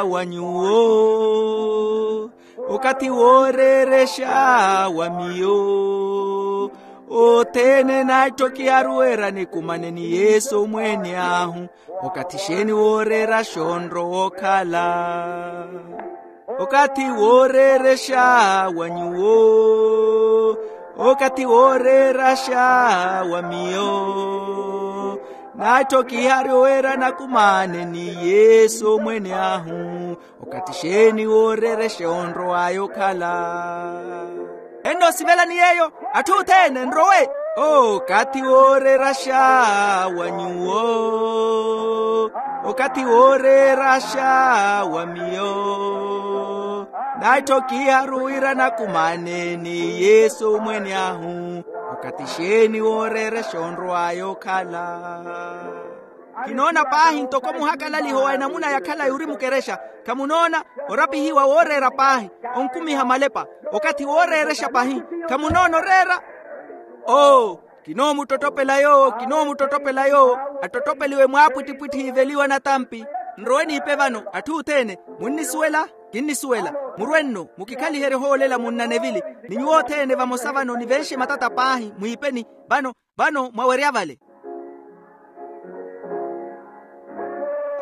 wa nyuwo, okathi wooreerexa wa miyo, othene naatthokiharu wira nikumane ni yesu omweene ahu. Okathi xeeni wooreera xonrowa okhala? Okathi wooreerexa wa nyuwo, okathi wooreeraxa wa miyo, naatthokiharu wira nakumane ni yesu omweene ahu. Okathi xeeni wooreerexa onrow'aya okhala? Ennoosivelani yeeyo atthu othene nrowe. Okathi wooreeraxa wa nyuwo, okathi wooreeraxa wa miyo, naatthokiharu wira nakumane ni yesu omweene ahu. Okathi xeeni wooreerexa onrow'aya okhala? Kinoona paahi ntoko muhakalaliho wa enamuna ya khalayi ori mukerexa. Khamunoona orapihiwa wooreera paahi, onkumiha malepa. Okathi wooreerexa pahi, khamunoona oreera. Oo, kinoomuttottopela yoowo kinoomuttottopela yoowo. Attottopeliwe mwaapwittipwitthi iveliwa natampi. Nrowe niipe vano atthu othene. Munnisuwela? Kinnisuwela. Murwe nno mukikhaliherye ohoolela munnanevili. Ni nyuwo othene vamosa vano nivenxe matata paahi mwiipeni. Vano vano mwawerya vale.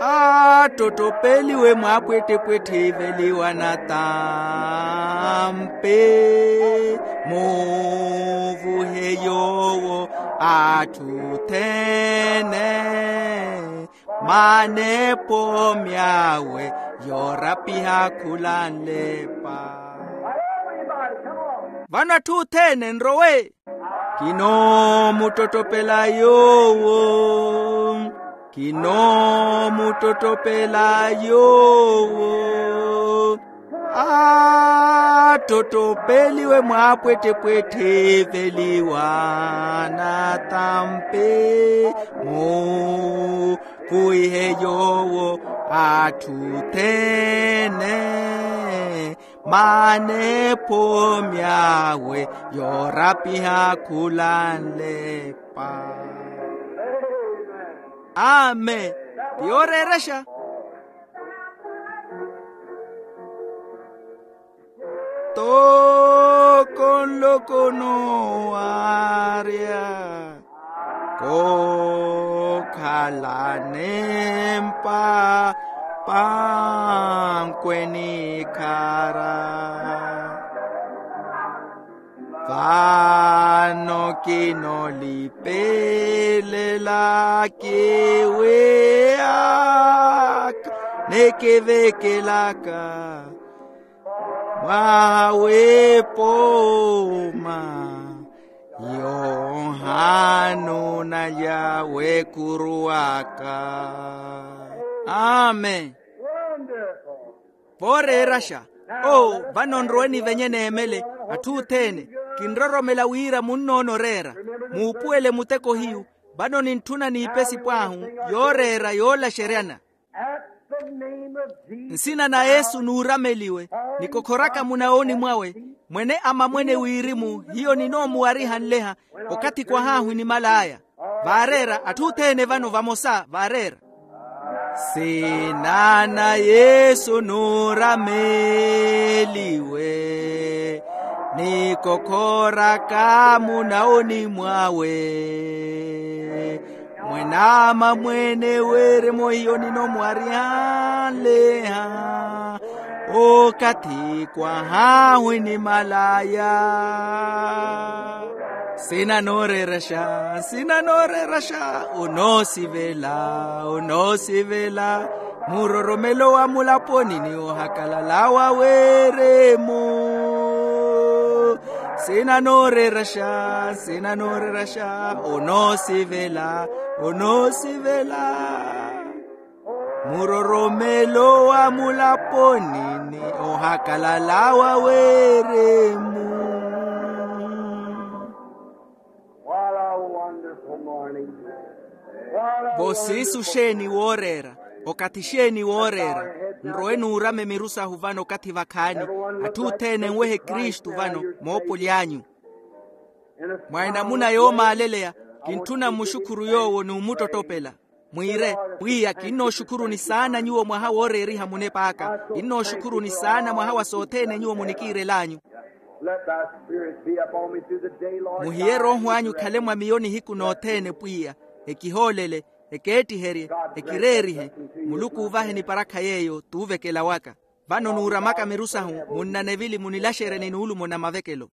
Attottopeliwe mwaapwittipwitthi iveliwa natampi. Muuvuhe yoowo atthu othene. Mane ephome awe yoorapiha khulanlepa. Vano atthu othene nrowe. Kinoomuttottopela yoowo. Kinoomuttottopela yoowo. Attottopeliwe mwaapwettepwette eveliwa natampi. Mukuwihe yoowo atthu othene. Mane ephome awe yoorapiha khulanlepa. Amen. Ti yooreerexa. Toko nloko noowarya kookhala nempa pankwe nikhara. Vano kinolipelela kiwiyaka. Ekivekelaka mwaha w'epooma yohano nalya w'ekuru aka. Amen. Vooreeraxa. Oo, vano nrowe nivenye neemele atthu othene. Kinroromela wira munnoona oreera. Muupuwele muteko hiyu. Vano nintthuna n'ipesi pwaahu yooreera yoolaxeryana. Nsina na yesu nuurameliwe. Nikokhoraka munawoni mwawe, mwene amamwene wirimu hiyo ninoomuwariha nleha. Okathi kwahaahu enimal'aya. Vaareera atthu othene vano vamosa vaareera. Nsina na yesu nuurameliwe. Nikokhoraka munawoni mwawe, mwene amamwene wirimu hiyo ninoomuwariha nleha. Okathi kwahaahu enimal'aya. Nsina nooreeraxa, nsina nooreeraxa. Onoosivela, onoosivela. Muroromelo wa mulaponi ni ohakalala wa wirimu. Nsina nooreeraxa, nsina nooreeraxa. Onoosivela, onoosivela. Muroromelo wa mulaponi ni ohakalala wa wirimu. What a wonderful morning. Vo siisu xeeni wooreera, okathi xeeni wooreera. Nrowe nuurame miru sahu vano okathi vakhaani. Atthu othene enwehe kristu vano moopoli anyu. Mwa enamuna yoomaaleleya, kintthuna mmuxukhuru yoowo n'umuttottopela. Mwiire, pwiya kinnooxukhuruni saana nyuwo mwaha wooreeriha munep'aka. Kinnooxukhuruni saana mwaha wa sothene nyuwo munikiirel'anyu. Let thy spirit be upon me through the day, Lord. Muhiye rooho anyu khale mwa miyo nihiku nothene pwiya. Ekihoolele, ekeettiherye, ekireerihe. Muluku uuvahe niparakha yeeyo t'uvekela waka. Vano nuuramaka miru sahu, munnanevili munilaxerye ni nuulumo na mavekelo.